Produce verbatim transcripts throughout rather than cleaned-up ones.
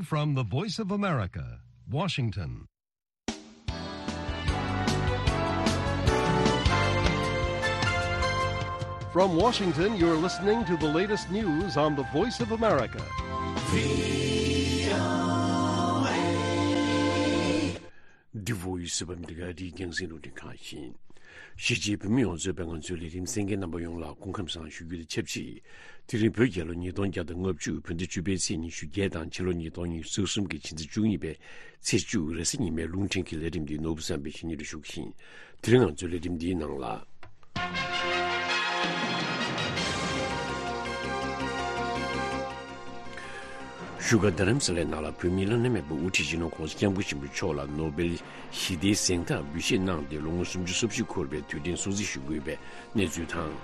From the Voice of America, Washington. From Washington, you're listening to the latest news on the Voice of America. The Voice of America. འདི་རྒྱང་སྲིང་རླུང་འཕྲིན་ཁང་ཡིན། གཞིས་བྱེས་བོད་མི་ཡོངས་རྫོགས་པའི་ང་ཚོའི་ལས་རིམ་གསན་མཁན་རྣམ་པ་ཡོངས་ལ་སྐུ་ཁམས་བཟང་ཞུ་རྒྱུ་དང་ཆབས་ཅིག་དེ་རིང་བོད་རྒྱལ་ལོ་ཉིས་སྟོང་བརྒྱ་དང་ལྔ་བཅུ་བོད་ཟླ་བཅུ་པའི་ཚེས་ཉི་ཤུ་བརྒྱད་དང་ཕྱི་ལོ་ཉིས་སྟོང་ཉི་ཤུ་རྩ་གསུམ་གྱི་ཕྱི་ཟླ་བཅུ་གཉིས་པའི་ཚེས་བཅུ་རེས་གཟའ་ཉི་མའི་རླུང་འཕྲིན་གྱི་ལས་རིམ་འདི་ནོར་བུ་བསམ་འཕེལ་གྱིས་སྙན་སྒྲོན་ཞུ་གི་ཡིན། དེ་རིང་ང་ཚོའི་ལས་རིམ་འདིའི་ནང་ལ། བཞུགས་སྒར་རྡ་རམ་ས་ལའི་ནང་ལ་བོད་མིའི་བླ་ན་མེད་པའི་དབུ་ཁྲིད་སྤྱི་ནོར་༧གོང་ས་༧སྐྱབས་མགོན་ཆེན་པོ་མཆོག་ལ་ནོ་སྦེལ་ཞི་བདེའི་གཟེངས་རྟགས་འབུལ་བཞེས་གནང་སྟེ་ལོ་ངོ་སུམ་ཅུ་སོ་བཞི་འཁོར་བའི་དུས་དྲན་སྲུང་བརྩི་ཞུ་དགོས་པའི་གནས་ཚུལ་དང་།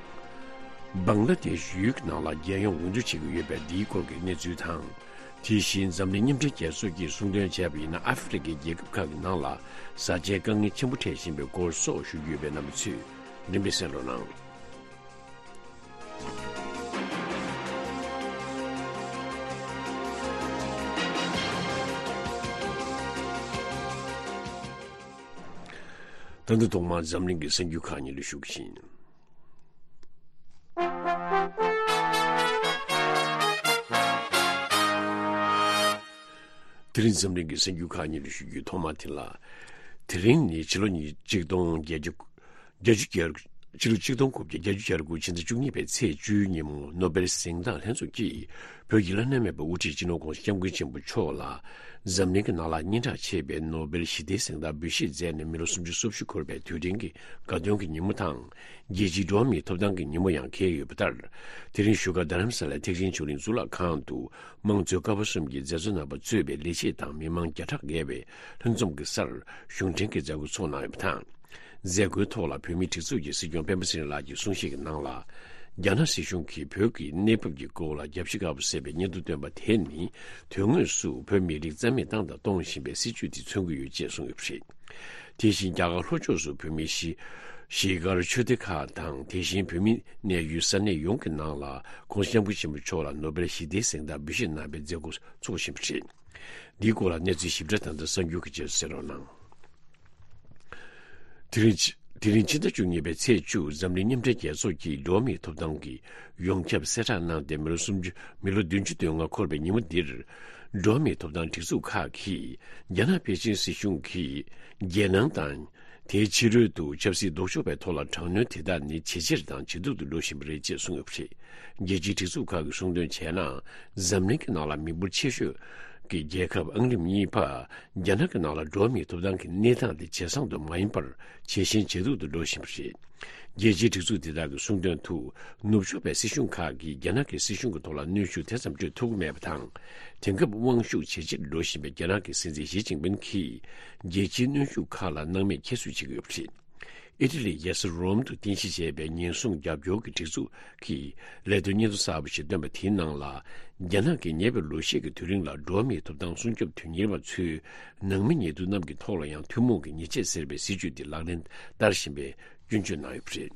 བང་ལ་དེཤ་ཡུལ་གྱི་ནང་ལ་རྒྱལ་ཡོངས་འོས་བསྡུ་བྱེད་ཀྱི་ཡོད་པའི་འདིའི་སྐོར་གྱི་གནས་ཚུལ་དང་། དེ་བཞིན་འཛམ་གླིང་མཉམ་འབྲེལ་རྒྱལ་ཚོགས་ཀྱིས་གསུང་དོན་བྱས་པ་ཡིན་ན། ཨ་ཧྥེ་རི་ཁའི་རྒྱལ་ཁབ་ཁག་གི་ནང་ལ་བཟའ་བཅའི་དཀའ་ངལ་ཆེན་པོ་འཕྲད་བཞིན་པའི་སྐོར་སོགས་ཞུ་རྒྱུ་ཡོད་པས་རྣམ་པ་ཚོས་རིམ་པས་གསན་རོགས་གནང་། ད་ལྟ་ཐོག་མར་འཛམ་གླིང་གི་གསར་འགྱུར་ཁག་ཉིད་ལ་ཞུ་གི་ཡིན། དེ་རིང་འཛམ་གླིང་གི་གསར་འགྱུར་ཁག་ཉིད་ལ་ཞུ་རྒྱུའི་ཐོག་མ་དེ་ལ། དེ་རིང་ནི་ཕྱི་ལོ་ཉིས་ཆིག་སྟོང་བརྒྱད་བརྒྱ་བརྒྱད་ཅུ་གྱ་དགུ། ཕྱི་ལོ་ཆིག་སྟོང་དགུ་བརྒྱ་བརྒྱད་ཅུ་གྱ་དགུ་ཕྱི་ཟླ་བཅུ་གཉིས་པའི་ཚེས་བཅུའི་ཉིན་མོ་ནོ་སྦེལ་གཟེངས་རྟགས་ལྷན་ཚོགས་ཀྱིས་བོད་ཀྱི་བླ་ན་མེད་པའི་དབུ་ཁྲིད་སྤྱི་ནོར་༧གོང་ས་༧སྐྱབས་མགོན་ཆེན་པོ་མཆོག་ལ་འཛམ་གླིང་གི་ནང་ལ་སྙན་གྲགས་ཆེ་བའི་ནོ་སྦེལ་ཞི་བདེའི་གཟེངས་རྟགས་འབུལ་བཞེས་མཛད་ནས་མི་ལོ་སུམ་ཅུ་སོ་བཞི་འཁོར་བའི་དུས་དྲན་གྱི་དགའ་སྟོན་གྱི་ཉིན་མོ་དང་། རྒྱལ་སྤྱིའི་འགྲོ་བ་མིའི་ཐོབ་ཐང་གི་ཉིན་མོ་ཡང་འཁེལ་ཡོད་པ་ལྟར། དེ་རིང་བཞུགས་སྒར་རྡ་རམ་ས་ལའི་ཐེག་ཆེན་ཆོས་གླིང་གཙུག་ལག་ཁང་དུ་དམངས་གཙོའི་ཀ་བ་གསུམ་གྱི་མཛད་གཙོ་རྣམ་པ་གཙོས་པའི་ལས་བྱེད་དང་མི་མང་བརྒྱ་ཕྲག་བརྒལ་བས་ལྷན་འཛོམས་ཀྱི་སར་གཞུང་འབྲེལ་གྱི་མཛད་སྒོ་ཚོགས་གནང་ཡོད་པ་དང་། མཛད་སྒོའི་ཐོག་ལ་བོད་མིའི་སྒྲིག་འཛུགས་ཀྱི་སྲིད་སྐྱོང་སྤེན་པ་ཚེ་རིང་ལགས་ཀྱིས་གསུང་བཤད་ཀྱི་ནང་ལ། རྒྱ་ནག་སྲིད་གཞུང་གིས་བོད་ཀྱི་གནས་བབ་ཀྱི་སྐོར་ལ་རྒྱབ་ཤིག་དཀར་པོ་ཟེར་བའི་སྙན་ཐོ་བཏོན་པ་དེ་ནི་དོན་དངོས་སུ་བོད་མི་རིགས་རྩ་མེད་བཏང་དང་གཏོང་བཞིན་པའི་སྲིད་བྱུས་དེ་མཚོན་གྱི་ཡོད་ཅེས་གསུངས་ཡོད་པ་རེད། དེ་བཞིན་རྒྱ་གར་ལྷོ་ཕྱོགས་སུ་བོད་མིའི་གཞིས་གཞིས་སྒར་ཆོས་སྡེ་ཁག་དང་། དེ་བཞིན་བོད་མིའི་གནས་ཡུལ་ས་གནས་ཡོངས་ཀྱི་ནང་ལ་༧གོང་ས་༧སྐྱབས་མགོན་ཆེན་པོ་མཆོག་ལ་ནོ་སྦེལ་ཞི་བདེའི་གཟེངས་རྟགས་འབུལ་བཞེས་གནང་བའི་མཛད་སྒོ་འཚོགས་བཞིན་པ་རེད། འདིའི་སྐོར་ལ་གནས་ཚུལ་ཞིབ་ཕྲ་དང་། ད་གསར་འགྱུར་གྱི་རྗེས་སུ་གསན་རོགས་གནང་། དེ་རིང་། དེ་རིང་ཕྱི་ཟླ་བཅུ་གཉིས་པའི་ཚེས་བཅུ། འཛམ་གླིང་མཉམ་འབྲེལ་རྒྱལ་ཚོགས་ཀྱིས་འགྲོ་བ་མིའི་ཐོབ་ཐང་གི་ཡོངས་ཁྱབ་གསལ་བསྒྲགས་གནང་སྟེ། མི་ལོ་སུམ་ཅུ། མི་ལོ་བདུན་ཅུ་དོན་ལྔ་འཁོར་བའི་ཉིན་མོ་འདིར། འགྲོ་བ་མིའི་ཐོབ་ཐང་སྒྲིག་འཛུགས་ཁག་གིས་རྒྱ་ནག་པེ་ཅིན་སྲིད་གཞུང་གིས་རྒྱལ་ནང་དང་། དེའི་ཕྱི་རོལ་དུ་ཆབ་སྲིད་ལྡོག་ཕྱོགས་པའི་ཐོག་ལ་དྲག་གནོན་དེ་དག་ནི་ཇེ་ཆེར་དང་ཇེ་སྡུག་ཏུ་འགྲོ་བཞིན་པ་རེད་ཅེས་གསུངས་ཡོད་པ་རེད། རྒྱལ་སྤྱིའི་སྒྲིག་འཛུགས་ཁག་གིས་གསུངས་དོན་བྱས་ན། འཛམ་གླིང་གི་ནང་ལ་མི་འབོར་ཆེ་ཤོས་ཀྱི་རྒྱལ་ཁབ་ཨང་རིམ་གཉིས་པ་རྒྱ་ནག་གི་ནང་ལ་འགྲོ་བ་མིའི་ཐོབ་ཐང་གི་གནས་སྟངས་དེ་ཇེ་བཟང་དུ་མ་ཡིན་པར་ཇེ་ཞན་ཇེ་སྡུག་ཏུ་འགྲོ་བཞིན་པ་རེད། རྒྱལ་སྤྱིའི་སྒྲིག་འཛུགས་དེ་དག་གིས་གསུངས་དོན་དུ། ནུབ་ཕྱོགས་པའི་སྲིད་གཞུང་ཁག་གིས་རྒྱ་ནག་གི་སྲིད་གཞུང་གི་ཐོག་ལ་གནོན་ཤུགས་དེ་ཙམ་སྤྲོད་ཐུབ་ཀྱི་མེད་པ་དང་། དེང་སྐབས་དབང་ཤུགས་ཇེ་ཆེར་འགྲོ་བཞིན་པའི་རྒྱ་ནག་གི་སྲིད་འཛིན་ཞི་ཅིན་ཕིན་གྱིས་རྒྱལ་སྤྱིའི་གནོན་ཤུགས་ཁག་ལ་སྣང་མེད་ཁྱད་གསོད་བྱེད་ཀྱི་ཡོད་པ་རེད། ཨི་ཊ་ལིའི་རྒྱལ་ས་རོམ་དུ་རྟེན་གཞི་བྱས་པའི་ཉེན་སྲུང་རྒྱབ་སྐྱོར་གྱི་སྒྲིག་འཛུགས་ཀྱིས་ལས་དོན་སྙན་ཐོ་གསར་པ་ཞིག་བཏོན་པ་དེའི་ནང་ལ། རྒྱ་ནག་གིས་ཉེ་བའི་ལོ་ཤས་ཀྱི་དུས་རིང་ལ་འགྲོ་བ་མིའི་ཐོབ་ཐང་སྲུང་སྐྱོབ་དོན་གཉེར་བ་ཚོས་ནང་མི་ཉེ་དུ་རྣམས་ཀྱི་ཐོག་ལ་ཡང་ཐུན་མོང་གི་ཉེས་ཆད་ཟེར་བའི་སྲིད་བྱུས་དེ་ལག་ལེན་བསྟར་བཞིན་པའི་སྐྱོན་བརྗོད་གནང་ཡོད་པ་རེད།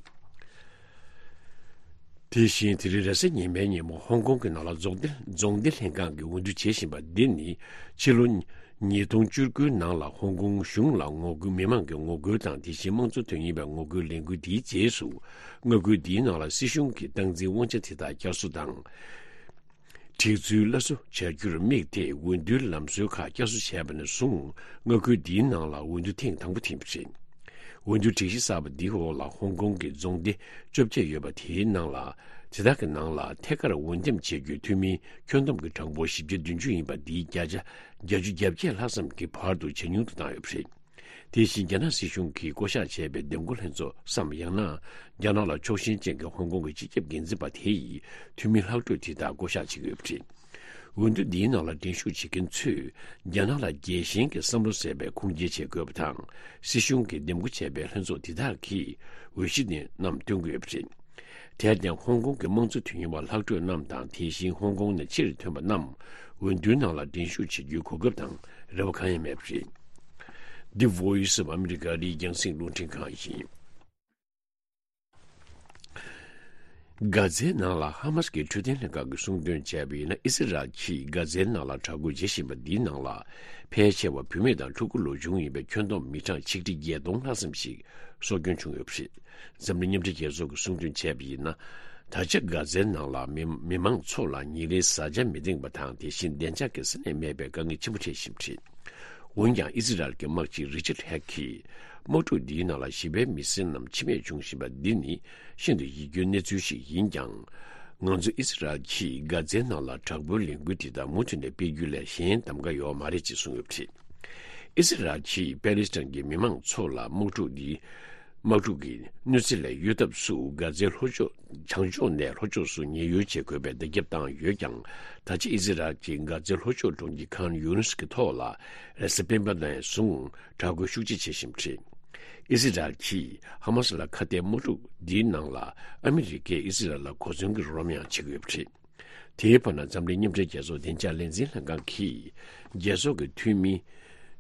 དེ་བཞིན་དེ་རིང་རེས་གཟའ་ཉི་མའི་ཉིན་མོ་ཧོང་ཀོང་གི་ནང་ལ་རྫོང་སྡེ་རྫོང་སྡེ་ལྷན་ཁང་གིས་འོས་བསྡུ་བྱེད་བཞིན་པ་འདི་ནི་ཕྱི་ལོ་ཉིས་སྟོང་བཅུ་དགུའི་ནང་ལ་ཧོང་ཀོང་གཞུང་ལ་ངོ་རྒོལ། མི་མང་གི་ངོ་རྒོལ་དང་། དེ་བཞིན་དམངས་གཙོ་དོན་གཉེར་བའི་ངོ་རྒོལ་ལས་འགུལ་འདིའི་རྗེས་སུ། མངའ་ཁུལ་འདིའི་ནང་ལ་སྲིད་གཞུང་གི་སྟངས་འཛིན་དབང་ཆ་དེ་དག་བསྐྱར་གསོ་དང་། སྒྲིག་འཛུལ་སླར་གསོ་བྱ་རྒྱུར་དམིགས་ཏེ། འོས་བསྡུའི་ལམ་སྲོལ་ཁག་བསྐྱར་གསོ་བྱས་པ་ནས་བཟུང་། མངའ་ཁུལ་འདིའི་ནང་ལ་འོས་བསྡུ་ཐེངས་དང་པོ་དེ་ཡིན་པ་རེད། འོས་བསྡུ་སྒྲིག་གཞི་གསར་པ་འདིའི་འོག་ལ་ཧོང་ཀོང་གི་རྫོང་སྡེ་བཅོ་བརྒྱད་ཡོད་པ་དེའི་ནང་ལ། དེ་དག་གི་ནང་ལ་ཐད་ཀར་འོས་འདེམས་བྱེད་རྒྱུའི་འཐུས་མིའི་ཁྱོན་བསྡོམས་ཀྱི་གྲངས་འབོར་བཞི་བརྒྱ་བདུན་ཅུ་ཡིན་པ་འདིའི་བརྒྱ་ཆ་བརྒྱད་ཅུ་གྱ་བརྒྱད་ལྷག་ཙམ་གྱིས་བར་དུ་ཇེ་ཉུང་དུ་བཏང་ཡོད་པ་རེད། དེ་བཞིན་རྒྱ་ནག་སྲིད་གཞུང་གིས་བསྐོ་གཞག་བྱས་པའི་འདེམས་བསྐོ་ལྷན་ཚོགས་སམ། ཡང་ན་རྒྱ་ནག་ལ་ཕྱོགས་ཞེན་ཅན་གྱི་ཧོང་ཀོང་གི་སྤྱི་ཁྱབ་འགན་འཛིན་པ་དེ་ཡིས་འཐུས་མི་ལྷག་འཕྲོས་དེ་དག་བསྐོ་གཞག་བྱེད་ཀྱི་ཡོད་པ་རེད། འོས་བསྡུ་འདིའི་ནང་ལ་འགྲན་ཞུགས་བྱེད་མཁན་ཚོས་རྒྱ་ནག་ལ་རྒྱལ་ཞེན་གྱི་བསམ་བློ་ཟེར་བའི་ཁུངས་སྐྱེལ་བྱེད་དགོས་པ་དང་། སྲིད་གཞུང་གིས་འདེམས་བསྐོ་བྱས་པའི་ལྷན་ཚོགས་དེ་དག་གིས་འོས་གཞི་དེ་རྣམས་བཏོན་གྱི་ཡོད་པ་རེད། དེར་བརྟེན་ཧོང་ཀོང་གི་དམངས་གཙོ་དོན་གཉེར་བ་ལྷག་འཕྲོས་རྣམས་དང་། དེ་བཞིན་ཧོང་ཀོང་ནས་ཕྱིར་ཐོན་པ་རྣམས་འོས་བསྡུའི་ནང་ལ་འགྲན་ཞུགས་བྱེད་རྒྱུའི་གོ་སྐབས་དང་རེ་བ་གང་ཡང་མེད་པ་རེད། འདི་Voice of America རེད། རྒྱང་སྲིང་རླུང་འཕྲིན་ཁང་ཡིན། གྷ་ཛའི་ནང་ལ་ཧ་མ་སི་ཀྱི་འཕྲོད་བསྟེན་ལྷན་ཁང་གིས་གསུངས་དོན་བྱས་པ་ཡིན་ན། ཨི་སི་རལ་གྱིས་གྷ་ཛའི་ནང་ལ་དྲག་རྒོལ་བྱེད་བཞིན་པ་འདིའི་ནང་ལ་ཕལ་ཆེ་བ་བུད་མེད་དང་ཕྲུ་གུ་ལོ་ཆུང་ཡིན་པའི་ཁྱོན་བསྡོམས་མི་གྲངས་ཆིག་ཁྲི་བརྒྱད་སྟོང་ལྷག་ཙམ་ཞིག་སྲོག་སྐྱོན་བྱུང་ཡོད་པ་རེད། འཛམ་གླིང་མཉམ་འབྲེལ་རྒྱལ་ཚོགས་ཀྱིས་གསུངས་དོན་བྱས་པ་ཡིན་ན། ད་ཆ་གྷ་ཛའི་ནང་ལ་མི་མི་མང་ཚོ་ལ་ཉིན་རེའི་བཟའ་བཅའ་མི་འདང་པ་དང་། དེ་བཞིན་བདེ་འཇགས་ཀྱི་ས་གནས་མེད་པའི་དཀའ་ངལ་ཆེན་པོ་འཕྲད་བཞིན་པ་རེད། འོན་ཀྱང་ཨི་སི་རལ་གྱི་དམག་སྤྱི་རི་ཅར་ཧེག་གིས། དམག་འཁྲུག་འདིའི་ནང་ལ་ཞི་བའི་མི་སེར་རྣམས་འཆི་རྨས་བྱུང་བཞིན་པ་འདི་ནི་ཤིན་ཏུ་ཡིད་སྐྱོའི་གནས་ཚུལ་ཞིག་ཡིན་ཀྱང་། ང་ཚོ་ཨི་སི་རལ་གྱིས་གྷ་ཛའི་ནང་ལ་དྲག་པོའི་ལས་འགུལ་དེ་དག་མུ་མཐུད་ནས་སྤེལ་རྒྱུ་ལས་གཞན་གདམ་ག་ཡོད་མ་རེད་ཅེས་གསུངས་ཡོད་པ་རེད། ཨི་སི་རལ་གྱིས་པེ་ལི་སི་ཐན་གྱི་མི་མང་ཚོ་ལ་དམག་འཁྲུག་འདི། དམག་འཁྲུག་གི་གནོད་འཚེ་ལས་གཡོལ་ཐབས་སུ་གྷ་ཛའི་ལྷོ་ཕྱོགས། བྱང་ཕྱོགས་ནས་ལྷོ་ཕྱོགས་སུ་ཉེན་གཡོལ་བྱེད་དགོས་པའི་བརྡ་ཁྱབ་བཏང་ཡོད་ཀྱང་། ད་ཆ་ཨི་སི་རལ་གྱིས་གྷ་ཛའི་ལྷོ་ཕྱོགས་གྲོང་ཁྱེར་ཁཱན་ཡུ་ནིས་ཀྱི་ཐོག་ལ་རེས་གཟའ་སྤེན་པ་ནས་བཟུང་དྲག་རྒོལ་ཤུགས་ཆེ་བྱེད་བཞིན་པ་རེད། ཨི་སི་རལ་གྱིས་ཧ་མ་སི་ལ་ཁ་གཏད་དམག་འཁྲུག་འདིའི་ནང་ལ་ཨ་མི་རི་ཀས་ཨི་སི་རལ་ལ་གོ་མཚོན་གྱི་རོགས་རམ་ཡང་བྱེད་ཀྱི་ཡོད་པ་རེད། དེའི་བར་ན་འཛམ་གླིང་མཉམ་འབྲེལ་རྒྱལ་ཚོགས་བདེ་འཇགས་ལས་འཛིན་ལྷན་ཁང་གིས་རྒྱལ་ཚོགས་ཀྱི་འཐུས་མི་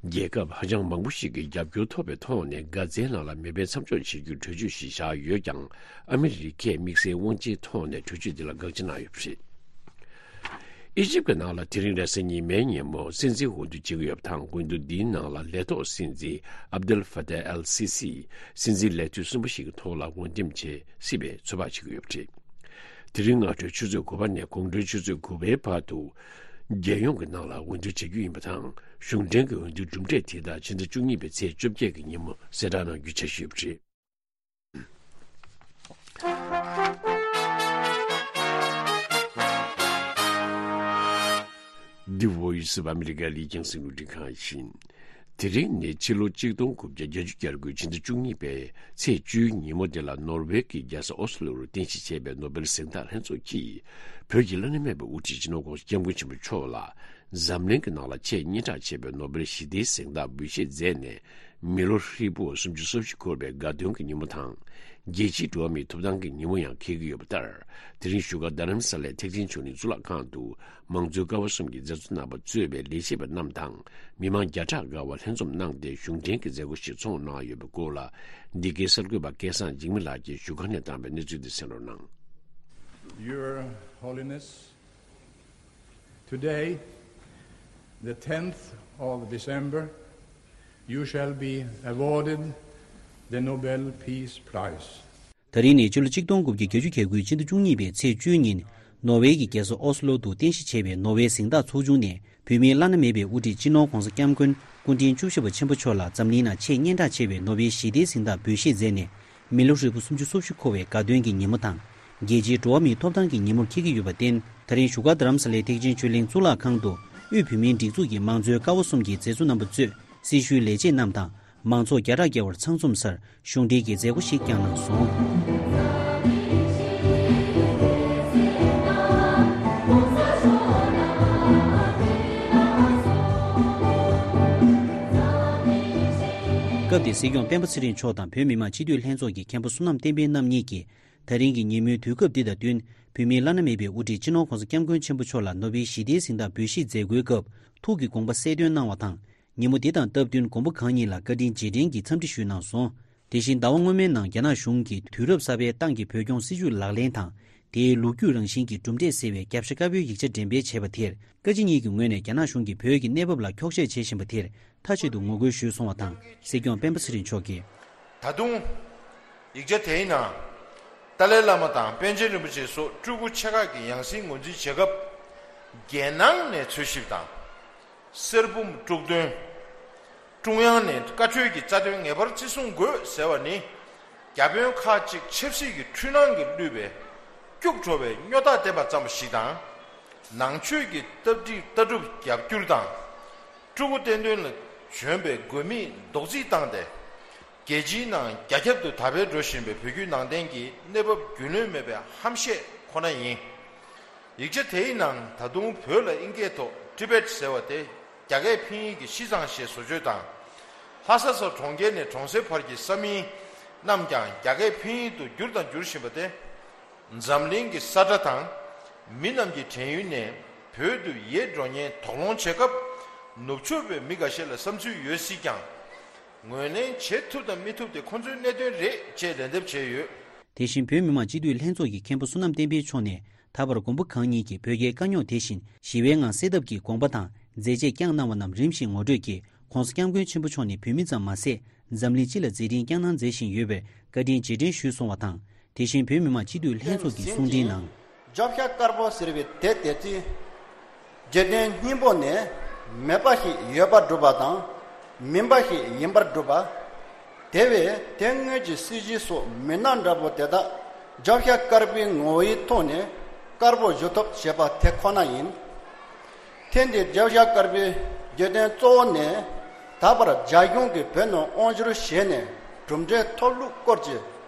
རྒྱལ་ཁབ་ཧ་ཅང་མང་པོ་ཞིག་གིས་རྒྱབ་སྐྱོར་ཐོབ་པའི་ཐོག་ནས་གྷ་ཛའི་ནང་ལ་མེ་འཕེན་མཚམས་འཇོག་བྱེད་རྒྱུའི་གྲོས་ཆོད་ཞིག་བཞག་ཡོད་ཀྱང་། ཨ་མི་རི་ཀས་དམིགས་བསལ་དབང་ཆའི་ཐོག་ནས་གྲོས་ཆོད་འདི་ལ་དགག་བྱ་གནང་ཡོད་པ་རེད། ཨི་ཇིབ་ཀྱི་ནང་ལ་དེ་རིང་རེས་གཟའ་ཉི་མའི་ཉིན་མོ་སྲིད་འཛིན་འོས་བསྡུ་བྱེད་ཀྱི་ཡོད་པ་དང་། འོས་བསྡུ་འདིའི་ནང་ལ་ལས་ཐོག་སྲིད་འཛིན་ཨབ་དེལ་ཧྥ་ཏཱ་ཨལ་སི་སི་སྲིད་འཛིན་ལས་དུས་གསུམ་པ་ཞིག་གི་ཐོག་ལ་འོས་འདེམས་བྱེད་སྲིད་པའི་ཚོད་དཔག་བྱེད་ཀྱི་ཡོད་པ་རེད། དེ་རིང་སྔ་དྲོའི་ཆུ་ཚོད་དགུ་པ་ནས་དགོང་དྲོའི་ཆུ་ཚོད་དགུ་པའི་བར་དུ་རྒྱལ་ཡོངས་ཀྱི་ནང་ལ་འོས་བསྡུ་བྱེད་རྒྱུ་ཡིན་པ་དང་། གཞུང་འབྲེལ་གྱི་འོས་བསྡུའི་གྲུབ་འབྲས་དེ་དག་ཕྱི་ཟླ་བཅུ་གཉིས་པའི་ཚེས་བཅོ་བརྒྱད་ཀྱི་ཉིན་མོ་གསལ་བསྒྲགས་གནང་རྒྱུའི་འཆར་གཞི་ཡོད་པ་རེད། འདི་Voice of America ལས་ཀྱང་སྲིད་ལུགས་འབྲི་ཁང་ཡིན། དེ་རིང་ནི་ཕྱི་ལོ་གཅིག་སྟོང་དགུ་བརྒྱ་བརྒྱད་ཅུ་གྱ་དགུའི་ཕྱི་ཟླ་བཅུ་གཉིས་པའི་ཚེས་བཅུའི་ཉིན་མོ་དེ་ལ། ནོར་ཝེ་གི་རྒྱལ་ས་ཨོ་སི་ལོ་རུ་རྟེན་གཞི་བྱས་པའི་ནོ་བེལ་གཟེངས་རྟགས་ལྷན་ཚོགས་ཀྱིས། བོད་ཀྱི་བླ་ན་མེད་པའི་དབུ་ཁྲིད་སྤྱི་ནོར་༧གོང་ས་༧སྐྱབས་མགོན་ཆེན་པོ་མཆོག་ལ། འཛམ་གླིང་གི་ནང་ལ་ཆེས་སྙན་གྲགས་ཆེ་བའི་ནོ་བེལ་ཞི་བདེའི་གཟེངས་རྟགས་འབུལ་བཞེས་མཛད་ནས། མི་ལོ་ཧྲིལ་པོ་སུམ་ཅུ་སོ་བཞི་འཁོར་བའི་དགའ་སྟོན་གྱི་ཉིན་མོ་དང་། རྒྱལ་སྤྱིའི་འགྲོ་བ་མིའི་ཐོབ་ཐང་གི་ཉིན་མོ་ཡང་འཁེལ་གྱི་ཡོད་པ་ལྟར། དེ་རིང་བཞུགས་སྒར་རྡ་རམ་ས་ལའི་ཐེག་ཆེན་ཆོས་གླིང་གཙུག་ལག་ཁང་དུ། མང་གཙོའི་ཀ་བ་གསུམ་གྱི་མཛད་གཙོ་རྣམ་པ་གཙོས་པའི་ལས་བྱེད་པ་རྣམས་དང་། མི་མང་བརྒྱ་ཕྲག་འགའ་བ་ལྷན་འཛོམས་གནང་སྟེ། གཞུང་འབྲེལ་གྱི་མཛད་སྒོ་ཞིག་ཚོགས་གནང་ཡོད་པའི་སྐོར་ལ། འདི་གའི་གསར་འགོད་པ་སྐལ་བཟང་འཇིགས་མེད་ལགས་ཀྱིས་བཞུགས་སྒར་ནས་བཏང་བའི་གནས་ཚུལ་འདི་གསན་རོགས་གནང་། Your Holiness, today, the tenth of December, you shall be awarded the Nobel Peace Prize. ད་རིང་ནི་ཕྱི་ལོ་གཅིག་སྟོང་དགུ་བརྒྱ་བརྒྱད་ཅུ་གྱ་དགུའི་ཕྱི་ཟླ་བཅུ་གཉིས་པའི་ཚེས་བཅུའི་ཉིན། ནོར་ཝེ་གི་རྒྱལ་ས་ཨོ་སི་ལོ་དུ་རྟེན་གཞི་བྱས་པའི་ནོར་ཝེ་གཟེངས་རྟགས་ཚོགས་ཆུང་ནས། བོད་མིའི་བླ་ན་མེད་པའི་དབུ་ཁྲིད་སྤྱི་ནོར་༧གོང་ས་༧སྐྱབས་མགོན་སྐུ་ཕྲེང་བཅུ་བཞི་པ་ཆེན་པོ་མཆོག་ལ་འཛམ་གླིང་ནང་ཆེས་སྙན་གྲགས་ཆེ་བའི་ནོ་བེལ་ཞི་བདེའི་གཟེངས་རྟགས་འབུལ་བཞེས་མཛད་ནས། མི་ལོ་ཧྲིལ་པོ་སུམ་ཅུ་སོ་བཞི་འཁོར་བའི་དགའ་སྟོན་གྱི་ཉིན་མོ་དང་། རྒྱལ་སྤྱིའི་འགྲོ་བ་མིའི་ཐོབ་ཐང་གི་ཉིན་མོར་འཁེལ་གྱི་ཡོད་པར་བརྟེན། ད་རིང་བཞུགས་སྒར་རྡ་རམ་ས་ལའི་ཐེག་ཆེན་ཆོས་གླིང་གཙུག་ལག་ཁང་དུ། དབུས་བོད་མིའི་སྒྲིག་འཛུགས་ཀྱི་མང་གཙོའི་ཀ་བ་གསུམ་གྱི་མཛད་གཙོ་རྣམ་པ་གཙོས། སྲི་ཞུའི་ལས་བྱེད་རྣམས་དང་། མང་ཚོགས་བརྒྱ་ཕྲག་བརྒལ་བར་ཚང་འཛོམས་སར། གཞུང་འབྲེལ་གྱི་མཛད་སྒོ་ཞིག་བསྐྱངས་གནང་སོང་། སྐབས་དེར་སྲིད་སྐྱོང་སྤེན་པ་ཚེ་རིང་མཆོག་དང་བོད་མི་མང་སྤྱི་འཐུས་ལྷན་ཚོགས་ཀྱི་མཁན་པོ་བསོད་ནམས་བསྟན་འཕེལ་རྣམ་གཉིས་ཀྱིས། ད་རིང་གི་ཉིན་མོའི་དུས་སྐབས་འདི་དང་བསྟུན། བོད་མིའི་བླ་ན་མེད་པའི་དབུ་ཁྲིད་སྤྱི་ནོར་༧གོང་ས་༧སྐྱབས་མགོན་ཆེན་པོ་མཆོག་ལ་ནོ་བེལ་ཞི་བདེའི་གཟེངས་རྟགས་འབུལ་བཞེས་མཛད་སྒོའི་སྐབས། ཐུགས་ཀྱི་དགོངས་པ་གསལ་སྟོན་གནང་བ་དང་། ཉིན་མོ་འདི་དང་སྟབས་བསྟུན་དགོན་པ་ཁག་གཉིས་ལ་བཀའ་དྲིན་རྗེས་དྲན་གྱི་འཚམས་འདྲི་ཞུས་གནང་སོང་། དེ་བཞིན་ཟླ་བ་སྔོན་མའི་ནང་རྒྱ་ནག་གཞུང་གིས་དུས་རབས་གསར་པའི་ཏང་གི་བོད་སྐྱོང་སྲིད་ཇུས་ལག་ལེན་དང་། དེའི་ལོ་རྒྱུས་རང་བཞིན་གྱི་གྲུབ་འབྲས་གསལ་བའི་རྒྱབ་ཤ་དཀར་པོའི་ཡིག་ཆ་འགྲེམས་སྤེལ་བྱས་པ་དེར། བཀའ་སྤྱི་གཉིས་ཀྱི་ངོས་ནས་རྒྱ་ནག་གཞུང་གིས་བོད་ཀྱི་གནས་བབ་ལ་འཁྱོག་བཤད་བྱེད་བཞིན་པ་དེར་མཐའ་གཅིག་ཏུ་ངོ་རྒོལ་ཞུས་སོང་བ་དང་། སྲིད་སྐྱོང་སྤེན་པ་ཚེ་རིང་མཆོག་གིས། ད་དུང་། ཡིག་ཆ་དེའི་ནང་། ཏཱ་ལའི་བླ་མ་དང་པཎ་ཆེན་རིན་པོ་ཆེ་སོགས་སྤྲུལ་སྐུ་ཆེ་ཁག་གི་ཡང་སྲིད་ངོས་འཛིན་བྱེད་སྐབས། རྒྱལ་ནང་ནས་འཚོལ་ཞིབ་དང་། གསེར་བུམ་དཀྲུག་འདོན། ཀྲུང་དབྱང་ནས་བཀའ་འཁྲོལ་གྱི་རྩ་དོན་ངེས་པར་བརྩི་སྲུང་དགོས་ཟེར་བ་ནི། བརྒྱ་དཔོན་ཁག་ཅིག་ཆབ་སྲིད་ཀྱི་འཁྲུལ་སྣང་གིས་བསླུས་པའི་སྐྱུག་བྲོ་བའི་སྨྱོ་རྟགས་བསྟན་པ་ཙམ་ཞིག་དང་། ནང་ཆོས་ཀྱི་ལྟ་གྲུབ་ལྟ་གྲུབ་རྒྱ་བསྒྱུར་དང་། སྤྲུལ་སྐུ་བསྟན་དོན་ལ་བྱོན་པའི་དགོས་དམིགས་རྡོག་རྫིས་བཏང་སྟེ། རྒྱལ་སྤྱིའི་ནང་རྒྱ་ཁྱབ་ཏུ་དར་འཕེལ་འགྲོ་བཞིན་པའི་བོད་བརྒྱུད་ནང་བསྟན་གྱི་གནས་བབ་རྒྱུས་ལོན་མེད་པའི་ཧམ་བཤད་ཁོ་ན་ཡིན། ཡིག་ཆ་དེའི་ནང་ད་དུང་བོད་ལ་ཨིན་སྐད་ཐོག་ཊི་བེཊ་ཟེར་བ་དེ་རྒྱ་སྐད་ཕིན་ཡིག་གི་ཤི་ཙང་ཞེས་བཟོ་བཅོས་དང་། ལྷ་ས་སོགས་གྲོང་ཁྱེར་ནས་གྲོང་གསེབ་བར་གྱི་ས་མིང་རྣམས་ཀྱང་རྒྱ་སྐད་ཕིན་ཡིག་ཏུ་བསྒྱུར་དང་འགྱུར་བཞིན་པ་དེ། འཛམ་གླིང་གི་ས་ཁྲ་དང་། མི་རྣམས་ཀྱི་དྲན་ཡུལ་ནས་བོད་དུ་ཡལ་འགྲོ་ཉེན་དོགས་སློང་བྱེད་སྐབས། ནུབ་ཕྱོགས་པའི་མི་འགའ་ཤས་ལ་བསམ་ཚུལ་ཡོད་སྲིད་ཀྱང་། ངོས་ལེན་བྱེད་ཐུབ་དང་མི་ཐུབ་དེ་ཁོ་ཚོའི་གནད་དོན་རེད་ཅེས་ལན་འདེབས་བྱས་ཡོད། དེ་བཞིན་བོད་མི་མང་སྤྱི་འཐུས་ལྷན་ཚོགས་ཀྱི་མཁན་པོ་བསོད་ནམས་བསྟན་འཕེལ་མཆོག་ནས་ད་བར་མགོན་པོ་གང་ཉིད་ཀྱིས་བོད་རྒྱའི་དཀའ་རྙོག་དེ་བཞིན་ཞི་བའི་ངང་སེལ་ཐབས་ཀྱི་དགོངས་པ་དང་མཛད་རྗེས་བསྐྱངས་གནང་བ་རྣམས་རིམ་བཞིན་ངོ་སྤྲོད་ཀྱིས་༸གོང་ས་༸སྐྱབས་མགོན་ཆེན་པོ་མཆོག་ནས་བོད་མི་ཙམ་མ་ཟད་འཛམ་གླིང་སྤྱི་ལ་མཛད་འཕྲིན་བསྐྱངས་གནང་མཛད་བཞིན་ཡོད་པའི་བཀའ་དྲིན་རྗེས་དྲན་ཞུས་སོང་བ་དང་། དེ་བཞིན་བོད་མི་མང་སྤྱི་འཐུས་ལྷན་ཚོགས་ཀྱི་གསུང་འཕྲིན་ནང་། རྒྱབ་ཤ་དཀར་པོ་ཟེར་བའི་དེ་དེ་ཚེ། རྗེས་དྲན་སྙིང་པོ་ནས་མེད་པ་ཞིག་ཡོད་པར་སྒྲུབ་པ་དང་། མིན་པ་ཞིག་ཡིན་པར་སྒྲུབ་པ། དེ་བས་དེ་སྔོན་གྱི་སྲིད་བྱུས་སོགས་མི་སྣ་འདྲ་པོ་དེ་དག་རྒྱབ་ཤ་དཀར་པོའི་ངོ་བོའི་ཐོག་ནས་དཀར་པོ་བཞུགས་ཐབས་བྱེད་པ་དེ་ཁོ་ན་ཡིན། ཐེངས་འདིའི་རྒྱབ་ཤ་དཀར་པོའི་རྒྱུ་དོན་གཙོ་བོ་ནི། ད་བར་རྒྱ་གཞུང་གིས་བོད་ནང་དབང་བསྒྱུར་བྱས་ནས་གྲུབ་འབྲས་ཐོབ་ལུགས་སྐོར་གྱི་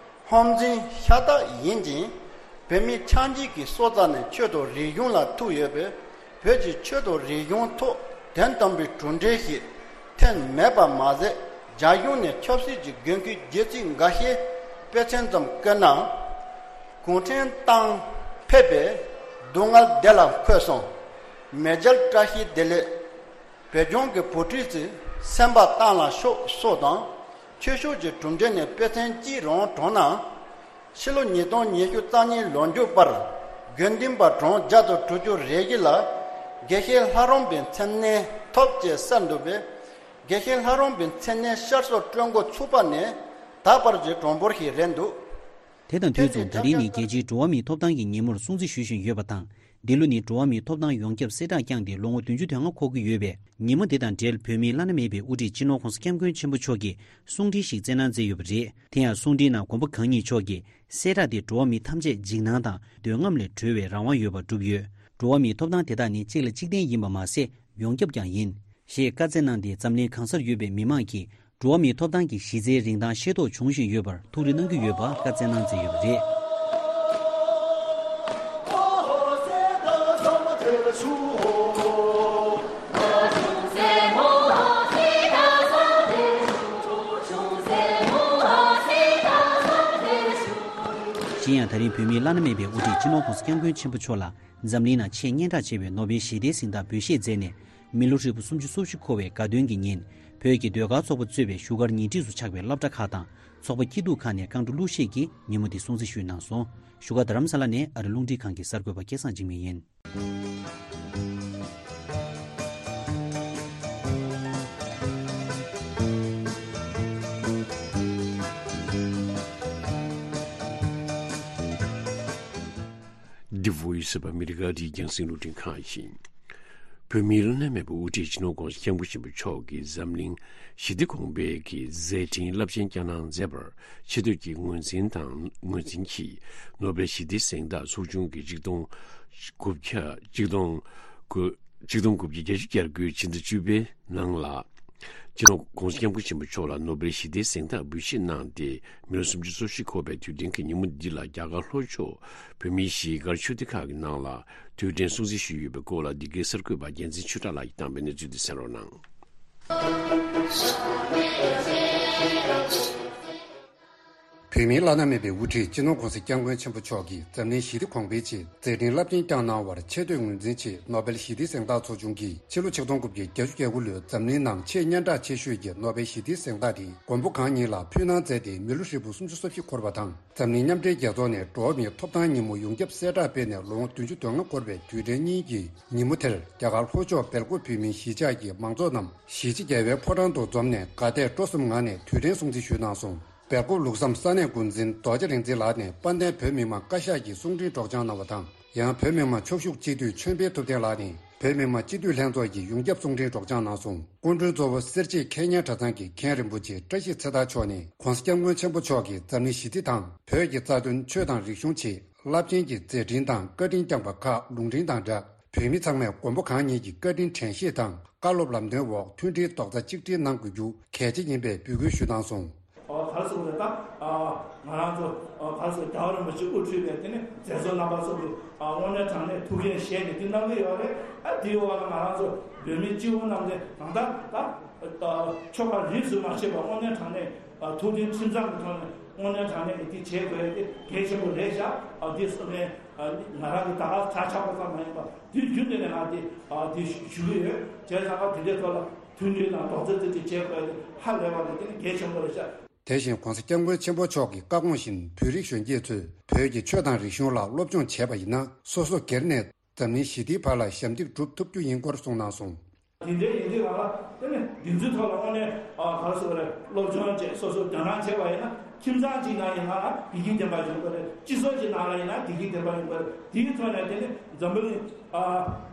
ཧམ་འཛིན་ཤ་སྟག་ཡིན་ཅིང་། བོད་མི་ཆ་འཇིག་གི་སྲོག་རྩ་ནས་ཆོས་དང་རིག་གཞུང་ལ་ཐུག་ཡོད་པས། བོད་ཀྱི་ཆོས་དང་རིག་གཞུང་ཐོག་དོན་དམ་པའི་གྲུབ་འབྲས་ཤིག་ཐོན་མེད་པ་མ་ཟད། རྒྱ་གཞུང་ནས་ཆབ་སྲིད་ཀྱི་འགན་འཁུར་བརྒྱུད་ཚིག་འགའ་ཤས་དཔེ་མཚོན་ཙམ་བཀོད་ན། གུང་ཁྲན་ཏང་ཕེབས་པས་སྡུག་བསྔལ་བདེ་ལ་འཁོད་སོང་། མེས་རྒྱལ་བཀྲ་ཤིས་བདེ་ལེགས། བོད་ལྗོངས་ཀྱི་བུ་ཁྲིད་ཚོས་སེམས་པ་གཏིང་ལ་ཤོག་སོགས་དང་། ཆོས་ཕྱོགས་ཀྱི་གྲུབ་འབྲས་ནས་དཔེ་མཚོན་གཅིག་རང་དྲངས་ན། ཕྱི་ལོ་ཉིས་སྟོང་ཉི་ཤུ་རྩ་གཉིས་ལོ་མཇུག་བར་དགེ་འདུན་པ་གྲངས་བརྒྱ་དང་དྲུག་ཅུ་རེ་བཞི་ལ་དགེ་བཤེས་ལྷ་རམས་པའི་མཚན་གནས་ཐོབ་ཅེས་གསལ་འདུག་པས། དགེ་བཤེས་ལྷ་རམས་པའི་མཚན་གནས་བསྐྱར་གསོ་སྤྲོད་འགོ་ཚུགས་པ་ནས་ད་བར་གྱི་གྲངས་འབོར་ཞིག་རེད་འདུག་དེ་དང་དུས་མཚུངས་ད་རིང་ནི་རྒྱལ་སྤྱིའི་འགྲོ་བ་མིའི་ཐོབ་ཐང་གི་ཉིན་མོར་སྲུང་བརྩི་ཞུ་བཞིན་ཡོད་པ་དང་། འདི་ལོ་ནི་འགྲོ་བ་མིའི་ཐོབ་ཐང་ཡོངས་ཁྱབ་གསལ་བསྒྲགས་བསྐྱངས་ཏེ་ལོ་ངོ་བདུན་ཅུ་དོན་ལྔ་འཁོར་གྱི་ཡོད་པས། ཉིན་མོ་འདི་དང་འབྲེལ་བོད་མིའི་བླ་ན་མེད་པའི་དབུ་ཁྲིད་སྤྱི་ནོར་༸གོང་ས་༸སྐྱབས་མགོན་ཆེན་པོ་མཆོག་གིས་གསུང་འཕྲིན་ཞིག་བསྩལ་གནང་མཛད་ཡོད་པ་རེད། དེ་ཡང་གསུང་འཕྲིན་ནང་མགོན་པོ་གང་ཉིད་མཆོག་གིས་གསལ་བསྒྲགས་དེ་འགྲོ་བ་མི་ཐམས་ཅད་འཇིགས་སྣང་དང་འདོད་རྔམ་ལས་གྲོལ་བའི་རང་དབང་ཡོད་པ་བསྒྲུབས་ཡོད། འགྲོ་བ་མིའི་ཐོབ་ཐང་དེ་དག་ནི་གཅིག་ལ་གཅིག་བརྟེན་ཡིན་པ་མ་ཟད་ཡོངས་ཁྱབ་ཀྱང་ཡིན། ཞེས་བཀའ་སྩལ་གནང་སྟེ་འཛམ་གླིང་གང་སར་ཡོད་པའི་མི་མང་གིས་འགྲོ་བ་མིའི་ཐོབ་ཐང་གི་གཞི་རྩའི་རིན་ཐང་ཤེས་རྟོགས་བྱུང་བཞིན་ཡོད་པར་ཐུགས་རེ་གནང་གི་ཡོད་པ་བཀའ་སྩལ་གནང་མཛད་ཡོད་པ་རེད། གཞན་ཡང་ད་རིང་བོད་མིའི་བླ་ན་མེད་པའི་དབུ་ཁྲིད་སྤྱི་ནོར་༸གོང་ས་༸སྐྱབས་མགོན་ཆེན་པོ་མཆོག་ལ། འཛམ་གླིང་ནང་ཆེས་སྙན་གྲགས་ཆེ་བའི་ནོ་བེལ་ཞི་བདེའི་གཟེངས་རྟགས་འབུལ་བཞེས་མཛད་ནས། མི་ལོ་ཧྲིལ་པོ་སུམ་ཅུ་སོ་བཞི་འཁོར་བའི་དགའ་སྟོན་གྱི་ཉིན། བོད་ཀྱི་ཟློས་གར་ཚོགས་པ་གཙོས་པའི་བཞུགས་སྒར་ཉེ་འཁྲིས་སུ་ཆགས་པའི་སློབ་གྲྭ་ཁག་དང་ཚོགས་པ་སྐྱིད་སྡུག་ཁག་ནས་རྐང་བྲོ་གླུ་གཞས་ཀྱིས་ཉིན་མོ་འདི་སྲུང་བརྩི་ཞུས་གནང་སོང་། བཞུགས་སྒར་རྡ་རམ་ས་ལ་ནས་ཨ་རི་རླུང་འཕྲིན་ཁང་གི་གསར་འགོད་པ་སྐལ་བཟང་འཇིགས་མེད་ཡིན། འདི་བོད་ཡིག་གསར་པ་ཨ་མི་རི་ཀ་རིའི་རྒྱང་སྲིང་རླུང་འཕྲིན་ཁང་ཡིན། བོད་མིའི་བླ་ན་མེད་པའི་དབུ་ཁྲིད་སྤྱི་ནོར་༸གོང་ས་༸སྐྱབས་མགོན་ཆེན་པོ་མཆོག་གིས་འཛམ་གླིང་ཞི་བདེ་གོང་འཕེལ་གྱི་མཛད་འཕྲིན་རླབས་ཆེན་བསྐྱངས་གནང་མཛད་པར་ཆེ་བསྟོད་ཀྱི་ངོས་འཛིན་དང་ངོས་འཛིན་གྱིས་ནོ་བེལ་ཞི་བདེའི་གཟེངས་རྟགས་ཚོགས་ཆུང་གི་ཆིག་སྟོང་དགུ་བརྒྱ་ཆིག་སྟོང་དགུ་ཆིག་སྟོང་དགུ་བརྒྱ་བརྒྱད་ཅུ་གྱ་དགུའི་ཕྱི་ཟླ་བཅུ་པའི་ནང་ལ། སྤྱི་ནོར་༸གོང་ས་༸སྐྱབས་མགོན་ཆེན་པོ་མཆོག་ལ་ནོ་བེལ་ཞི་བདེའི་གཟེངས་རྟགས་འབུལ་བཞེས་གནང་སྟེ། མི་ལོ་སུམ་ཅུ་སོ་བཞི་འཁོར་བའི་དུས་དྲན་གྱི་ཉིན་མོ་འདི་ལ་རྒྱ་གར་ལྷོ་ཕྱོགས་བོད་མིའི་གཞིས་སྒར་ཆོས་སྡེ་ཁག་གི་ནང་ལ་དུས་དྲན་སྲུང་བརྩི་ཞུས་ཡོད་པའི་སྐོར་ལ། འདི་གའི་གསར་འགོད་པ་རྒྱལ་མཚན་ཆོས་གྲགས་ལགས་ཀྱིས་བཏང་བའི་གནས་ཚུལ་དེ་གསན་རོགས་གནང་། བོད་མིའི་བླ་ན་མེད་པའི་དབུ་ཁྲིད་སྤྱི་ནོར་༸གོང་ས་༸སྐྱབས་མགོན་ཆེན་པོ་མཆོག་གིས་འཛམ་གླིང་ཞི་བདེ་གོང་འཕེལ་ཆེད་མཛད་འཕྲིན་རླབས་ཆེན་བསྐྱངས་གནང་བར་ཆེ་བསྟོད་ངོས་འཛིན་ཆེད་ནོ་བེལ་ཞི་བདེའི་གཟེངས་རྟགས་ཚོགས་ཆུང་གིས་ཕྱི་ལོ་ཆིག་སྟོང་དགུ་བརྒྱ་བརྒྱད་ཅུ་གྱ་དགུ་ལོའི་འཛམ་གླིང་ནང་ཆེས་སྙན་གྲགས་ཆེ་ཤོས་ཀྱི་ནོ་བེལ་ཞི་བདེའི་གཟེངས་རྟགས་དེ་མགོན་པོ་གང་ཉིད་ལ་ཕུལ་གནང་མཛད་དེ། མི་ལོ་ཧྲིལ་པོ་སུམ་ཅུ་སོ་བཞི་འཁོར་བ་དང་། འཛམ་གླིང་མཉམ་འབྲེལ་རྒྱལ་ཚོགས་ནས་འགྲོ་བ་མིའི་ཐོབ་ཐང་ཉིན་མོ་ཡོངས་ཁྱབ་གསལ་བསྒྲགས་སྤེལ་ནས་ལོ་ངོ་བདུན་ཅུ་དོན་ལྔ་འཁོར་བའི་དུས་དྲན་གཉིས་ཀྱི་ཉིན་མོ་དེར་རྒྱ་གར་ལྷོ་ཕྱོགས་སྦེལ་ཀོབ་བོད་མིའི་གཞིས་ཆགས་ཀྱི་མང་ཚོགས་རྣམས་གཞིས་བྱེས་རྒྱལ་བའི་ཕོ་བྲང་དུ་འཛོམས་ནས་དགའ་དད་སྤྲོ་གསུམ་ངང་ནས་དུས་དྲན་སྲུང་བརྩི་ཞུས་གནང་སོང་། སྦེལ་ཀོབ་ལུགས་བསམ་ས་གནས་འགོ་འཛིན་རྡོ་རྗེ་རིག་འཛིན་ལགས་ནས་དཔལ་ལྡན་བོད་མི་མང་བཀའ་ཤག་གི་གསུང་འཕྲིན་སྒྲོག་སྦྱང་གནང་བ་དང་། ཡང་བོད་མི་མང་ཕྱོགས་བཞུགས་སྤྱི་འཐུས་ཆོས་འཕེལ་ཐུབ་བསྟན་ལགས་ནས་བོད་མི་མང་སྤྱི་འཐུས་ལྷན་ཚོགས་ཀྱི་ཡོངས་ཁྱབ་གསུང་འཕྲིན་སྒྲོག་སྦྱང་གནང་སོང་། སྐུ་མགྲོན་གཙོ་བོ་སེར་བྱེས་མཁས་སྙན་གྲྭ་ཚང་གི་མཁན་རིན་པོ་ཆེ་བཀྲ་ཤིས་ཚེ་ཐར་མཆོག་ནས་༸གོང་ས་༸སྐྱབས་མགོན་ཆེན་པོ་མཆོག་གིས་འཛམ་གླིང་ཞི་བདེ་དང་བོད་ཀྱི་རྩ་དོན་ཆོས་དང་རིག་གཞུང་ཆེད་རླབས་ཆེན་གྱི་མཛད་འཕྲིན་དང་བཀའ་དྲིན་བསྐྱངས་པ་ཁག་ལུང་འདྲེན་དང་སྦྲགས། བོད་མི་ཚང་མས་མགོན་པོ་གང་ཉིད་ཀྱི་བཀའ་དྲིན་དྲན་ཤེས་དང་བཀའ་སློབ་ལམ་སྟོན་འོག་མཐུན་སྒྲིལ་རྡོག་རྩ་གཅིག་སྒྲིལ་གནང་དགོས་རྒྱུ་གལ་ཆེ་ཡིན་པའི་འབོད་སྐུལ་ཞུས་གནང་སོང་། ཨོ་ག་རེ་ཟེར་དགོས་རེད་ད། ཨ་ང་རང་ཚོ་ཨ་ག་རེ་ཟེར་རྒྱལ་བ་རིན་པོ་ཆེ་དབུ་ཁྲིད་པའི་དེ་ནི་མཛད་གཙོ་རྣམ་པ་ཚོ་གི་ཨ་དངོས་གནས་དྲང་གནས་ཐུགས་འགན་བཞེས་ནས་དེ་གནང་གི་ཡོད་རེད། ཨ་དེའི་འོག་ལ་ང་རང་ཚོ་བོད་མི་སྤྱི་བོ་རྣམས་དེ་གང་ལྟར་ད་ཨ་ཆོལ་ཁ་རིས་སུ་མ་ཆད་པ་དངོས་གནས་དྲང་གནས་ཨ་ཐུགས་མཐུན་ཁྲིམས་གཙང་གི་ཐོག་ནས་དངོས་གནས་དྲང་གནས་ཀྱི་དེ་བྱེད་དགོས་ཡ་དེ་གལ་ཆེན་པོ་རེད་ཤག་ཨ་དེ་སོང་ནས་ཨ་ང་རང་གི་ད་ག་གྲ་ཆགས་པ་ཙམ་མ་ཡིན་པ་དུས་རྒྱུན་དུ་ནས་ང་དེ་ཨ་དེ་ཞུ་གི་ཡོད། བྱས་ཙང་ཨ་དེ་འདྲའི་ཐོག་ལ་མཐུན་སྒྲིལ་དང་རྡོག་རྩ་གཅིག་སྒྲིལ་བྱེད་དགོས་ཡ་དེ་ཧ་ལས་པ་རེད། དེ་ནི་གལ་ཆེན་པོ་རེད་ཤག་དེ་བཞིན་༧གོང་ས་༧སྐྱབས་མགོན་ཆེན་པོ་མཆོག་གི་བཀའ་དགོངས་བཞིན་བོད་རིགས་གཞོན་སྐྱེས་ཚོས་བོད་ཀྱི་ཆོས་དང་རིག་གཞུང་ལ་སློབ་སྦྱོང་བྱས་པ་ཡིན་ན་སོ་སོ་སྒེར་ནས་འཛམ་གླིང་ཞི་བདེའི་བར་ལ་ཞབས་འདེགས་སྒྲུབ་ཐུབ་རྒྱུ་ཡིན་སྐོར་གསུངས་གནང་སོང་། དེ་འདྲའི་ཡིན་དུས་ག་ལ་དེ་ནི་འདི་ཚོའི་ཐོག་ལ་དངོས་གནས་ཨ་ག་རེ་ཟེར་དགོས་རེད། སློབ་སྦྱོང་བྱས་སོ་སོ་དོ་སྣང་བྱས་པ་ཡིན་ན་ཁྱིམ་ཚང་གཅིག་ནང་ཡིན་ན་བདེ་སྐྱིད་ལྡན་པ་ཡོང་གི་རེད། སྤྱི་ཚོགས་གཅིག་ནང་ལ་ཡིན་ན་བདེ་སྐྱིད་ལྡན་པ་ཡོང་གི་རེད། དེའི་ཐོག་ནས་དེ་ནི་འཛམ་བུ་གླིང་ཨ་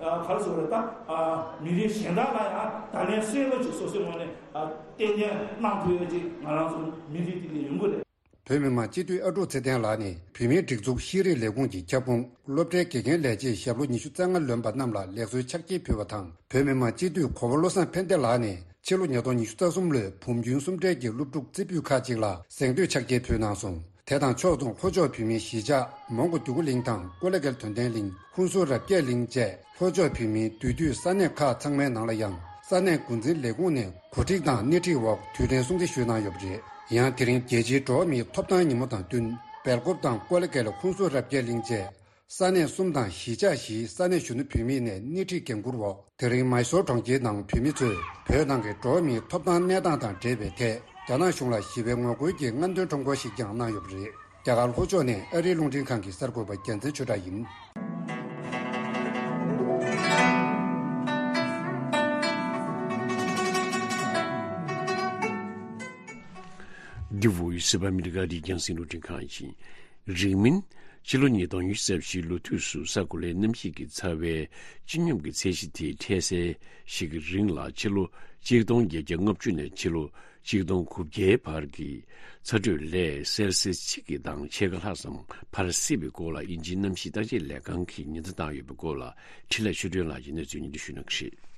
ཨ་ག་རེ་ཟེར་དགོས་རེད། ད་ཨ་མི་རིགས་གཞན་དག་ལ་ཡང་བརྡ་ལན་གསལ་པོ་ཅིག་སོ་སོའི་ངོས་ནས་ཨ་ཏན་ཏན་གནང་ཐུབ་ཡོད་ཅིག་ང་རང་ཚོ་མི་རིགས་དེ་གའི་ཡོང་གི་རེད། བོད་མི་མང་སྤྱི་འཐུས་ཨ་ཀྲུག་ཚེ་བརྟན་ལགས་ནས་བོད་མིའི་སྒྲིག་འཛུགས་ཤེས་རིག་ལས་ཁུངས་ཀྱི་ཁྱབ་ཁོངས་སློབ་གྲྭའི་དགེ་རྒན་ལས་བྱེད་ཞབས་ལོ་ཉི་ཤུ་རྩ་ལྔ་ལོན་པ་རྣམས་ལ་ལེགས་གསོལ་ཕྱག་འཁྱེར་ཕུལ་བ་དང་བོད་མི་མང་སྤྱི་འཐུས་གོ་བོ་བློ་བཟང་ཕན་བདེ་ལགས་ནས་ཕྱི་ལོ་ཉིས་སྟོང་ཉི་ཤུ་རྩ་གསུམ་ལོའི་བུམ་སྐྱོན་གསུམ་གྲས་ཀྱི་སློབ་ཕྲུག་རྩེ་ཕུད་ཁག་ཅིག་ལ་གཟེངས་བསྟོད་ཕྱག་འཁྱེར་ཕུལ་གནང་སོང་། དེ་དང་ཕྱོགས་མཚུངས་ལྷོ་ཕྱོགས་བོད་མིའི་གཞིས་ཆགས་མོན་གྷོ་རྒྱུ་གུ་གླིང་དང་ཀོ་ལི་གྷལ་དོན་ལྡན་གླིང་ཧུན་སུར་རབ་རྒྱས་གླིང་བཅས་ལྷོ་ཕྱོགས་བོད་མིའི་འདུས་སྡོད་ས་གནས་ཁག་ཚང་མའི་ནང་ལ་ཡང་ས་གནས་འགོ་འཛིན་ལས་ཁུངས་ནས་གོ་སྒྲིག་དང་སྣེ་ཁྲིད་འོག་དུས་དྲན་སྲུང་བརྩི་ཞུས་གནང་ཡོད་པ་རེད། ཡང་དེ་རིང་རྒྱལ་སྤྱིའི་འགྲོ་བ་མིའི་ཐོབ་ཐང་ཉིན་མོ་དང་བསྟུན་སྦེལ་ཀོབ་དང་ཀོ་ལི་གྷལ་ཧུན་སུར་རབ་རྒྱས་གླིང་བཅས་ས་གནས་གསུམ་དང་གཞིས་ཆགས་བཞིའི་ས་གནས་གཞོན་ནུ་བུད་མེད་ནས་སྣེ་ཁྲིད་འགན་འཁུར་འོག་དེ་རིང་མཱི་སོར་གྲོང་ཁྱེར་ནང་བོད་མི་ཚོས་བོད་ནང་གི་འགྲོ་བ་མིའི་ཐོབ་ཐང་གནས་སྟངས་དང་འབྲེལ་བའི་ཐད་རྒྱ་ནག་གཞུང་ལ་ཞི་བའི་ངོ་རྒོལ་གྱི་རྔམ་སྟོན་ཁྲོམ་སྐོར་ཞིག་ཀྱང་གནང་ཡོད་པ་རེད། རྒྱ་གར་ལྷོ་ཕྱོགས་ནས་ཨ་རིའི་རླུང་འཕྲིན་ཁང་གི་གསར་འགོད་པ་རྒྱལ་མཚན་ཆོས་གྲགས་ཡིན། འདི་བོད་ཡུལ་སི་པ་ཨ་མི་རི་ཀ་རི་རྒྱང་སྲིང་རླུང་འཕྲིན་ཁང་ཡིན། རིང་མིན། ཕྱི་ལོ་ཉིས་སྟོང་ཉི་ཤུ་རྩ་བཞིའི་ལོ་དུས་སུ་ས་གོ་ལའི་གནམ་གཤིས་ཀྱི་ཚ་བའི་སྤྱི་སྙོམས་ཀྱི་ཚད་གཞི་དེ་འཕྲལ་སེལ་ཞིག་གི་རིང་ལ་ཕྱི་ལོ་གཅིག་སྟོང་བརྒྱད་བརྒྱ་ལྔ་བཅུ་ནས་ཕྱི་ལོ་གཅིག་སྟོང་དགུ་བརྒྱའི་བར་གྱི་ཚ་དྲོད་ལས་སེལ་སིས་གཅིག་གི་དང་ཕྱེད་ཀ་ལྷག་ཙམ་འཕར་སྲིད་པའི་སྐོར་ལ་དབྱིན་ཇིའི་གནམ་གཤིས་བརྟག་དཔྱད་ལས་ཁང་གིས་ཉེན་བརྡ་བཏང་ཡོད་པའི་སྐོར་ལ་འཕྲིན་ལས་ཆོས་སྒྲོན་ལགས་ཀྱིས་གནས་ཚུལ་སྙན་སྒྲོན་ཞུ་གནང་གི་རེད།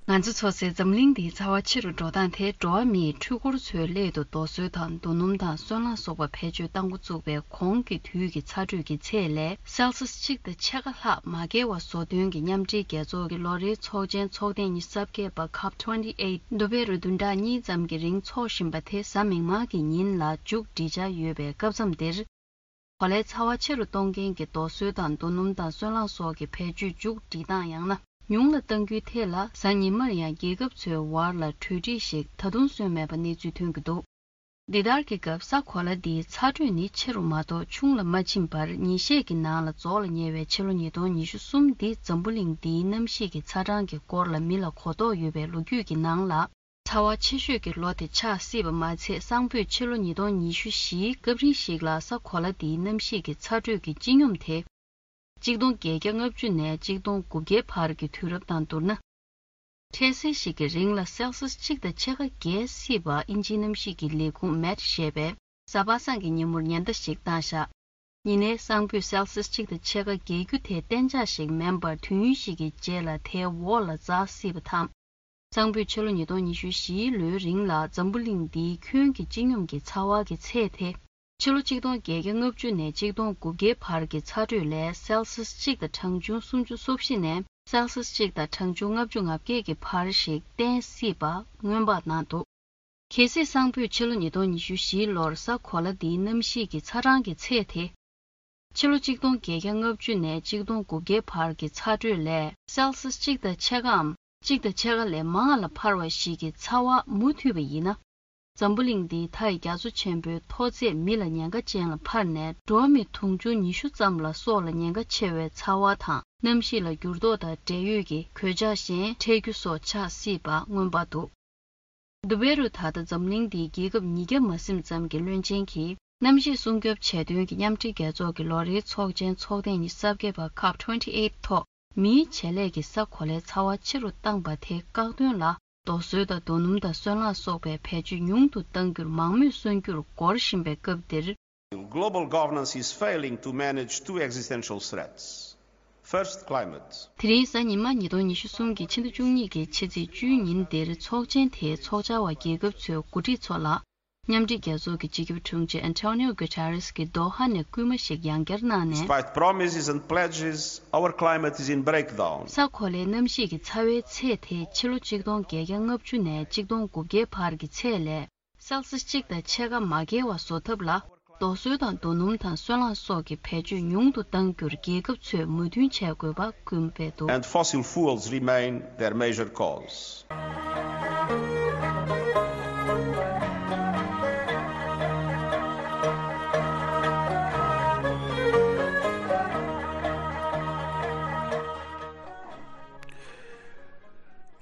ང་ཚོ་ཚོ་སའི་འཛམ་གླིང་འདིའི་ཚ་བ་ཆེ་རུ་འགྲོ་སྟངས་དེ་འགྲོ་བ་མིའི་འཕྲུལ་འཁོར་ཚོའི་སླད་དུ་རྡོ་སོལ་དང་རྡོ་སྣུམ་དང་སོལ་རླངས་སོགས་པ་བེད་སྤྱོད་གཏང་འགོ་བཙུགས་པའི་གོང་གི་དུས་ཀྱི་ཚ་དྲོད་ཀྱི་ཚད་ལས་སེལ་སིས་གཅིག་དང་ཕྱེད་ཀ་ལྷག་མ་བརྒལ་བ་བཟོ་དོན་གྱི་མཉམ་འབྲེལ་རྒྱལ་ཚོགས་ཀྱི་ལོ་རེའི་ཚོགས་ཆེན་ཚོགས་ཐེངས་ཉི་ཤུ་རྩ་བརྒྱད་པ་ཁབ་ཊུ་ཝེན་ཊི་ཨེ་ཊི་དུ་བྷེ་རུ་བདུན་ཕྲག་གཉིས་ཙམ་གྱི་རིང་འཚོགས་བཞིན་པ་དེ་གཟའ་མིག་དམར་གྱི་ཉིན་ལ་མཇུག་སྒྲིལ་འཆར་ཡོད་པའི་སྐབས་མཚམས་འདིར། གོ་ལའི་ཚ་བ་ཆེ་རུ་གཏོང་མཁན་གྱི་རྡོ་སོལ་དང་རྡོ་སྣུམ་དང་སོལ་རླངས་སོགས་ཀྱི་བེད་སྤྱོད་མཇུག་སྒྲིལ་སྟངས་ཡང་ན་ཉུང་ལ་གཏང་རྒྱུའི་ཐད་ལ་གཟའ་ཉི་མར་ཡང་རྒྱལ་ཁབ་ཚོའི་བར་ལ་གྲོས་འགྲིག་ཞིག་ད་དུང་སོན་མེད་པ་གནས་ཚུལ་ཐོན་གྱི་འདུག་འདི་ལྟར་གྱི་སྐབས་ས་གོ་ལ་འདིའི་ཚ་དྲོད་ནི་ཆེ་རུ་མ་གཏོགས་ཆུང་ལ་མ་ཕྱིན་པར་ཉིན་ཤས་ཀྱི་ནང་ལ་རྫོགས་ལ་ཉེ་བའི་ཕྱི་ལོ་ཉིས་སྟོང་ཉི་ཤུ་གསུམ་འདི་འཛམ་བུ་གླིང་འདིའི་གནམ་གཤིས་ཀྱི་ཚ་གྲང་གི་སྐོར་ལ་མི་ལ་གོ་རྟོགས་ཡོད་པའི་ལོ་རྒྱུས་ཀྱི་ནང་ལ། ཚ་བ་ཆེ་ཤོས་ཀྱི་ལོ་དེ་ཆགས་སྲིད་པ་མ་ཚད་སང་ཕོད་ཕྱི་ལོ་ཉིས་སྟོང་ཉི་ཤུ་བཞིའི་སྐབས་རིང་ཞིག་ལ་ས་གོ་ལ་འདིའི་གནམ་གཤིས་ཀྱི་ཚ་དྲོད་ཀྱི་སྤྱི་སྙོམས་དེ། གཅིག་སྟོང་བརྒྱད་བརྒྱ་ལྔ་བཅུ་ནས་གཅིག་སྟོང་དགུ་བརྒྱའི་བར་གྱི་དུས་རབས་དང་བསྡུར་ན། འཕྲལ་སེལ་ཞིག་གི་རིང་ལ་སེལ་སིས་གཅིག་དང་ཕྱེད་ཀ་བརྒལ་སྲིད་པ་དབྱིན་ཇིའི་གནམ་གཤིས་ཀྱི་ལས་ཁུངས་མེཊ་ཞེས་པས་གཟའ་པ་སངས་ཀྱི་ཉིན་མོར་ཉེན་བརྡ་ཞིག་བཏང་བཞག་ཡིན་ནའི་སང་ཕོད་སེལ་སིས་གཅིག་དང་ཕྱེད་ཀ་བརྒལ་རྒྱུ་དེ་གཏན་འཇགས་ཤིག་མིན་པར་དུས་ཡུན་ཞིག་གི་རྗེས་ལ་དེའི་འོག་ལ་འཛེགས་སྲིད་པ་དང་། སང་ཕོད་ཕྱི་ལོ་ཉིས་སྟོང་ཉི་ཤུ་བཞིའི་ལོའི་རིང་ལ་འཛམ་བུ་གླིང་འདིའི་ཁྱོན་གྱི་སྤྱི་སྙོམས་ཀྱི་ཚ་བ་གི་ཚད་དེ། ཕྱི་ལོ་གཅིག་སྟོང་བརྒྱད་བརྒྱ་ལྔ་བཅུ་ནས་གཅིག་སྟོང་དགུ་བརྒྱའི་བར་གྱི་ཚ་དྲོད་ལས་སེལ་སིས་གཅིག་དང་གྲངས་ཆུང་སུམ་ཅུ་སོ་བཞི་ནས་སེལ་སིས་གཅིག་དང་གྲངས་ཆུང་ལྔ་བཅུ་ང་བརྒྱད་ཀྱི་བར་ཞིག་བརྟན་སྲིད་པ་སྔོན་དཔག་གནང་འདུག་གལ་སྲིད་སང་ཕོད་ཕྱི་ལོ་ཉིས་སྟོང་ཉི་ཤུ་བཞིའི་ལོར་ས་གོ་ལ་འདིའི་གནམ་གཤིས་ཀྱི་ཚ་གྲང་གི་ཚད་དེ། ཕྱི་ལོ་གཅིག་སྟོང་བརྒྱད་བརྒྱ་ལྔ་བཅུ་ནས་གཅིག་སྟོང་དགུ་བརྒྱའི་བར་གྱི་ཚ་དྲོད་ལས་སེལ་སིས་གཅིག་དང་ཕྱེད་ཀའམ་གཅིག་དང་ཕྱེད་ཀ་ལས་མང་ལ་འཕར་བ་ཞིག་གི་ཚ་བ་མུ་མཐུད་པ་ཡིན་ན། འཛམ་བུ་གླིང་འདིའི་མཐའ་ཡི་རྒྱ་མཚོ་ཆེན་པོའི་མཐོ་ཚད་མི་ལ་ཉེན་ཁ་ཅན་ལ་འཕར་ནས་འགྲོ་བ་མི་དུང་ཕྱུར་ཉི་ཤུ་ཙམ་ལ་སྲོག་ལ་ཉེན་ཁ་ཆེ་བའི་ཚ་བ་དང་གནམ་གཤིས་ལ་འགྱུར་ལྡོག་དང་འབྲེལ་ཡོད་ཀྱི་གོད་ཆག་གཞན་འཕྲད་རྒྱུ་སོགས་ཆགས་སྲིད་པ་སྔོན་དཔག་འདུག་དུ་བྷེ་རུ་ད་ལྟ་འཛམ་གླིང་འདིའི་རྒྱལ་ཁབ་ཉིས་བརྒྱ་མ་ཟིན་ཙམ་གྱི་བློན་ཆེན་གྱིས་གནམ་གཤིས་སྲུང་སྐྱོབ་བྱེད་དོན་གྱི་མཉམ་འབྲེལ་རྒྱལ་ཚོགས་ཀྱི་ལོ་རེའི་ཚོགས་ཆེན་ཚོགས་ཐེངས་ཉི་ཤུ་རྩ་བརྒྱད་པ་ཁབ་ཊུ་ཝེན་ཊི་ཨེ་ཊི་ཐོག་མིའི་བྱེད་ལས་ཀྱིས་ས་གོ་ལའི་ཚ་བ་ཆེ་རུ་བཏང་པ་དེ་བཀག་སྡོམ་ལ་རྡོ་སོལ་དང་རྡོ་སྣུམ་དང་སོལ་རླངས་སོགས་པའི་བེད་སྤྱོད་ཉུང་དུ་གཏང་རྒྱུར་མང་མོས་སོན་རྒྱུར་འགོར་བཞིན་པའི་སྐབས་འདིར། Global governance is failing to manage two existential threats. First, climate. དེ་རིང་གཟའ་ཉི་མ་ཉིས་སྟོང་ཉི་ཤུ་གསུམ་གྱི་ཕྱི་ཟླ་བཅུ་གཉིས་ཀྱི་ཕྱི་ཚེས་བཅུའི་ཉིན་འདིར་ཚོགས་ཆེན་དེའི་ཚོགས་བཅར་བ་རྒྱལ་ཁབ་ཚོའི་འགོ་ཁྲིད་ཚོ་ལ་མཉམ་འབྲེལ་རྒྱལ་ཚོགས་ཀྱི་སྤྱི་ཁྱབ་དྲུང་ཆེ་Antonio Guterres གྱིས་དོ་ཧ་ནས་སྐུལ་མ་ཞིག་ཡང་བསྐྱར་གནང་ནས། Despite promises and pledges, our climate is in breakdown. ས་གོ་ལའི་གནམ་གཤིས་ཀྱི་ཚ་བའི་ཚད་དེ་ཕྱི་ལོ་གཅིག་སྟོང་བརྒྱད་བརྒྱ་ལྔ་བཅུ་ནས་གཅིག་སྟོང་དགུ་བརྒྱའི་བར་གྱི་ཚད་ལས། སེལ་སི་གཅིག་དང་ཕྱེད་ཀ་མ་བརྒལ་བ་བཟོ་ཐབས་ལ་རྡོ་སོལ་དང་རྡོ་སྣུམ་དང་སོལ་རླངས་སོགས་ཀྱི་བེད་སྤྱོད་ཉུང་དུ་གཏང་རྒྱུར་རྒྱལ་ཁབ་ཚོས་མོས་མཐུན་བྱེད་དགོས་པ་སྐུལ་མ་སྤེལ་འདུག And fossil fuels remain their major cause.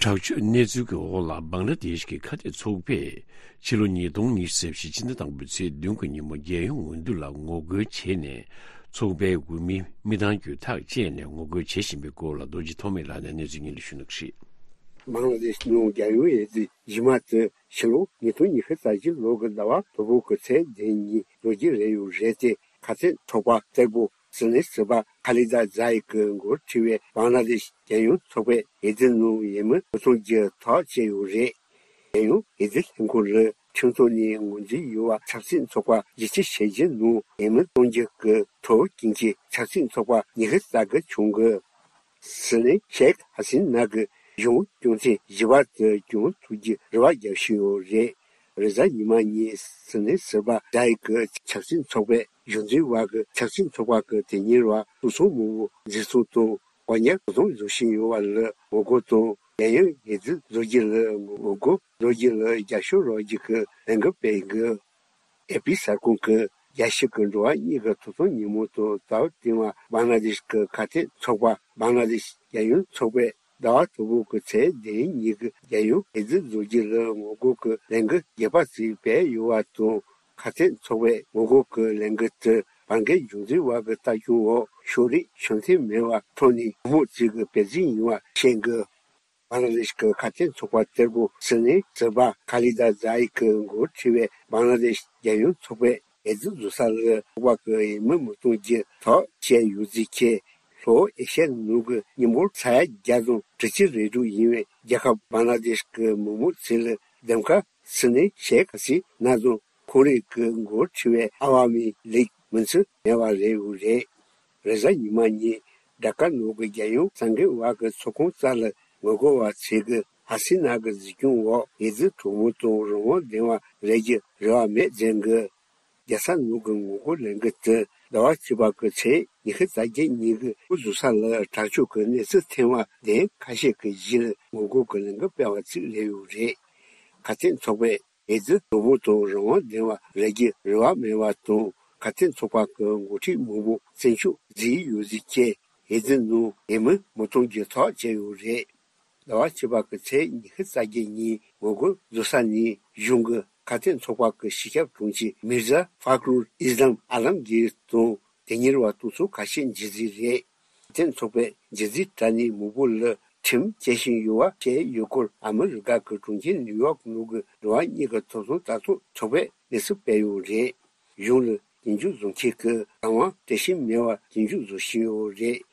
དྲག་སྤྱོད་གནས་ཚུལ་གྱི་འོག་ལ་བང་ལ་དེཤ་གི་ཁ་གཏད་ཚོགས་པས་ཕྱི་ལོ་ཉིས་སྟོང་ཉི་ཤུ་རྩ་བཞི་ཕྱི་ཟླ་དང་པོའི་ཚེས་བདུན་གྱི་ཉིན་མོ་རྒྱལ་ཡོངས་འོས་བསྡུ་ལ་ངོ་རྒོལ་བྱས་ནས་ཚོགས་པའི་འོས་མི་མི་གྲངས་བརྒྱུད་ཐག་བཅད་ནས་ངོ་རྒོལ་བྱེད་བཞིན་པའི་སྐོར་ལ་རྡོ་རྗེ་ཐོགས་མེད་ལགས་ནས་གནས་ཚུལ་སྙིང་བསྡུས་ཞུ་གནང་གི་རེད། བང་ལ་དེཤ་ནང་རྒྱལ་ཡོངས་འོས་བསྡུ་རྗེས་མ་དེ་ཕྱི་ལོ་ཉིས་སྟོང་ཉི་ཤུ་རྩ་བཞི་ལོ་གི་ཟླ་བ་དང་པོ་གི་ཚེས་བདུན་ཉིན་རྫོགས་ཀྱི་རེད་ཡོད་རེད་དེ། ཁ་གཏད་ཚོགས་པ་གཏེར་པོ་སྲིད་བློན་ཟུར་པ་ཁ་ལི་ད་ཛ་ཡི་གིས་འགོ་ཁྲིད་པའི་བང་ལ་དེཤ་རྒྱལ་ཡོངས་ཚོགས་པའི་འོས་བསྡུ་ནང་འོས་མི་མི་སྟོང་བརྒྱད་ཐག་བཅད་ཡོད་རེད། རྒྱལ་ཡོངས་འོས་བསྡུ་ལྷན་ཁང་ལ་ཁྲིམས་ཚོགས་ནས་ངོས་འཛིན་ཡོད་པ་ཆབ་སྲིད་ཚོགས་པ་བཞི་བཅུ་ཞེ་བརྒྱད་ནང་འོས་མི་སྟོང་བརྒྱད་ཀྱི་ཐོབ་རྐྱེན་གྱིས་ཆབ་སྲིད་ཚོགས་པ་ཉི་ཤུ་རྩ་དགུ་བྱུང་གི། སྲིད་བློན་ཤེག་ཧ་སིན་ན་གིས་གཞུང་སྐྱོང་ཚན་བཞི་པ་དེ་སྐྱོང་ཐུབ་རྒྱུའི་རེ་བ་རྒྱག་བཞིན་ཡོད་རེད། རེས་གཟའ་ཉི་མ་ཉིན་སྲིད་བློན་ཟུར་པ་ཛ་ཡི་གིས་ཆབ་སྲིད་ཚོགས་པའི་གཞུང་འཛིན་པ་གིས་ཆབ་སྲིད་ཚོགས་པ་གི་དེ་ཉིན་ར་ཐོ་ཚང་མང་པོ་འཛིན་བཟུང་དང་གོ་གཉེར་དོ་དམ་བཟོ་བཞིན་ཡོད་པ་ལ་ངོ་རྒོལ་དང་། རྒྱལ་ཡོངས་འོས་བསྡུ་རྫོགས་རྒྱུ་ལ་ངོ་རྒོལ་རྫོགས་རྒྱུ་ལ་རྒྱབ་སྐྱོར་རོགས་རྒྱུ་གི་ལས་འགུལ་སྤེལ་དགོས། ཨེ་པི་གསར་ཁང་གིས་རྒྱལ་སྤྱི་གི་འགྲོ་བ་མིའི་གི་ཐོབ་ཐང་ཉིན་མོ་དང་ཟླ་བ་སྟེང་བ་བང་ལ་དེཤ་གི་ཁ་གཏད་ཚོགས་པ་བང་ལ་དེཤ་རྒྱལ་ཡོངས་ཚོགས་པས་ཟླ་བ་དང་པོ་གི་ཚེས་བདུན་ཉིན་གྱི་རྒྱལ་ཡོངས་འོས་བསྡུ་རྫོགས་རྒྱུ་ལ་ངོ་རྒོལ་གྱི་ལས་འགུལ་རྒྱས་པ་ཞིག་སྤེལ་ཡོད་པ་དང་། ཁ་གཏད་ཚོགས་པའི་ངོ་རྒོལ་གྱི་ལས་འགུལ་དེ་བར་བརྒལ་གཞུང་འཛིན་པ་གི་ལྟ་སྐྱོང་འོག་ཕྱོགས་རིས་ཆོད་སེམས་མེད་པར་ཐོག་ནས་གོང་མ་ཚོས་ཀྱི་སྤེལ་རྩིས་ཡིན་པ་བཤད་འདུག་བང་ལ་དེཤ་གི་ཁ་གཏད་ཚོགས་པ་གཏེར་པོ་སྲིད་བློན་ཟུར་པ་ཁ་ལི་ད་ཛ་ཡི་གིས་འགོ་ཁྲིད་པའི་བང་ལ་དེཤ་རྒྱལ་ཡོངས་ཚོགས་པའི་འོས་བསྡུ་རྫོགས་ས་ལ་ཚོགས་པ་གི་འོས་མི་མི་སྟོང་བརྒྱད་ཐག་བཅད་ཡོད་ཚུལ་བཅས། ལྷོ་ཨེ་ཤི་ཡའི་ནང་གི་མི་འབོར་ས་ཡ་བརྒྱ་དང་དྲུག་ཅུ་རེ་དྲུག་ཡིན་པའི་རྒྱལ་ཁབ་བང་ལ་དེཤ་གི་མི་མང་ཚོ་ལ་འདེམས་ཀ་སྲིད་བློན་ཤེག་ཧ་སི་ན་དང་ཁོང་རང་གིས་འགོ་ཁྲིད་པའི་ཨ་ཝ་མི་ལིག་མིན་ཚོ་མེད་པ་རེད་འོ་རེད། རེས་གཟའ་ཉི་མ་ཉིན་ཌ་ཀར་ནང་གི་རྒྱལ་ཡོངས་གསར་འགོད་པ་གི་ཚོགས་ཁང་རྩ་ལ་ངོ་རྒོལ་པ་ཚོས་ཀྱིས་ཧ་སི་ན་གི་གཟིགས་སྐྱོང་འོག་འོས་བསྡུ་གྲོས་མོལ་དང་རང་དབང་ལྡན་པ་རེད་རྒྱུ་རེ་བ་མེད་ཟེར་གི། རྒྱལ་ས་ནང་གི་ངོ་རྒོལ་ལས་འགུལ་དེ་ཟླ་བ་བཅུ་པ་གི་ཚེས་ཉི་ཤུ་རྩ་བརྒྱད་ཉིན་གྱི་འགོ་འཛུགས་ས་ལ་དྲག་སྤྱོད་ཀྱི་གནས་ཚུལ་ཐོན་པ་དེ་ཁ་ཤས་ཀྱི་གཞི་ལ་ངོ་རྒོལ་གྱི་ལས་འགུལ་སྤེལ་བ་ཞིག་རེད་ཡོད་རེད། ཁ་གཏད་ཚོགས་པས་འོས་བསྡུ་གྲོས་མོལ་དང་རང་དབང་ལྡན་པ་རེད་རྒྱུ་རེ་བ་མེད་པ་དང་། ཁ་གཏད་ཚོགས་པ་གི་འགོ་ཁྲིད་མང་པོ་བཙོན་འཇུག་བྱས་ཡོད་ཟེར་བྱས་འོས་བསྡུ་ནང་འོས་མི་མི་སྟོང་བརྒྱད་ཐག་བཅད་ཡོད་རེད། ཟླ་བ་བཅུ་པ་གི་ཚེས་ཉི་ཤུ་རྩ་བརྒྱད་ཉིན་ངོ་རྒོལ་བཟོ་ས་ནས་གཞུང་གི་ཁ་གཏད་ཚོགས་པ་གི་སྤྱི་ཁྱབ་དྲུང་ཆེ་མིར་ཟ་ཧྥ་ཀ་རུལ་ཨིས་ལམ་ཨ་ལམ་གྱིར་དང་དེ་ཉིན་ར་ཐོ་ཚང་ཁ་ཤས་འཇིག་རྫི་རེད། ཁ་གཏད་ཚོགས་པས་འཇིག་རྫི་དྲ་གནས་མང་པོ་ལ་ཁྲིམས་བཅད་བཞིན་ཡོད་པ་བཤད་ཡོད་སྐོར་ཨ་མི་རི་ཀ་གི་གྲོང་ཁྱེར་ནིའུ་ཡོག་ནང་གི་འགྲོ་བ་མིའི་གི་ཐོབ་ཐང་ལྟ་རྟོག་ཚོགས་པས་གནས་ཚུལ་སྤེལ་ཡོད་རེད། གཞུང་ལ་སྐྱོན་བརྗོད་བཟོ་མཁན་གྱི་རང་དབང་བརྟན་ཤིང་མེད་པར་སྐྱོན་བརྗོད་བཟོ་བཞིན་ཡོད་རེད།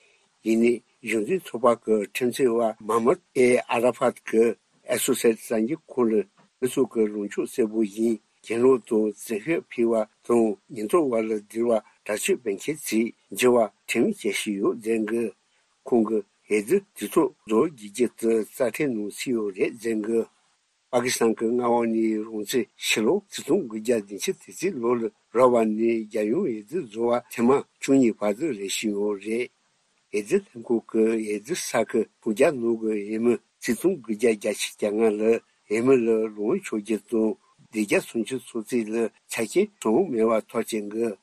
ཡིན་ནའི་གཞུང་འཛིན་ཚོགས་པ་གི་ཁྲིམས་རྩོད་པ་མཱ་མུད་ཨེ་ཨ་ར་ཕཱད་ཀྱིས་ཨེ་སོ་སི་ཨེ་ཊི་གསར་འགྱུར་ཁང་ལ་མི་ཚོ་གི་ལངས་ཕྱོགས་གསལ་པོ་ཡིན། གྱེན་ལོག་དང་བཙན་ཤེད་འཕེལ་བ་དང་ཉེན་རྟོག་པ་ལ་བསྡིར་བ་དྲག་སྤྱོད་སྤེལ་མཁན་ཚོས་འགྱུར་བ་ཁྲིམས་བཅད་བཞིན་ཡོད་ཟེར་གི། ཁོང་གིས་འོས་བསྡུ་དུས་ཚོད་རྫོགས་རྒྱུ་རྒྱུ་དེ་རྩ་ཁྲིམས་ནང་ཚུད་ཡོད་རེད་ཟེར་གི། པ་ཀི་སི་ཐན་གྱི་མངའ་འོག་ནས་རང་བཙན་ཕྱི་ལོ་ཆིག་སྟོང་དགུ་བརྒྱ་བདུན་ཅུ་དོན་གཅིག་ལོ་ལ་རག་པ་ནས་རྒྱལ་ཡོངས་འོས་བསྡུ་རྫོགས་པ་ཐེངས་མ་བཅུ་གཉིས་པ་དེ་རེད་བཞིན་ཡོད་རེད། འོས་བསྡུ་ལྷན་ཁང་གི་འོས་བསྡུ་ས་ཁུལ་ཧྥུ་ཇཱ་ནང་གི་འོས་མི་ཆིག་སྟོང་དགུ་བརྒྱ་བརྒྱད་ཅུ་གྱ་ལྔ་ལ་འོས་མི་ལ་ལོངས་སྤྱོད་རྒྱུ་དང་སྡེ་བརྒྱད་སུམ་ཅུ་སོ་གཅིག་ལ་ཆ་རྐྱེན་གྲངས་མེད་པ་ཐོབ་ཅན་གྱི།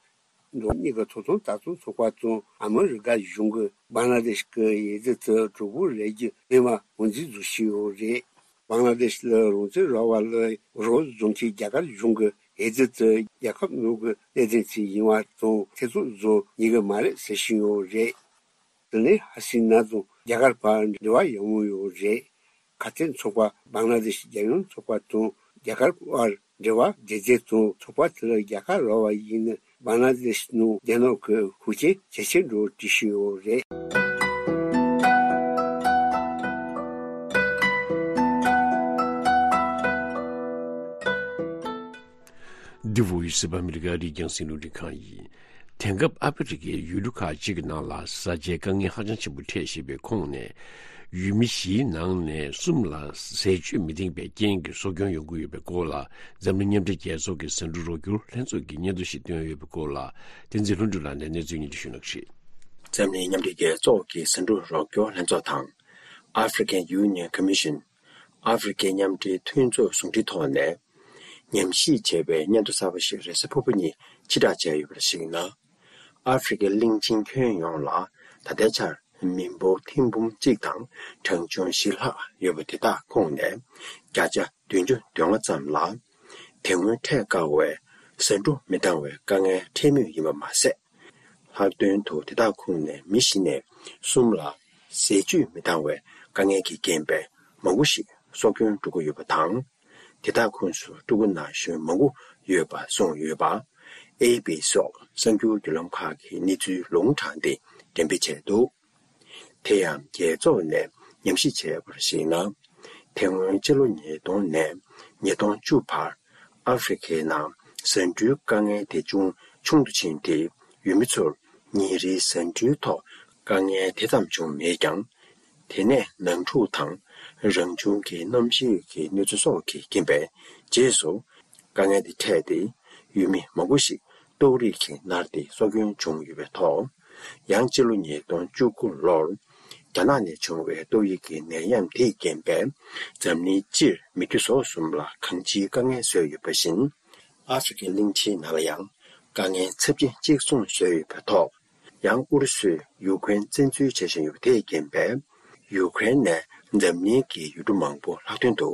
འགྲོ་བ་མིའི་གི་ཐོབ་ཐང་ལྟ་རྟོག་ཚོགས་པ་དང་ཨ་མི་རི་ཀ་གཞུང་གིས་བང་ལ་དེཤ་གི་འོས་བསྡུ་དེ་གྲུབ་པོ་རེད་རྒྱུ་མེད་པ་ངོས་འཛིན་བཟོ་བཞིན་ཡོད་རེད། བང་ལ་དེཤ་ལ་རང་བཙན་རག་པ་ལ་རོགས་བཟོ་མཁན་རྒྱ་གར་གཞུང་གིས་འོས་བསྡུ་དེ་རྒྱལ་ཁབ་ནང་གི་གནད་དོན་ཞིག་ཡིན་པ་དང་ཐེ་ཚོམ་བཟོ་ཉན་གི་མ་རེད་ཟེར་བཞིན་ཡོད་རེད། དེ་ནས་ཧ་སི་ན་དང་རྒྱ་གར་བར་འབྲེལ་བ་ཡག་མོ་ཡོད་རེད། ཁ་གཏད་ཚོགས་པ་བང་ལ་དེཤ་རྒྱལ་ཡོངས་ཚོགས་པ་དང་རྒྱ་གར་བར་འབྲེལ་བ་བདེ་བདེ་དང་ཚོགས་པ་དེ་ལ་རྒྱལ་ཁ་རག་པ་ཡིན་ན་བང་ལ་དེཤ་ནང་བསྡད་ནོ་གི་ཤུགས་རྐྱེན་ཇེ་ཆེར་འགྲོ་བའི་འགྲེལ་བཤད་ཡོད་རེད། འདི་བོད་ཡུལ་སི་པ་ཨ་མི་རི་ཀ་རིགས་རྒྱང་སྲིང་རླུང་འཕྲིན་ཁང་ཡིན། དེང་སྐབས་ཨ་ཕི་རི་ཀའི་ཡུལ་གྲུ་ཁག་ཅིག་གི་ནང་ལ་བཟའ་བཅའི་དཀའ་ངལ་ཧ་ཅང་ཆེན་པོ་འཕྲད་བཞིན་པའི་ཁོངས་ནས། ཡུལ་མི་བཞིའི་ནང་ནས་གསུམ་ལ་ཟས་སྤྱོད་མི་འདང་པའི་རྐྱེན་གྱིས་གསོ་སྐྱོང་ཡོང་གི་ཡོད་པའི་སྐོར་ལ། འཛམ་གླིང་མཉམ་འབྲེལ་རྒྱལ་ཚོགས་ཀྱི་ཟ་འབྲུ་རོགས་སྐྱོར་ལྷན་ཚོགས་ཀྱིས་སྙན་ཐོ་ཞིག་བཏོན་ཡོད་པའི་སྐོར་ལ། བསྟན་འཛིན་ལྷུན་གྲུབ་ལགས་ནས་གནས་ཚུལ་སྙན་སྒྲོན་ཞུ་གནང་གི་རེད། འཛམ་གླིང་མཉམ་འབྲེལ་རྒྱལ་ཚོགས་ཀྱི་ཟ་འབྲུ་རོགས་སྐྱོར་ལྷན་ཚོགས་དང་། African Union Commission། ཨ་ཧྥེ་རི་ཁའི་མཉམ་འབྲེལ་མཐུན་ཚོགས་ཟུང་འབྲེལ་ཐོག་ནས། ཉམས་ཞིབ་བྱས་པའི་སྙན་ཐོ་གསར་པ་ཞིག་རེས་གཟའ་ཕུར་བུ་ཉིན་ཕྱིར་བསྒྲགས་བྱས་ཡོད་པར་གཞིགས་ན། ཨ་ཧྥེ་རི་ཁའི་གླིང་ཆེན་ཁྱོན་ཡོངས་ལ་ད་ལྟའི་ཆར་ མི་འབོར་ཐེར་འབུམ་གཅིག་དང་གྲངས་ཆུང་བཞི་ལྷག་ཡོད་པ་དེ་དག་ཁོངས་ནས་བརྒྱ་ཆ་བདུན་ཅུ་དོན་ལྔ་ཙམ་ལ་དེ་སྔོན་འཕྲད་དཀའ་བའི་ཟ་འབྲུ་མི་འདང་བའི་དཀའ་ངལ་འཕྲད་མུས་ཡིན་པ་མ་ཟད། ལྷག་དོན་དུ་དེ་དག་ཁོངས་ནས་མི་བཞི་ནས་གསུམ་ལ་ཟས་བཅུད་མི་འདང་བའི་དཀའ་ངལ་གྱི་རྐྱེན་པས་མང་པོ་ཞིག་སྲོག་སྐྱོན་འགྲོ་གི་ཡོད་པ་དང་། དེ་དག་ཁོངས་སུ་ཕྲུ་གུ་ན་གཞོན་མང་པོ་ཡོད་པ་གསུངས་ཡོད་པ། ཨེ་པི་སོགས་གསར་འགྱུར་བརྒྱུད་ལམ་ཁག་གིས་གནས་ཚུལ་ལུང་དྲངས་ཏེ་འགྲེམས་སྤེལ་བྱས་འདུག་དེ་ཡང་རྒྱལ་ཚོགས་ནས་ཉམས་ཞིབ་བྱས་པར་གཞིགས་ན། དེ་སྔོན་ཕྱི་ལོ་ཉིས་སྟོང་ནས་ཉིས་སྟོང་བཅུ་བར་ཨ་ཧྥེ་རི་ཁའི་ནང་ཟ་འབྲུའི་དཀའ་ངལ་དེ་ཅུང་ཆུང་དུ་ཕྱིན་ཏེ། ཡུལ་མི་ཚོར་ཉིན་རེའི་ཟ་འབྲུའི་ཐོག་དཀའ་ངལ་དེ་ཙམ་བྱུང་མེད་ཀྱང་། དེ་ནས་ནང་འཁྲུག་དང་རང་བྱུང་གི་གནམ་གཤིས་ཀྱི་གནོད་འཚེ་སོགས་ཀྱི་རྐྱེན་པས་རྗེས་སུ་དཀའ་ངལ་དེ་འཕྲད་དེ། ཡུལ་མི་མང་པོ་ཞིག་ཏོག་དབྱིབས་ཀྱིས་མནར་ཏེ་སྲོག་སྐྱོན་བྱུང་ཡོད་པའི་ཐོག་ཡང་སྤྱི་ལོ་ཉིས་སྟོང་བཅུ་དགུ་ལོར་རྒྱ་ནག་ནས་བྱུང་བའི་ཏོག་དབྱིབས་ཀྱི་ནད་ཡམས་དེའི་རྐྱེན་པས་འཛམ་གླིང་སྤྱིར་མི་རྒྱུ་ཟོག་གསུམ་ལ་གང་ཅིའི་དཀའ་ངལ་བཟོས་ཡོད་པ་བཞིན། ཨ་ཧྥེ་རི་ཁའི་གླིང་ཆེན་ནང་ལ་ཡང་དཀའ་ངལ་ཚབས་ཆེན་གཅིག་མཚུངས་བཟོས་ཡོད་པའི་ཐོག་ཡང་ཨུ་རུ་སུས་ཡུ་ཀེ་རེན་བཙན་འཛུལ་བྱེད་བཞིན་ཡོད་པ་དེའི་རྐྱེན་པས། ཡུ་ཀེ་རེན་ནས་འཛམ་གླིང་གི་ཡུལ་གྲུ་མང་པོ་ལྷག་དོན་དུ་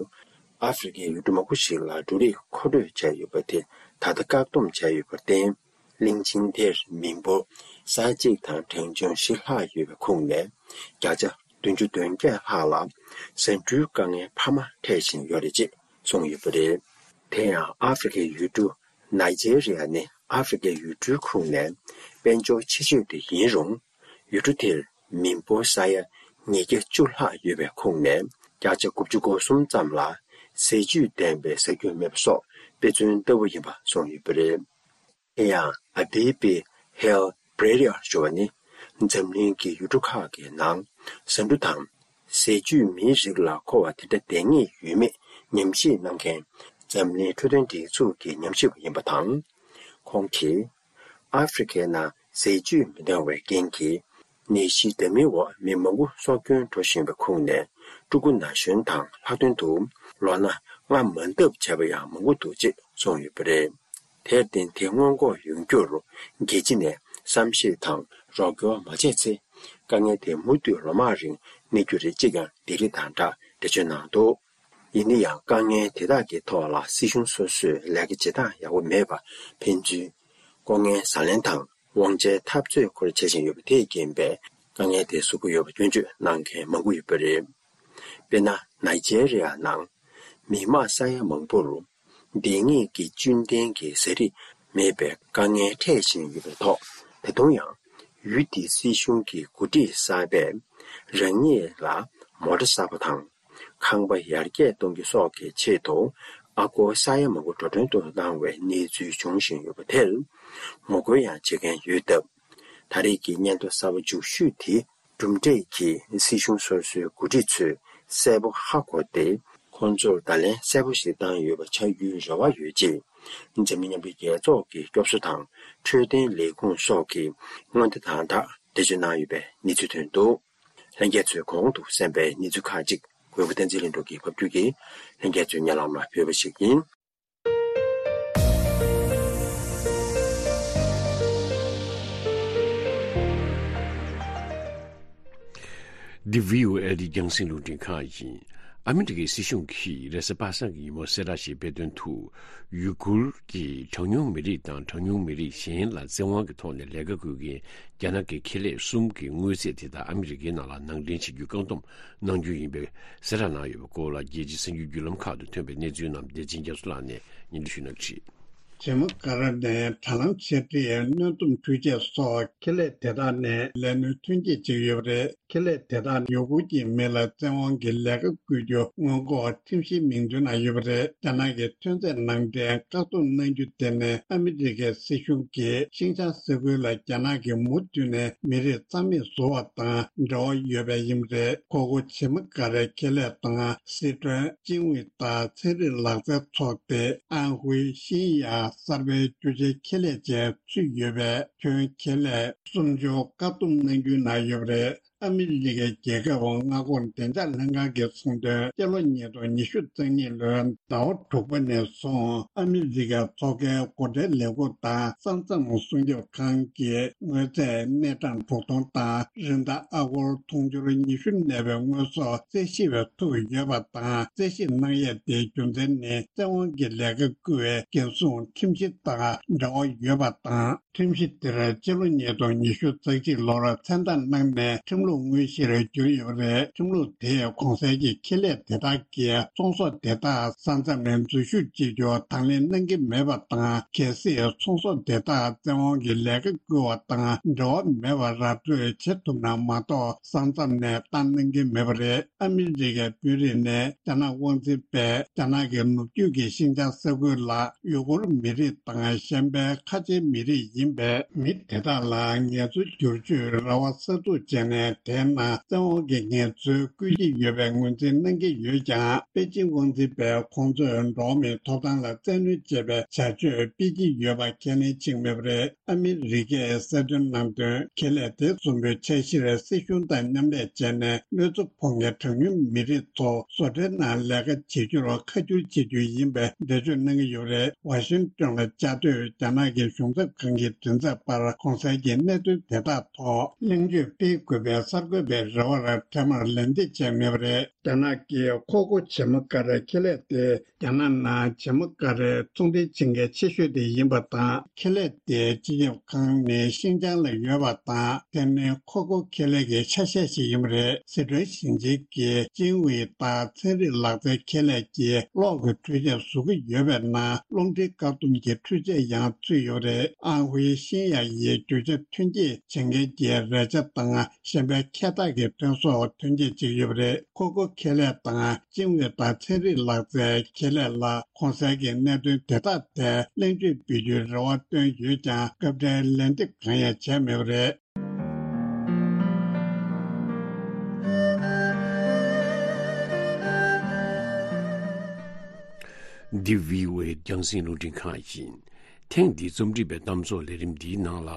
ཨ་ཧྥེ་རི་ཁའི་ཡུལ་གྲུ་མང་པོ་ཞིག་ལ་འབྲུ་རིགས་མཁོ་སྤྲོད་བྱས་ཡོད་པ་དེ་ད་ལྟ་བཀག་སྡོམ་བྱས་ཡོད་པར་བརྟེན། གླིང་ཆེན་དེར་མི་འབོར་ས་ཡ་གཅིག་དང་གྲངས་ཆུང་བཞི་ལྷག་ཡོད་པའི་ཁོངས་ནས་བརྒྱ་ཆ་བདུན་ཅུ་དོན་བརྒྱད་ལྷག་ལ་ཟ་འབྲུའི་དཀའ་ངལ་འཕར་མ་འཕྲད་བཞིན་ཡོད་རེད་ཅེས་གསུངས་ཡོད་པ་རེད། དེ་ཡང་ཨ་ཧྥེ་རི་ཁའི་ཡུལ་གྲུ་ནཱི་ཇེ་རི་ཡ་ནི་ཨ་ཧྥེ་རི་ཁའི་ཡུལ་གྲུའི་ཁོངས་ནས་དཔལ་འབྱོར་ཆེ་ཤོས་དེ་ཡིན་རུང་། ཡུལ་གྲུ་དེར་མི་འབོར་ས་ཡ་ཉིས་བརྒྱ་བཅུ་ལྷག་ཡོད་པའི་ཁོངས་ནས་བརྒྱ་ཆ་དགུ་བཅུ་གོ་གསུམ་ཙམ་ལ་ཟས་བཅུད་ལྡན་པའི་ཟ་རྒྱུ་མེད་པ་སོགས་དཔེ་མཚོན་ལྟ་བུ་ཡིན་པ་གསུངས་ཡོད་པ་རེད། དེ་ཡང་ཨ་བྷི་པི་ཧེལ་བྷེ་རི་ཡར་ཞུ་བ་ནི་འཛམ་གླིང་གི་ཡུལ་གྲུ་ཁག་གི་ནང་ཟ་འབྲུ་དང་ཟས་བཅུད་མིའི་རིགས་ལ་མཁོ་བ་དེ་འདྲ་ལྡན་ངེས་ཡོད་མེད་ཉམས་ཞིབ་གནང་མཁན་འཛམ་གླིང་འཕྲོད་བསྟེན་སྒྲིག་འཛུགས་ཀྱི་ཉམས་ཞིབ་པ་ཡིན་པ་དང་། ཁོང་གིས་ཨ་ཧྥེ་རི་ཁའི་ནང་ཟས་བཅུད་མི་འདང་བའི་རྐྱེན་གྱིས་ནད་གཞི་འདྲ་མིན་འོག་མི་མང་པོ་སྲོག་སྐྱོན་འགྲོ་བཞིན་པའི་ཁོངས་ནས་ཕྲུ་གུ་ན་གཞོན་དང་ལྷག་དོན་དུ་ལོ་ན་ལྔ་མ་འདབ་བྱས་པ་ཡང་མང་པོ་འདུག་ཅེས་གསུངས་ཡོད་པ་རེད། དེར་བརྟེན་དེ་སྔོན་འགོག་ཡོང་རྒྱུར་རྒྱལ་སྤྱི་ནས་བསམ་ཤེས་དང་རོགས་སྐྱོར་མ་བྱས་ཚེ། དཀའ་ངལ་དེ་མུ་མཐུད་ལོ་མང་རིང་གནས་རྒྱུ་རེད་ཅེས་ཀྱང་སྡིགས་ར་དང་སྦྲགས་འགྲེལ་བརྗོད་གནང་འདུག་ཡིན་ན་ཡང་དཀའ་ངལ་དེ་དག་གི་ཐོག་ལ་སྲིད་གཞུང་སོ་སོས་ལས་ཀ་བྱེད་སྟངས་ཡག་པོ་མེད་པ། ཕན་ཚུན་ལྐོག་རྔན་ཟ་ལེན་དང་དབང་ཆའི་འཐབ་རྩོད་སྐོར་བྱེད་བཞིན་ཡོད་པ་དེས་རྐྱེན་པས་དཀའ་ངལ་དེ་བཟོ་གི་ཡོད་པ་སྐྱོན་བརྗོད་གནང་མཁན་མང་པོ་ཡོད་པ་རེད། དཔེར་ན། ནཱི་ཇེ་རི་ཡ་ནང་མི་མང་ས་ཡ་མང་པོར་འདེང་ངེས་ཀྱི་བཅུད་ལྡན་གྱི་ཟས་རིགས་མེད་པའི་དཀའ་ངལ་འཕྲད་བཞིན་ཡོད་པའི་ཐོག་ད་དུང་ཡང་ཡུལ་དེའི་སྲིད་གཞུང་གི་འགོ་ཁྲིད་གསར་པས་རང་ཉིད་ལ་མོ་ཊ་གསར་པ་དང་། ཁང་པ་ཡར་རྒྱས་གཏོང་རྒྱུ་སོགས་ཀྱི་ཆེད་དུ་ཨ་སྒོར་ས་ཡ་མང་པོ་འགྲོ་གྲོན་དུ་གནང་བའི་གནས་ཚུལ་འབྱུང་བཞིན་ཡོད་པ་དེར་ངོ་རྒོལ་ཡང་བྱེད་མཁན་ཡོད་སྟབས། ད་རེས་ཀྱི་སྙན་ཐོ་གསར་པ་མཇུག་ཤོས་དེ་གྲུབ་འབྲས་ཀྱིས་སྲིད་གཞུང་སོ་སོའི་འགོ་ཁྲིད་ཚོས་གསལ་པོ་ཧ་གོ་སྟེ། ཁོང་ཚོར་བརྡ་ལན་གསལ་པོ་ཞིག་བཏང་ཡོད་པ་ཆགས་རྒྱུའི་རེ་བ་ཡོད་ཅེས། འཛམ་གླིང་མཉམ་འབྲེལ་རྒྱལ་ཚོགས་ཀྱི་སྐྱོབ་གསོ་དང་འཕྲོད་བསྟེན་ལས་ཁུངས་སོགས་ཀྱིས་སྔོན་བརྡ་དང་སྦྲགས་འགྲེལ་བརྗོད་གནང་ཡོད་པའི་གནས་ཚུལ་ཐོན་འདུག་ལྷན་རྒྱས་ཚོས་གོང་དུ་གསན་པའི་གནས་ཚུལ་ཁག་ཅིག་གོ་བོ་བསྟན་འཛིན་ལྷུན་གྲུབ་ཀྱིས་ཕབ་སྒྱུར་གྱིས་ལྷན་རྒྱས་ཚོའི་སྙན་ལམ་ལ་ཕུལ་བ་ཞིག་ཡིན། འདི་བྷི་ཨོ་ཨེ་རྒྱང་སྲིང་རླུང་འཕྲིན་ཁང་ཡིན། ཨ་མི་རི་ཀའི་སྲིད་གཞུང་གིས་རེས་གཟའ་པ་སངས་ཀྱི་ཉིན་མོ་གསལ་བསྒྲགས་ཤིག་སྤེལ་དོན་དུ། ཡུ་གུར་གྱི་གྲངས་ཉུང་མི་རིགས་དང་གྲངས་ཉུང་མི་རིགས་གཞན་ལ་བཙན་དབང་གི་ཐོག་ནས་ལས་ཀ་བསྐུལ་མཁན་རྒྱ་ནག་གི་ཁེ་ལས་གསུམ་གྱི་དངུལ་རྩིས་དེ་དག་ཨ་མི་རི་ཀའི་ནང་ལ་ནང་འདྲེན་བྱེད་རྒྱུའི་བཀག་སྡོམ་གནང་རྒྱུ་ཡིན་པའི་གསལ་བསྒྲགས་གནང་ཡོད་པའི་སྐོར་ལ། རྒྱལ་སྤྱིའི་གསར་འགྱུར་བརྒྱུད་ལམ་ཁག་ཏུ་ཐོན་པའི་གནས་ཚུལ་རྣམས་བདེ་ཆེན་རྒྱ་མཚོ་ལགས་ནས་སྙན་སྒྲོན་ཞུ་གནང་གི་རེད། ཇེ་མ་ཀ་ར་ནས་དྲ་ལམ་འཆར་ཁྲིད། གནོན་སྡོམ་འཕྲུལ་ཆས་སོགས་ཁེ་ལས་དེ་དག་ནས་ལས་སྣོན་ཐོན་སྐྱེད་བྱེད་ཀྱི་ཡོད་པ་རེད། ཁེ་ལས་དེ་དག་ཡུ་གུར་གྱི་མི་ལ་བཙན་དབང་གིས་ལས་ཀ་བསྐུལ་རྒྱུ་སྔོན་འགོག་ཁྲིམས་གཞིའི་མིང་ཐོའི་ནང་ཡོད་པ་རེད། རྒྱ་ནག་གི་ཐོན་རྫས་ནང་འདྲེན་བཀག་སྡོམ་གནང་རྒྱུ་དེ་ནི་ཨ་མི་རི་ཀའི་སྲིད་གཞུང་གིས་ཤིན་ཅང་ས་ཁུལ་ལ་རྒྱ་ནག་གིས་མུ་མཐུད་ནས་མི་རིགས་རྩ་མེད་བཟོ་བ་དང་འབྲེལ་བ་ཡོད་པ་ཡིན་པ་རེད། ཁོ་ཁོ་ཇེ་མ་ཀ་རའི་ཁེ་ལས་དང་སི་ཁྲོན་ཅིན་ཝི་ཏཱ་ཚན་རིག་ལག་རྩལ་ཚོགས་སྡེ། ཨན་ཧུའེ་ཤིན་ཡ་གསར་པའི་རྒྱུ་ཆའི་ཁེ་ལས་བཅས་ཚུད་ཡོད་པའི་ཁྱོན་ཁེ་ལས་སུམ་ཅུ་བཀག་སྡོམ་གནང་རྒྱུའི་ནང་ཡོད་པ་རེད། ཨ་མི་རི་ཀའི་རྒྱལ་ཁབ་མངའ་ཁོངས་བདེ་འཇགས་ལྷན་ཁང་གིས་གསུངས་དོན། སྤྱི་ལོ་ཉིས་སྟོང་ཉི་ཤུ་རྩ་གཉིས་ལོའི་ཟླ་བ་དྲུག་པ་ནས་བཟུང་ཨ་མི་རི་ཀའི་མཚོ་ཁའི་འགོ་ཁྲིད་ལས་ཁུངས་དང་ས་མཚམས་སྲུང་སྐྱོབ་ཁང་གིས་དངོས་རྫས་སྣེ་གྲངས་དྲུག་སྟོང་དང་རི་དྭགས་ཨ་སྒོར་དུང་ཕྱུར་ཉི་ཤུ་གནས་པའི་དངོས་ཟོག་རྩད་ཞིབ་ཐུབ་ཡོད་པ་དང་། རྩད་ཞིབ་གནང་ཡས་དེའི་རྒྱུ་མཚན་ནི་བཙན་དབང་གིས་ལས་ཀ་བསྐུལ་བའི་རྒྱལ་སྲུང་ཁྲིམས་གཞི་དང་འབྲེལ་བ་ཡོད་པ་དང་། ཁྲིམས་གཞི་དེར་སྤྱི་ལོ་ཉིས་སྟོང་ཉི་ཤུ་རྩ་གཅིག་ལོར་མཚན་རྟགས་གནང་ནས་ཁྲིམས་ལུགས་དངོས་གཞིར་གྱུར་ཡོད་པ་རེད། ཁྲིམས་ལུགས་དེས་གོང་གསལ་གྱི་ཁེ་ལས་དེ་དག་གིས་ཚོང་ཟོག་དེ་དག་ས་མཚམས་ནས་འཛུལ་ཞུགས་བྱེད་རྒྱུ་དང་ལེན་གནང་གི་མེད་པ་དང་། གལ་སྲིད་ཚོང་ཟོག་དེ་དག་བཙན་དབང་གིས་ལས་ཀ་བསྐུལ་བ་དང་འབྲེལ་བ་མེད་པར་ར་སྤྲོད་བྱེད་ཐུབ་ན་མ་གཏོགས་ས་མཚམས་ནས་བཏང་གནང་གི་མེད་པ་རེད། ཨ་མི་རི་ཀའི་དཔོན་རིགས་ནས་རྒྱ་ནག་དབང་འཛིན་པས་རྒྱ་ནག་གི་ནུབ་རྒྱུད་ཀྱི་ཤིན་ཅང་ས་ཁུལ་ལ་ཡུ་གུར་མི་རིགས་དང་གཞན་པའི་ཁ་ཆེའི་མི་རིགས་ཡིན་པའི་མི་དེ་དག་ལ་ངལ་རྩོལ་བསྒྱུར་བཅོས་ར་བ་གསར་འཛུགས་བྱས་ནས་དེའི་ནང་བཙན་དབང་གི་ངལ་རྩོལ་བསྐུལ་གྱི་ཡོད་པའི་ངོས་འཛིན་གནང་གི་ཡོད་ཀྱང་། པེ་ཅིང་དབང་འཛིན་པས་ཁོང་ཚོས་འགྲོ་བ་མིའི་ཐོབ་ཐང་ལ་བཙན་གནོན་བྱེད་པའི་བྱ་སྤྱོད་སྤེལ་གྱི་ཡོད་པ་ཁས་ལེན་བྱེད་ཀྱི་མེད་པ་རེད། ཨ་མི་རི་ཀས་གསལ་སྟོན་གནང་དོན། ཁེ་ལས་དེ་གསུམ་པོའི་འཆར་གཞིར་སྲིད་གཞུང་དང་མཉམ་ལས་བྱས་ནས་དངོས་གཙོ་ཕོ་ཉའི་གྲངས་ཉུང་མི་རིགས་ཚོ་བཟོ་གྲྭའི་ནང་ལས་ཀ་བྱེད་རྒྱུར་ཁ་བསྒྱུར་བྱེད་རྒྱུ་ཡིན་པའི་འགྲེལ་བརྗོད་གནང་གི་ཡོད་པ་རེད། ཝ་ཤིང་ཏོན་ལ་བཅའ་སྡོད་རྒྱ་ནག་གི་གཞུང་ཚབ་ཁང་གི་མགྲིན་ཚབ་པར་གོང་གསལ་གྱི་གནད་དོན་དེ་དག་ཐོག་གླེང་བརྗོད་སྤེལ་དགོས་པའི་གསར་འགོད་པའི་རེ་བར་འཕྲལ་མར་ལན་འདེབས་བྱས་མེད་པ་རེད། རྒྱ་ནག་གི་ཁོ་ཀོ་བྱེ་མ་ཀ་རའི་ཁེ་ལས་དེ་རྒྱ་ནག་ནང་བྱེ་མ་ཀ་རའི་ཚོང་འབྲེལ་བྱེད་མཁན་ཆེ་ཤོས་དེ་ཡིན་པ་དང་། ཁེ་ལས་དེའི་སྤྱི་ཁྱབ་ཁང་ནི་ཤིན་ཅང་ལ་ཡོད་པ་དང་། དེ་ནི་ཁོ་ཀོ་ཁེ་ལས་ཀྱི་ཆ་ཤས་ཤིག་ཡིན་པ་རེད། སི་ཁྲོན་ཞིང་ཆེན་གྱི་ཅིན་ཝེ་ཏཱ་ཚན་རིག་ལག་རྩལ་ཁེ་ལས་ཀྱིས་གློག་གི་འཕྲུལ་ཆས་བཟོ་གི་ཡོད་པའི་ནང་གློག་འཕྲིན་བཀག་སྡོམ་གྱི་འཕྲུལ་ཆས་ཡང་ཚུད་ཡོད་པ་རེད། ཨང་ཧུའེ་ཤིན་ཡ་ཡིས་རྒྱུ་ཆ་ཐོན་སྐྱེད་བྱེད་མཁན་གྱི་རས་ཆ་དང་གཞན་པའི་ཁྱད་རྟགས་ཀྱི་ཐོན་ཟོག་ཐོན་སྐྱེད་བྱེད་ཀྱི་ཡོད་པ་རེད། ཁོ་ཀོ་ཁེ་ལས་དང་ཅིན་ཝེ་ཏཱ་ཚན་རིག་ལག་རྩལ་ཁེ་ལས་ལ་གོང་གསལ་གྱི་གནད་དོན་དེ་དག་ཐད་གླེང་བརྗོད་སྤེལ་རྒྱུའི་རེ་བ་བཏོན་ཡོད་ཀྱང་། སྐབས་འཕྲལ་ལན་འདེབས་གང་ཡང་བྱས་མེད་པ་རེད། འདི་བྷི་ཨོ་ཨེ་རྒྱང་སྲིང་རླུང་འཕྲིན་ཁང་ཡིན། ཐེངས་འདིའི་རྩོམ་སྒྲིག་པའི་གཏམ་ཚོགས་ལས་རིམ་འདིའི་ནང་ལ།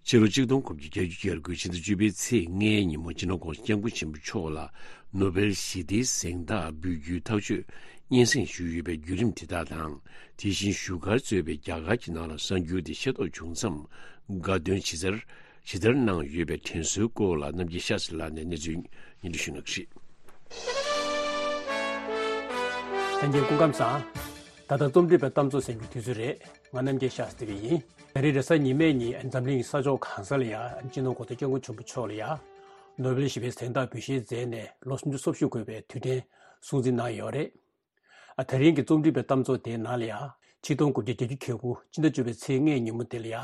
ཕྱི་ལོ་ཆིག་སྟོང་དགུ་བརྒྱ་བརྒྱད་ཅུ་གྱ་དགུ་ཕྱི་ཟླ་བཅུ་པའི་ཚེས་ལྔའི་ཉིན་མོ་སྤྱི་ནོར་༸གོང་ས་༸སྐྱབས་མགོན་ཆེན་པོ་མཆོག་ལ་ནོ་བེལ་ཞི་བདེའི་གཟེངས་རྟགས་འབུལ་རྒྱུའི་ཐག་གཅོད་སྙན་སེང་ཞུས་ཡོད་པའི་བརྒྱུད་རིམ་དེ་དག་དང་། དེ་བཞིན་བཞུགས་སྒར་གཙོས་པའི་རྒྱ་གར་གྱི་ནང་ལ་གསར་འགྱུར་དེ་ཤེས་རྟོགས་བྱུང་མཚམས། དགའ་སྟོན་ཇི་ལྟར་ཇི་ལྟར་གནང་ཡོད་པའི་དྲན་གསོའི་སྐོར་ལ་རྣམ་རྒྱལ་ཤཱ་སི་ལགས་ནས་གནས་ཚུལ་སྙན་སྒྲོན་ཞུ་གནང་གི་རེད། ལྷན་རྒྱས་སྐུ་ཁམས་བཟང་། ད་ལྟ་རྩོམ་སྒྲིག་པའི་གཏམ་ཚོགས་གསན་རྒྱུའི་དུས་ཚོད་རེད། ང་རྣམ་རྒྱལ་ཤཱ་སྟི་བི་ཡིན། ད་རེས་རེས་གཟའ་ཉི་མའི་ཉིན་འཛམ་གླིང་གི་ས་ཕྱོགས་གང་ས་ལ་ཡ་སྤྱི་ནོར་༸གོང་ས་༸སྐྱབས་མགོན་ཆེན་པོ་མཆོག་ལ་ཡ་ནོ་བེལ་ཞི་བའི་གཟེངས་རྟགས་འབུལ་བཞེས་མཛད་ནས་ལོ་སུམ་ཅུ་སོ་བཞི་འཁོར་བའི་དུས་དྲན་སྲུང་བརྩི་གནང་ཡོད་རེད། ཨ་ད་རིང་གི་རྩོམ་སྒྲིག་པའི་གཏམ་ཚོགས་དེའི་ནང་ལ་ཡ་ཆིག་སྟོང་དགུ་བརྒྱ་བརྒྱད་ཅུ་གྱ་དགུ་ཕྱི་ཟླ་བཅུ་པའི་ཚེས་ལྔའི་ཉིན་མོ་དེ་ལ་ཡ་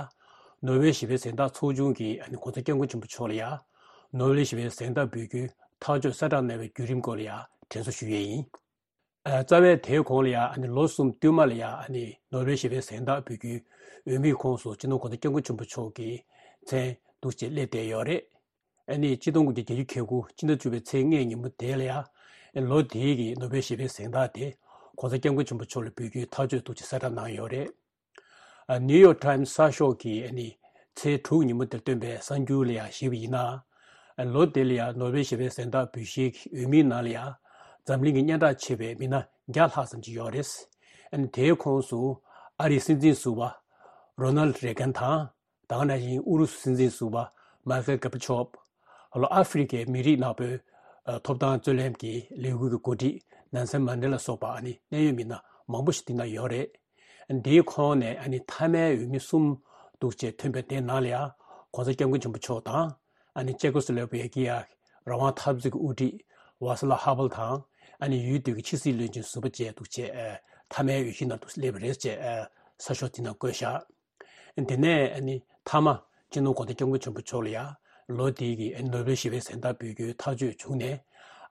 ནོ་བེལ་ཞི་བའི་གཟེངས་རྟགས་ཚོགས་ཆུང་གིས་ཨ་ནི་༸གོང་ས་༸སྐྱབས་མགོན་ཆེན་པོ་མཆོག་ལ་ཡ་ནོ་བེལ་ཞི་བའི་གཟེངས་རྟགས་འབུལ་རྒྱུའི་ཐག་གཅོད་གསལ་བསྒྲགས་གནང་བའི་བརྒྱུད་རིམ་སྐོར་ལ་ཡ་དྲན་གསོ་ཞུ་ཡས་ཡིན། ཨ་རྩ་བའི་དེའི་གོང་ལ་ཡ་ཨ་ནི་ལོ་གསུམ་བསྟུད་མ་ལ་ཡ་ཨ་ནི་ནོ་བེལ་ཞི་བའི་གཟེངས་རྟགས་འབུལ་རྒྱུའི་འོས་མིའི་ཁོངས་སུ་སྤྱི་ནོར་༸གོང་ས་༸སྐྱབས་མགོན་ཆེན་པོ་མཆོག་གི་མཚན་འདུག་ཅེས་སླེབས་བསྡད་ཡོད་རེད། ཨ་ནི་ཆིག་སྟོང་དགུ་བརྒྱ་བརྒྱད་ཅུ་གྱ་དགུ་ཕྱི་ཟླ་བཅུ་པའི་ཚེས་ལྔའི་ཉིན་མོ་དེ་ལ་ཡ་ཨ་ནི་ལོ་དེའི་གི་ནོ་བེལ་ཞི་བའི་གཟེངས་རྟགས་དེ་༸གོང་ས་༸སྐྱབས་མགོན་ཆེན་པོ་མཆོག་ལ་འབུལ་རྒྱུའི་ཐག་གཅོད་འདུག་ཅེས་གསལ་བསྒྲགས་གནང་ཡོད་རེད། ཨ་ནིའུ་ཡོག་ཊའིམ་གསར་ཤོག་གིས་ཨ་ནི་ཚེས་དྲུག་ཉིན་མོ་དེར་བཏོན་པའི་གསར་འགྱུར་ལ་ཡང་གཞིགས་པ་ཡིན་ན། ཨ་ལོ་དེ་ལ་ཡང་ནོ་བེལ་ཞི་བའི་གཟེངས་རྟགས་འབུལ་བཞེས་ཀྱི་འོས་མིའི་ནང་ལ་ཡང་འཛམ་གླིང་གི་སྙན་གྲགས་ཆེ་བའི་མི་སྣ་བརྒྱ་ལྷག་ཙམ་ཅིག་ཡོད་རེད། ཨ་ནི་དེའི་ཁོངས་སུ་ཨ་རིའི་སྲིད་འཛིན་ཟུར་པ་རོ་ནལ་རེ་གན་དང་། ད་ག་ནང་བཞིན་ཨུ་རུ་སུ་སྲིད་འཛིན་ཟུར་པ་མཱི་ཁེལ་གོར་བྷ་ཆོབ། ལྷོ་ཨ་ཧྥེ་རི་ཀའི་མི་རིགས་ནག་པོའི་ཨ་ཐོབ་ཐང་རྩོད་ལེན་གྱི་ལས་འགུལ་གྱི་འགོ་ཁྲིད་ནན་སན་མན་ཌེ་ལ་སོགས་པ་ཨ་ནི་གནད་ཡོད་མི་སྣ་མང་པོ་ཞིག་འདི་ན་ཡོད་རེད། འདིའི་ཁོངས་ནས་ཨ་ནི་མཐའ་མའི་འོས་མི་གསུམ་འདུག་ཅེས་ཐོན་པའི་དེའི་ནང་ལ་ཡང་༸གོང་ས་༸སྐྱབས་མགོན་ཆེན་པོ་མཆོག་དང་། ཨ་ནི་ཅེ་ཀོ་སི་ལོ་ཝེ་ཀི་ཡ་རང་དབང་འཐབ་རྩོད་ཀྱི་དབུ་ཁྲིད་ཝཱ་སི་ལ་ཧ་བལ་དང་། ཨ་ནི་ཡུལ་དེ་གི་ཕྱི་སྲིད་བློན་ཆེན་ཟུར་པ་བཅས་འདུག་ཅེས་ཨ་མཐའ་མའི་འོས་གཞི་ནང་དུ་སླེབས་པ་རེད་ཅེས་ཨ་གསར་ཤོག་དེ་ནང་བཀོད་བཞག་དེ་ནས་ཨ་ནི་མཐའ་མ་སྤྱི་ནོར་༸གོང་ས་༸སྐྱབས་མགོན་ཆེན་པོ་མཆོག་ལ་ཡང་ལོ་དེའི་གི་ཨ་ནི་ནོ་བེལ་ཞི་བའི་གཟེངས་རྟགས་འབུལ་རྒྱུའི་ཐག་གཅོད་བྱུང་ནས།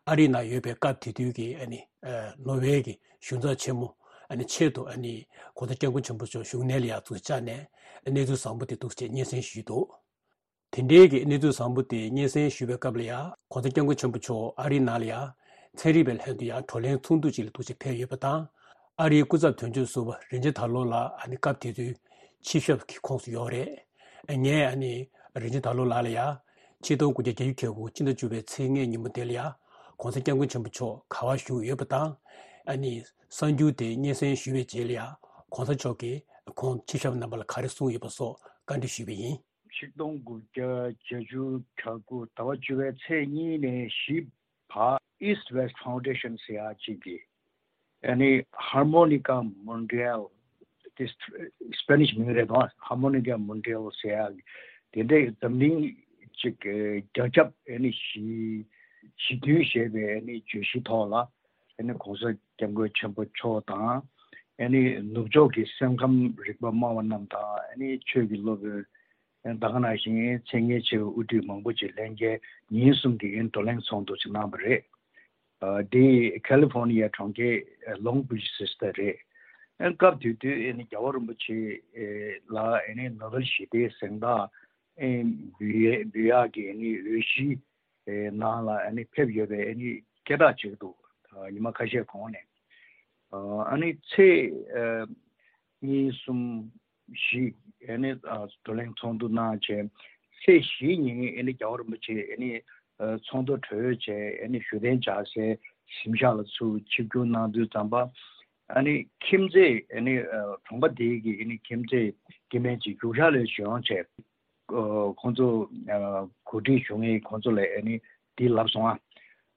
ཨ་རིའི་ནང་ཡོད་པའི་སྐབས་དེ་དུས་ཀྱི་ཨ་ནི་ཨ་ནོར་ཝེ་གི་གཞུང་ཚབ་ཆེན་མོ་ཨ་ནི་ཆེད་དུ་ཨ་ནི་༸གོང་ས་༸སྐྱབས་མགོན་ཆེན་པོ་མཆོག་བཞུགས་གནས་ལ་ཡང་ཚུར་བཅར་ནས་གནས་ཚུལ་བཟང་པོ་དེ་འདུག་ཅེས་སྙན་སེང་ཞུས་འདུག་དེ་འབྲེལ་གྱི་གནས་ཚུལ་བཟང་པོ་དེ་སྙན་སེང་ཞུས་པའི་སྐབས་ལ་ཡང་༸གོང་ས་༸སྐྱབས་མགོན་ཆེན་པོ་མཆོག་ཨ་རིའི་ནང་ལ་ཡང་ཚན་རིག་པའི་ལྷན་དུ་ཡང་བགྲོ་གླེང་ཚོགས་འདུ་ཅིག་ལ་འདུག་ཅེས་ཕེབས་ཡོད་པ་དང་། ཨ་རིའི་སྐུ་ཚབ་དོན་གཅོད་ཟུར་པ་རིན་ཆེན་དར་ལོ་ལགས་ཨ་ནི་སྐབས་དེ་དུས་ཆིབས་ཞབས་ཀྱི་ཁོངས་སུ་ཡོད་རེད། ངས་ཨ་ནི་རིན་ཆེན་དར་ལོ་ལགས་ལ་ཡང་ ཆིག་སྟོང་དགུ་བརྒྱ་བརྒྱད་ཅུ་གྱ་དགུ་ཕྱི་ཟླ་བཅུ་པའི་ཚེས་ལྔའི་ཉིན་མོ་དེ་ལ་ཡང་གོང་ས་སྐྱབས་མགོན་ཆེན་པོ་མཆོག་ག་པར་བཞུགས་ཡོད་པ་དང་། ཨ་ནི་གསར་འགྱུར་དེ་སྙན་སེང་ཞུས་པའི་རྗེས་ལ་ཡང་གོང་ས་མཆོག་གིས་ཁོང་ཕྱི་བཞག་རྣམ་པ་ལ་ག་རེ་གསུངས་ཡོད་པ་སོགས་བཀའ་འདྲི་ཞུས་པ་ཡིན། ཆིག་སྟོང་དགུ་བརྒྱ་བརྒྱད་ཅུ་གྱ་དགུ་ཟླ་བ་བཅུ་པའི་ཚེས་གཉིས་ནས་བཞི་བར་East West Foundation ཟེར་ཡག་ཅིག་གིས། ཨ་ནི་Harmonica Mundial དེ་སྤེ་ནིཤ་མིང་རེད་དོ། Harmonica Mundial ཟེར་ཡག་དེ་འདྲའི་འཛམ་གླིང་གཅིག་རྒྱ་ཁྱབ་ཨ་ནི་ཞི་ཞི་མཐུན་ཞེས་པའི་ཨ་ནི་བརྗོད་གཞི་ཐོག་ལ། ཨ་ནི་གོང་ས་སྐྱབས་མགོན་ཆེན་པོ་མཆོག་དང་། ཨ་ནི་ནུབ་ཕྱོགས་ཀྱི་སེམས་ཁམས་རིག་པ་སྨྲ་བ་རྣམས་དང་། ཨ་ནི་ཆོས་ཀྱི་སློབ་དཔོན། ད་ག་ནང་བཞིན་མཚན་སྙན་ཆེ་བའི་དབུ་ཁྲིད་མང་པོ་ཅིག་ལྷན་རྒྱས་ཉིན་གསུམ་གྱི་བགྲོ་གླེང་ཚོགས་འདུ་ཅིག་གནང་བ་རེད། ཨ་འདི་ཁ་ལི་ཧྥོར་ནི་ཡ་གྲོང་ཁྱེར་ལོང་བིཆ་ཟེར་ས་རེད། ཨ་སྐབས་དེ་དུས་ཨ་ནི་རྒྱལ་བ་རིན་པོ་ཆེ་ལ་ཨ་ནི་ནོ་བེལ་ཞི་བདེའི་གཟེངས་རྟགས་ཨ་འབུལ་ཡས་འབུལ་ཡག་གི་ཨ་ནི་འོས་གཞིའི་ནང་ལ་ཨ་ནི་ཕེབས་ཡོད་པའི་ཨ་ནི་སྐད་གྲགས་ཅིག་འདུག་ཉི་མ་ཁ་ཤས་གོང་ནས། ཨ་ནི་ཚེས་ཨ་གཉིས་གསུམ་བཞི་ཨ་ནི་ཨ་བགྲོ་གླེང་ཚོགས་འདུ་གནང་བྱས། ཚེས་བཞི་ཉིན་ཨ་ནི་རྒྱལ་བ་རིན་པོ་ཆེ་ཨ་ནི་ཨ་ཚོགས་འདུ་གྲོལ་བྱས་ཨ་ནི་བཞུགས་གདན་འཇགས་སའི་གཟིམ་ཤག་ལ་ཚུར་ཆིབས་བསྒྱུར་གནང་དུས་ཙམ་པ། ཨ་ནི་ཁྱིམ་མཚེས་ཨ་ནི་ཨ་གྲོང་པ་དེའི་གི་ཨ་ནི་ཁྱིམ་མཚེས་སྐྱེ་དམན་ཅིག་རྒྱུགས་ཤར་ལ་བྱོན་བྱས། ཨ་ཁོང་ཚོ་ཨ་གོ་སྒྲིག་ཞུ་མཁན་ཁོང་ཚོ་ལ་ཨ་ནི་འདི་ལབ་སོང་ཨ།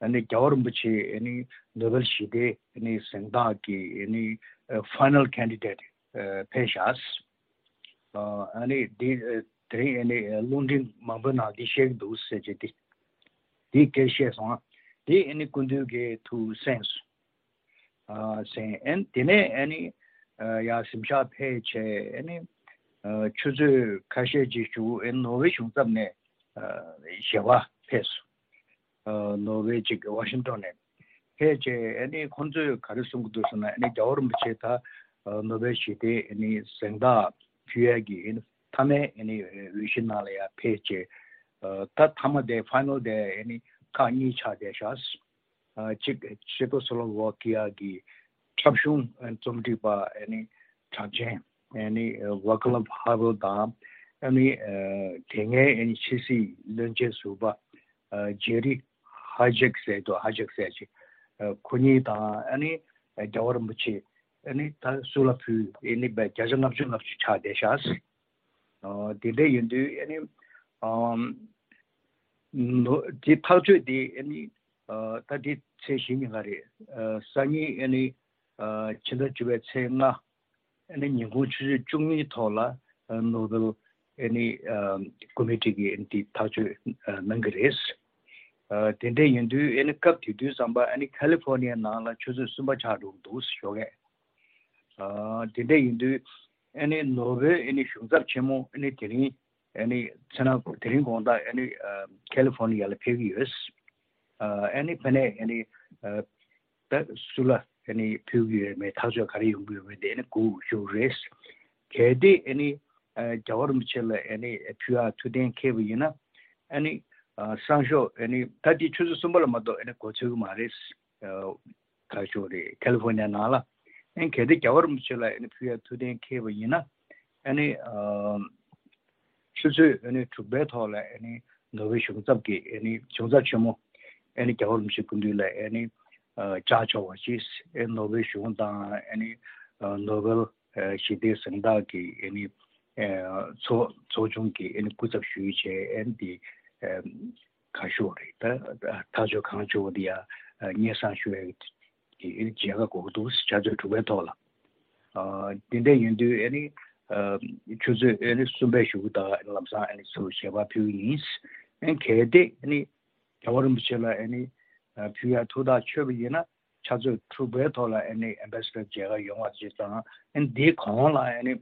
ཨ་ནི་རྒྱལ་བ་རིན་པོ་ཆེ་ཨ་ནི་ནོ་བེལ་ཞི་བདེའི་ཨ་ནི་གཟེངས་རྟགས་ཀྱི་ཨ་ནི་ཨ་ཕའི་ནལ་ཁེན་ཌི་ཌེཊ་ཨ་ཕེབས་ཤག་ཨ་ནི་འདི་ཨ་དེ་རིང་ཨ་ནི་ཨ་རླུང་འཕྲིན་མང་པོའི་ནང་འདི་བཤད་ཀྱི་འདུག་ཟེར་བྱས་ཏེ། འདི་སྐད་བཤད་སོང་ཨ། འདི་ཨ་ནི་སྐུ་མདུན་གྱིས་ཐུགས་གསན་སོང་། ཨ་ཟེར། ཨ་ནི་དེ་ནས་ཨ་ནི་ཨ་ཡར་གཟིམ་ཤག་ཕེབས་བྱས། ཨ་ནི་ཨ་ཆུ་ཚོད་ཁ་ཤས་ཅིག་བཞུགས། ཨ་ནི་ནོར་ཝེ་གཞུང་ཚབ་ནས་ཨ་ཞལ་པར་ཕེབས་སོང་། ཨ་ནོར་ཝེ་གཅིག་ཝ་ཤིང་ཊོན་ནས་ཕེབས་བྱས། ཨ་ནི་ཁོང་ཚོས་ག་རེ་གསུང་གི་འདུག་ཟེར་ན། ཨ་ནི་རྒྱལ་བ་རིན་པོ་ཆེ་ད་ཨ་ནོ་བེལ་ཞི་བདེའི་ཨ་ནི་གཟེངས་རྟགས་ཕུལ་ཡས་ཀྱི་ཨ་ནི་མཐའ་མའི་ཨ་ནི་འོས་གཞི་ནང་ལ་ཡར་ཕེབས་བྱས། ཨ་ད་མཐའ་མ་དེ་ཕའི་ནལ་དེ་ཨ་ནི་ཁག་གཉིས་ཆགས་བསྡད་ཤག་ཨ་གཅིག་ཆེ་ཀོ་སི་ལོ་ཝ་ཀི་ཡ་གི་འཁྲབ་གཞུང་རྩོམ་སྒྲིག་པ་ཨ་ནི་གྲགས་ཅན་ཨ་ནི་ཝ་ཀ་ལབ་ཧ་ཝེལ་དང་། ཨ་ནི་ཨ་དེ་སྔའི་ཨ་ནི་ཕྱི་སྲིད་བློན་ཆེན་ཟུར་པ་ཨ་ཇེ་རི་ཧ་ཇེག་ཟེར་དུ་ཧ་ཇེག་ཟེར་ཅིག་ཨ་ཁོ་གཉིས་དང་། ཨ་ནི་ཨ་རྒྱལ་བ་རིན་པོ་ཆེ་ཨ་ནི་ད་སུ་ལ་ཕུལ། ཨ་ནི་བརྒྱ་ཆ་ལྔ་བཅུ་ལྔ་བཅུ་ཆགས་བསྡད་ཤག་ཨ་དེ་འདྲ་ཡིན་དུས་ཨ་ནི་ཨམ་ནོ་དེ་ཐག་གཅོད་དེ་ཨ་ནི་ཨ་ད་དེ་ཚེས་བཞི་ཉིན་ག་རེད། ཨ་སང་ཉིན་ཨ་ནི་ཨ་ཕྱི་ཟླ་བཅུ་པའི་ཚེས་ལྔ་ཨ་ནི་ཉིན་གུང་ཆུ་ཚོད་བཅུ་གཉིས་ཐོག་ལ་ཨ་ནོ་བེལ་ཨ་ནི་ཨ་ཀོ་མི་ཊི་གིས་ཨ་ནི་དེ་ཐག་གཅོད་ཨ་གནང་གི་རེད། ཨ་དེ་འདྲ་ཡིན་དུས་ཨ་ནི་སྐབས་དེ་དུས་ཙམ་པ་ཨ་ནི་ཁ་ལི་ཧྥོར་ནི་ཡའི་ནང་ལ་ཆུ་ཚོད་གསུམ་པ་ཆགས་འགྲོ་གི་འདུག་ཞོགས་ཀས། ཨ་དེ་འདྲ་ཡིན་དུས་ཨ་ནི་ནོར་ཝེ་ཨ་ནི་གཞུང་ཚབ་ཆེན་མོ་ཨ་ནི་དེ་རིང་ཨ་ནི་མཚན་ནག་དེ་རིང་དགོང་དག་ཨ་ནི་ཨ་ཁ་ལི་ཧྥོར་ནི་ཡ་ལ་ཕེབས་ཀྱི་ཡོད། ཨ་ཨ་ནི་ཕ་ནས་ཨ་ནི་ཨ་ད་སུ་ལ་ཨ་ནི་ཕུལ་གྱི་ཡོད་མེད། ཐག་གཅོད་ག་རེ་ཡོང་གི་ཡོད་མེད་དེ་ཨ་ནི་སྒུག་ཞུ་རེད། གལ་ཏེ་ཨ་ནི་ཨ་རྒྱལ་བ་རིན་པོ་ཆེ་ལ་ཨ་ནི་ཕུལ་ཡག་ཐུགས་གཏན་འཁེལ་བ་ཡིན་ན། ཨ་ནི་ཨ་སང་ཞོགས་ཨ་ནི་ད་དེ་ཆུ་ཚོད་གསུམ་པ་ལ་མ་གཏོགས་ཨ་ནི་འགོ་ཚུགས་ཀྱི་མ་རེད། ཨ་ཁ་ཤོ་རེད། ཁ་ལི་ཧྥོར་ནི་ཡ་ནང་ལ། ཨ་ནི་གལ་ཏེ་རྒྱལ་བ་རིན་པོ་ཆེ་ལ་ཨ་ནི་ཕུལ་ཡག་ཐུགས་གཏན་འཁེལ་བ་ཡིན་ན། ཨ་ནི་ཨ་ཆུ་ཚོད་ཨ་ནི་དྲུག་པའི་ཐོག་ལ་ཨ་ནི་ནོར་ཝེ་གཞུང་ཚབ་ཀྱི་ཨ་ནི་གཞུང་ཚབ་ཆེན་མོ་ཨ་ནི་རྒྱལ་བ་རིན་པོ་ཆེ་སྐུ་མདུན་ལ་ཨ་ནི་ཨ་བཅར་ཆོག་པ་ཞིག་ཨ་ནི་ནོར་ཝེ་གཞུང་དང་ཨ་ནི་ཨ་ནོ་བེལ་ཨ་ཞི་བདེའི་གཟེངས་རྟགས་ཀྱི་ཨ་ནི་ཨ་ཚོགས་ཚོགས་ཆུང་གི་ཨ་ནི་སྐུ་ཚབ་ཞུས་བྱས། ཨ་ནི་དེ་ཨ་ཁ་ཤོ་རེད། ད་ཐག་གཅོད་གང་བྱུང་བ་དེ་ཡང་སྙན་སེང་ཞུ་ཡག་གི་མཇལ་ཁ་དགོས་ཀྱི་འདུག་ཆུ་ཚོད་དྲུག་པའི་ཐོག་ལ། ཨ་དེ་འདྲ་ཡིན་དུས་ཨ་ནི་ཨ་ཆུ་ཚོད་ཨ་ནི་གསུམ་པའི་གཞུག་གུ་དང་ལམ་སང་ཨ་ནི་ཚུར་ཞལ་པར་ཕུལ་གྱི་ཡིན། ཨ་ནི་གལ་ཏེ་ཨ་ནི་རྒྱལ་བ་རིན་པོ་ཆེ་ལ་ཨ་ནི་ཨ་ཕུལ་ཡག་ཐུགས་ཐག་ཆོད་པ་ཡིན་ན། ཆུ་ཚོད་དྲུག་པའི་ཐོག་ལ་ཨ་ནི་ཨེམ་བེ་སི་ཌར་མཇལ་ཁ་ཡོང་བ་ཅིག་དང་། ཨ་ནི་དེའི་གོང་ལ་ཨ་ནི་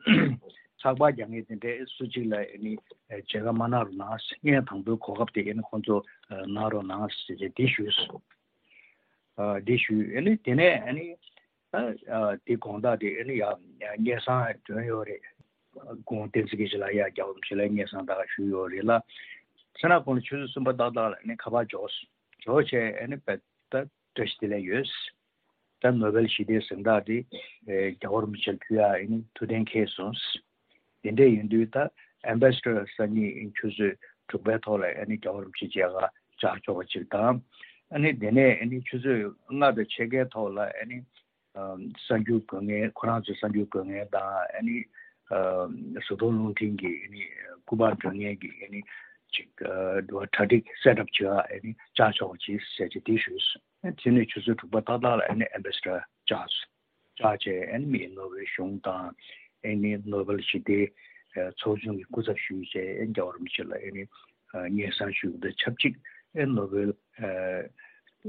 ཚགས་པར་རྒྱག་མཁན་དེ་འདྲའི་སུ་གཅིག་ལ་ཨ་ནི་མཇལ་ཁ་མ་གནང་རོགས་གནང་། སྔོན་དང་པོའི་གོ་སྐབས་དེ་ཨ་ནི་ཁོང་ཚོ་གནང་རོགས་གནང་ཟེར་ཏེ་དེ་ཞུས་སོང་། ཨ་དེ་ཞུས། ཨ་ནི་དེ་ནས་ཨ་ནི་ཨ་ཨ་དེ་དགོང་དག་དེ་ཨ་ནི་ཡ་སྙན་སེང་བྱོན་ཡོད་རེད། ཁོང་བསྟན་འཛིན་དགེ་བཤེས་ལགས་ཡར་རྒྱལ་བ་རིན་པོ་ཆེ་ལ་སྙན་སེང་ད་ག་ཞུས་ཡོད་རེད་ལ། མཚན་ནག་ཁོང་ལ་ཆུ་ཚོད་གསུམ་པ་ཏག་ཏག་ལ་ཨ་ནི་ཁ་པར་འབྱོར་སོང་། འབྱོར་བྱས་ཨ་ནི་བས་ད་བཀྲ་ཤིས་བདེ་ལེགས་ཡོད། ད་ནོ་བེལ་ཞི་བདེའི་གཟེངས་རྟགས་དེ་ཨེ་རྒྱལ་བ་རིན་པོ་ཆེར་ཕུལ་ཡག་ཨ་ནི་ཐུགས་གཏན་འཁེལ་སོང་། དེ་འདྲ་ཡིན་དུས་ད་ཨེམ་བེ་སི་ཌར་སང་ཉིན་ཆུ་ཚོད་ དྲུག་པའི་ཐོག་ལ་ཨ་ནི་རྒྱལ་བ་རིན་པོ་ཆེ་མཇལ་ཁ་བཅར་ཆོག་པ་ཅིག་དང་། ཨ་ནི་དེ་ནས་ཨ་ནི་ཆུ་ཚོད་ལྔ་དང་ཕྱེད་ཀའི་ཐོག་ལ་ཨ་ནི་ཨ་གསར་འགྱུར་འགོད་མཁན། ཁོ་རང་ཚོའི་གསར་འགྱུར་འགོད་མཁན་དང་། ཨ་ནི་ཨ་བཟའ་བཏུང་རླུང་འཕྲིན་གྱི་ཨ་ནི་སྐུ་པར་སྒྲོན་མཁན་གྱི་ཨ་ནི་ཅིག་ཨ་གྲ་སྒྲིག་སེ་ཊབ་བྱེད་ཡ་ཨ་ནི་བཅར་ཆོག་པ་ཅིག་ཟེར་ཅིག་དེ་ཞུས་སོང་། ཨ་དེ་ནས་ཆུ་ཚོད་དྲུག་པ་ཏག་ཏག་ལ་ཨ་ནི་ཨེམ་བྷེ་སི་ཌར་བཅར་སོང་། བཅར་བྱས་ཨ་ནི་མི་ནོ་བེལ་གཞུང་དང་། ཨ་ནི་ནོ་བེལ་ཞི་བདེའི་ཚོགས་ཆུང་གི་སྐུ་ཚབ་ཞུས་བྱས། ཨ་ནི་རྒྱལ་བ་རིན་པོ་ཆེ་ལ་ཨ་ནི་སྙན་སེང་ཞུས་པ་དང་ཆབས་ཅིག་ཨ་ནི་ནོ་བེལ་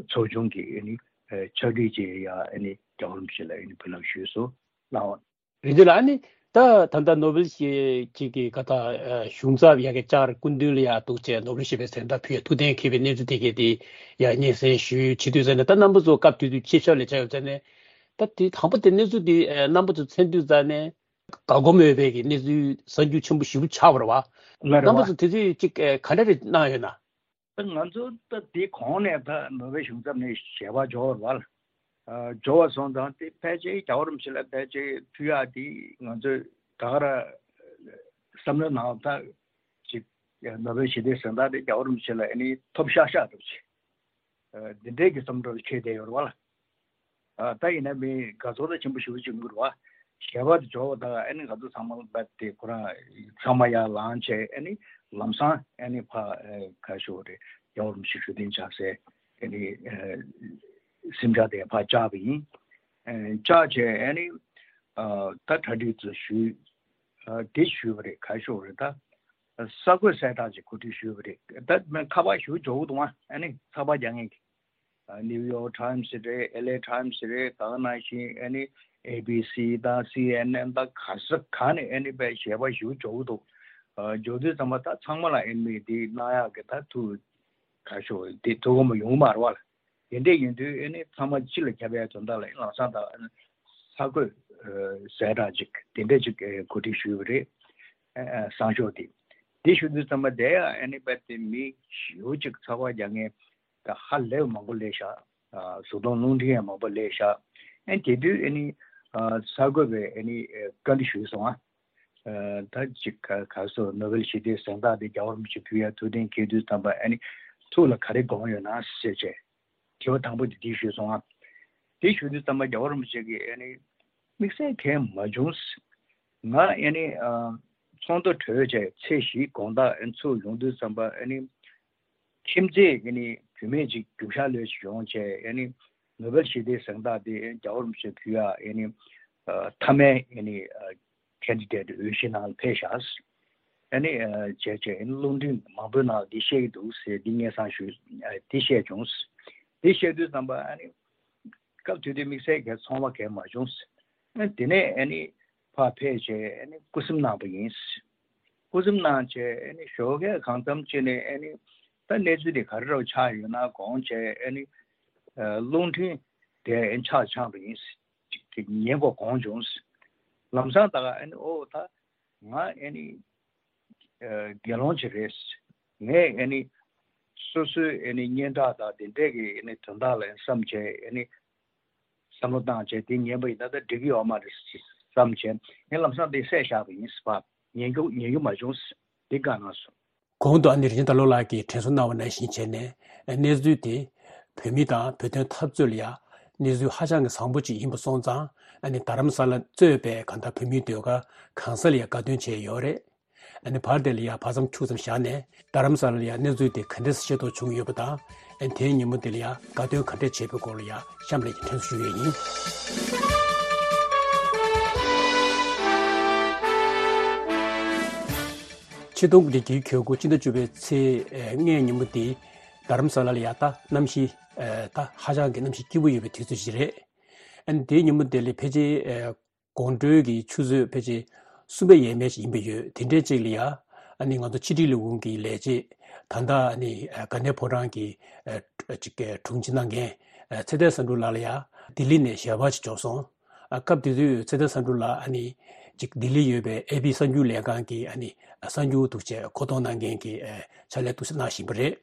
ཚོགས་ཆུང་གི་ཨ་ནི་ཕྱག་བྲིས་བཅས་ཡ་ཨ་ནི་རྒྱལ་བ་རིན་པོ་ཆེ་ལ་ཨ་ནི་འབུལ་ལམ་ཞུས་སོང་། ལགས་འོང་། རིན་ཆེན་ལགས། ཨ་ནི་ད་ད་ལྟ་ནོ་བེལ་ཞི་བདེ་གི་ག་ད་གཞུང་ཚབ་ཡ་གི་བཅར། སྐུ་མདུན་ལ་ཡ་འདུག་བྱས་ནོ་བེལ་ཞི་བདེའི་གཟེངས་རྟགས་ཕུལ་ཡ་ཐུགས་གཏན་འཁེལ་བའི་གནས་ཚུལ་དེ་གས་དེ་ཡ་སྙན་སེང་ཞུས་བྱེད་དུས་ཙ་ནས། ད་རྣམ་པ་ཚོ་སྐབས་དེ་དུས་ཆེད་བསྐྱར་ལས་བྱས་ཡོད་ཙ་ནས། ད་དེ་དང་པོ་དེ་གནས་ཚུལ་དེ་ཨ་རྣམ་པ་ཚོ་མཚོན་དུས་ཙ་ནས་དགའ་སྒོམ་ཡོད་པའི་གི་གནས་ཚུལ་གསར་འགྱུར་ཆེན་པོ་ཞེ་པོ་ཆགས་པ་རེད་བ། ལགས་རེད་རྣམ་པ་བ། ཚོ་དེ་དུས་ཅིག་ཨ་ག་འདྲ་རེ་གནང་ཡོད་ན། ད་ང་ཚོ་ད་དེ་གོང་ནས་ད་ནོ་བེལ་གཞུང་ཚབ་ནས་ཞལ་པར་འབྱོར་བ་རེད་བ། ཨ་འབྱོར་བ་སོང་ཙང་དེ་ཕལ་ཆེར་རྒྱལ་བ་རིན་པོ་ཆེ་ལ་ཕལ་ཆེར་ཕུལ་ཡག་དེ་ང་ཚོས་ད་ག་རང་བསམ་བློའི་ནང་ད་ཅིག་ནོ་བེལ་ཞི་བདེའི་གཟེངས་རྟགས་དེ་རྒྱལ་བ་རིན་པོ་ཆེ་ལ་ཨ་ནི་ཐོབ་ཤག་ཤག་འདྲ་པོ་ཅིག་ཨ་འདི་འདྲའི་གི་བསམ་བློ་འཁྱེར་བསྡད་ཡོད་རེད་བ་ལ། ཨ་ད་ཡིན་ན་མི་དགའ་ཚོར་ད་ཆེན་པོ་ཞེ་པོ་ཅིག་ཡོང་གི་རེད་བ། ཞལ་པར་དེ་འབྱོར་བ་དང་ཨ་ནི་ང་ཚོ་ཚང་མ་ལ་བབས་ཏེ་ཁོ་རང་ཚང་མ་ཡར་ལངས་བྱས། ཨ་ནི་ལམ་སང་ཨ་ནི་ཕར་ཨ་ག་ཞུ་རེད། རྒྱལ་བ་རིན་པོ་ཆེ་བཞུགས་གདན་འཇགས་སའི་ཨ་ནི་ཨ་གཟིམ་ཅག་དེ་ཕར་བཅར་བ་ཡིན། ཨ་བཅར་བྱས་ཨ་ནི་ཨ་ད་གྲ་སྒྲིག་ཚོ་ཞུས། ཨ་དེ་ཞུས་པ་རེད། ག་ཞུ་རེད། ད་གསར་འགོད་གསལ་བསྒྲགས་ཅིག་གོ་སྒྲིག་ཞུས་པ་རེད། ད་ཁ་པར་ཞུ་འབྱོར་གི་འདུག་ཨ་ནི་ཚགས་པར་རྒྱག་མཁན་གྱི། ཨ་ནིའུ་ཡོག་ཊའིམ་སི་རེད། ཨེལ་ཨེ་ཊའིམ་སི་རེད། ད་ག་ནང་བཞིན་ཨ་ནི་ཨེ་བི་སི་དང་སི་ཨེན་ཨེན་དང་ག་ས་ག་ནས་ཨ་ནི་དཔེ་ཞལ་པར་ཞིག་འབྱོར་གྱི་འདུག་ཨ་འབྱོར་དུས་ཙམ་པ་ད་ཚང་མ་ལ་ཨ་ནི་དེ་གནང་ཡག་གི་ད་ཐུགས་ག་ཞུ་དེ་ཐུགས་ཁོམ་ཡོང་གི་མ་རེད་བ་ལ། དེ་འདྲས་ཡིན་དུས་ཨ་ནི་ཚང་མ་སྤྱི་ལ་ཁྱབ་པའི་དོན་དག་ལ་ཨ་ནི་ལམ་སང་ད་ཨ་ནི་གསར་འགོད་ཨ་གསལ་བསྒྲགས་ཅིག་དེ་འདྲས་ཅིག་ཨ་གོ་སྒྲིག་ཞུས་པ་རེད། ཨ་ཨ་སང་ཞོགས་དེ། དེ་ཞུ་དུས་ཙམ་པ་དེ་ཡང་ཨ་ནི་དཔེ་དེ་མི་ཞེ་པོ་ཅིག་ཚགས་པར་རྒྱག་མཁན་ད་ཧ་ལས་པ་མང་པོ་སླེབས་ཤག་ཨ་བཟའ་བཏུང་རླུང་འཕྲིན་ཡང་མང་པོ་སླེབས་ཤག་ཨ་དེ་དུས་ཨ་ནི་ཨ་གསར་འགོད་པས་ཨ་ནི་ཨ་བཀའ་འདྲི་ཞུས་སོང་། ཨ་ཨ་ད་ཅིག་ག་ག་སོ་ནོ་བེལ་ཞི་བདེའི་གཟེངས་རྟགས་དེ་རྒྱལ་བ་རིན་པོ་ཆེ་ཕུལ་ཡ་ཐུགས་གཏན་འཁེལ་དུས་ཙམ་པ་ཨ་ནི་ཐུགས་ལ་ག་རེ་དགོངས་ཡོད་ན་ཟེར་བྱས། དྲི་བ་དང་པོ་དེ་དེ་ཞུས་སོང་ཨ། དེ་ཞུ་དུས་ཙམ་པ་རྒྱལ་བ་རིན་པོ་ཆེ་གིས་ཨ་ནི་དམིགས་བསལ་གང་ཡང་མ་བྱུང་། ང་ཨ་ནི་ཨ་ཚོགས་འདུ་གྲོལ་བྱས་ཚེས་བཞི་དགོང་དག་ཨ་ནི་ཚུར་ཡོང་དུས་ཙམ་པ་ཨ་ནི་ཁྱིམ་མཚེས་ཨ་ནི་བུད་མེད་ཅིག་རྒྱུག་ཤར་ལོས་ཤིག་ཡོང་བྱས། ཨ་ནི་ནོ་བེལ་ཞི་བདེའི་གཟེངས་རྟགས་དེ་རྒྱལ་བ་རིན་པོ་ཆེ་ཕུལ་ཡ་ཨ་ནི་ཨ་མཐའ་མའི་ཨ་ནི་ཨ་ཁེན་ཌི་ཌེ་ཊི་འོས་གཞི་ནང་ལ་ཕེབས་ཤག་ཨ་ནི་ཨ་བྱས་བྱས་ཨ་ནི་རླུང་འཕྲིན་མང་པོའི་ནང་ལ་འདི་བཤད་ཀྱི་འདུག་ཟེར་འདི་སྙན་སེང་ཞུས། ཨ་འདི་བཤད་བྱུང་། འདི་བཤད་དུས་ཙམ་པ་ཨ་ནི་སྐབས་དེ་དུས་དམིགས་བསལ་གྱི་ཚོར་བ་གང་ཡང་མ་བྱུང་། ཨ་དེ་ནས་ཨ་ནི་ཕར་ཕེབས་བྱས་ཨ་ནི་སྐུ་སེམས་གནང་པ་ཡིན། སྐུ་སེམས་གནང་བྱས་ཨ་ནི་ཞོགས་ཀས་གང་འཚམ་བྱས་ནས་ཨ་ནི་ད་གནས་ཚུལ་དེ་ག་རེ་འདྲ་བོ་ཆགས་ཡོད་ན་དགོངས་བྱས། ཨ་ནི་ཨ་རླུང་འཕྲིན་དེ་ཨ་ནི་ཆག་འཆང་པ་ཡིན། ཅིག་ཉན་དགོས་དགོངས་བྱུང་། ལམ་སང་ད་ག་ཨ་ནི་ཨོ་ད་ང་ཨ་ནི་ཨ་དགེ་སློང་ཅིག་རེད། ངས་ཨ་ནི་སོ་སོའི་ཨ་ནི་སྙན་གྲགས་དང་དེ་འདྲས་ཀྱི་ཨ་ནི་དོན་དག་ལ་བསམ་བྱས། ཨ་ནི་བསམ་བློ་བཏང་བྱས་དེ་ཉན་པ་ཡིན་ན་ད་འགྲིག་གི་ཡོད་མ་རེད་བསམ་བྱས། ངས་ལམ་སང་དེ་བསད་བཞག་པ་ཡིན་ཟེར་བ། ཉན་རྒྱུ་ཉན་རྒྱུ་མ་བྱུང་། དེ་བཀའ་གནང་སོང་། གོང་དུ་ཨ་ནི་རིན་ཆེན་དར་ལོ་ལགས་ཀྱིས་དྲན་གསོ་གནང་བ་ནང་བཞིན་བྱས་ནས། གནས་ཚུལ་དེ་བོད་མི་དང་བོད་དོན་འཐབ་རྩོད་ལ་ཡ་གནས་ཚུལ་ཧ་ཅང་གི་བཟང་པོ་ཅིག་ཡིན་པ་སོང་ཙང་། ཨ་ནི་རྡ་རམ་ས་ལ་གཙོས་པའི་གང་ལྟར་བོད་མིའི་ཟློས་གར་གང་ས་ལ་ཡ་དགའ་སྟོན་བྱས་ཡོད་རེད། ཨ་ནི་བར་དེ་ལ་ཡ་བར་མཚམས་འཁྱུག་ཙམ་བཞག་ནས། རྡ་རམ་ས་ལ་ལ་ཡ་གནས་ཚུལ་དེ་ག་འདྲས་ཤེས་རྟོགས་བྱུང་ཡོད་པ་དང་། ཨ་ནི་དེའི་ཉིན་མོ་དེ་ལ་ཡ་དགའ་སྟོན་ག་འདྲས་བྱས་པའི་སྐོར་ལ་ཡ་གཤམ་ལ་ཡ་དྲན་གསོ་ཞུ་ཡས་ཡིན། ཆིག་སྟོང་དགུ་བརྒྱ་གྱ་དགུ་སྤྱི་ཟླ་བཅུ་པའི་ཚེས་ལྔའི་ཉིན་མོ་དེ་རྡ་རམ་ས་ལ་ལ་ཡ་ད་གནམ་གཤིས་ད་ཧ་ཅང་གི་གནམ་གཤིས་སྐྱིད་པོ་ཡོད་པའི་དུས་ཚོད་ཅིག་རེད། ཨ་ནི་དེའི་ཉིན་མོ་དེ་ལ་ཕལ་ཆེར་དགོང་དྲོའི་གི་ཆུ་ཚོད་ཕལ་ཆེར་གསུམ་པ་ཡས་མས་ཤིག་ཡིན་པ་ཡོད། དེ་འདྲའི་ཅིག་ལ་ཡ་ཨ་ནི་ང་ཚོ་ཕྱི་དྲིལ་ལས་ཁུངས་ཀྱི་ལས་བྱེད་ད་ལྟ་ཨ་ནི་དགའ་ལྡན་ཕོ་བྲང་གི་ཅིག་དྲུང་ཆེ་གནང་མཁན་ཚེ་བརྟན་བསམ་འགྲུབ་ལགས་ལ་ཡ་ལྡི་ལི་ནས་ཞལ་པར་ཅིག་འབྱོར་སོང་། ཨ་སྐབས་དེ་དུས་ཚེ་བརྟན་བསམ་འགྲུབ་ལགས་ཨ་ནི་ཅིག་ལྡི་ལི་ཡོད་པའི་ཨེ་པི་གསར་འགྱུར་ལས་ཁང་གི་ཨ་ནི་གསར་འགྱུར་འདུག་བྱས་མཁོ་གཏོང་གནང་མཁན་གྱི་ཕྱག་ལས་འདུག་སེ་གནང་བཞིན་པ་རེད།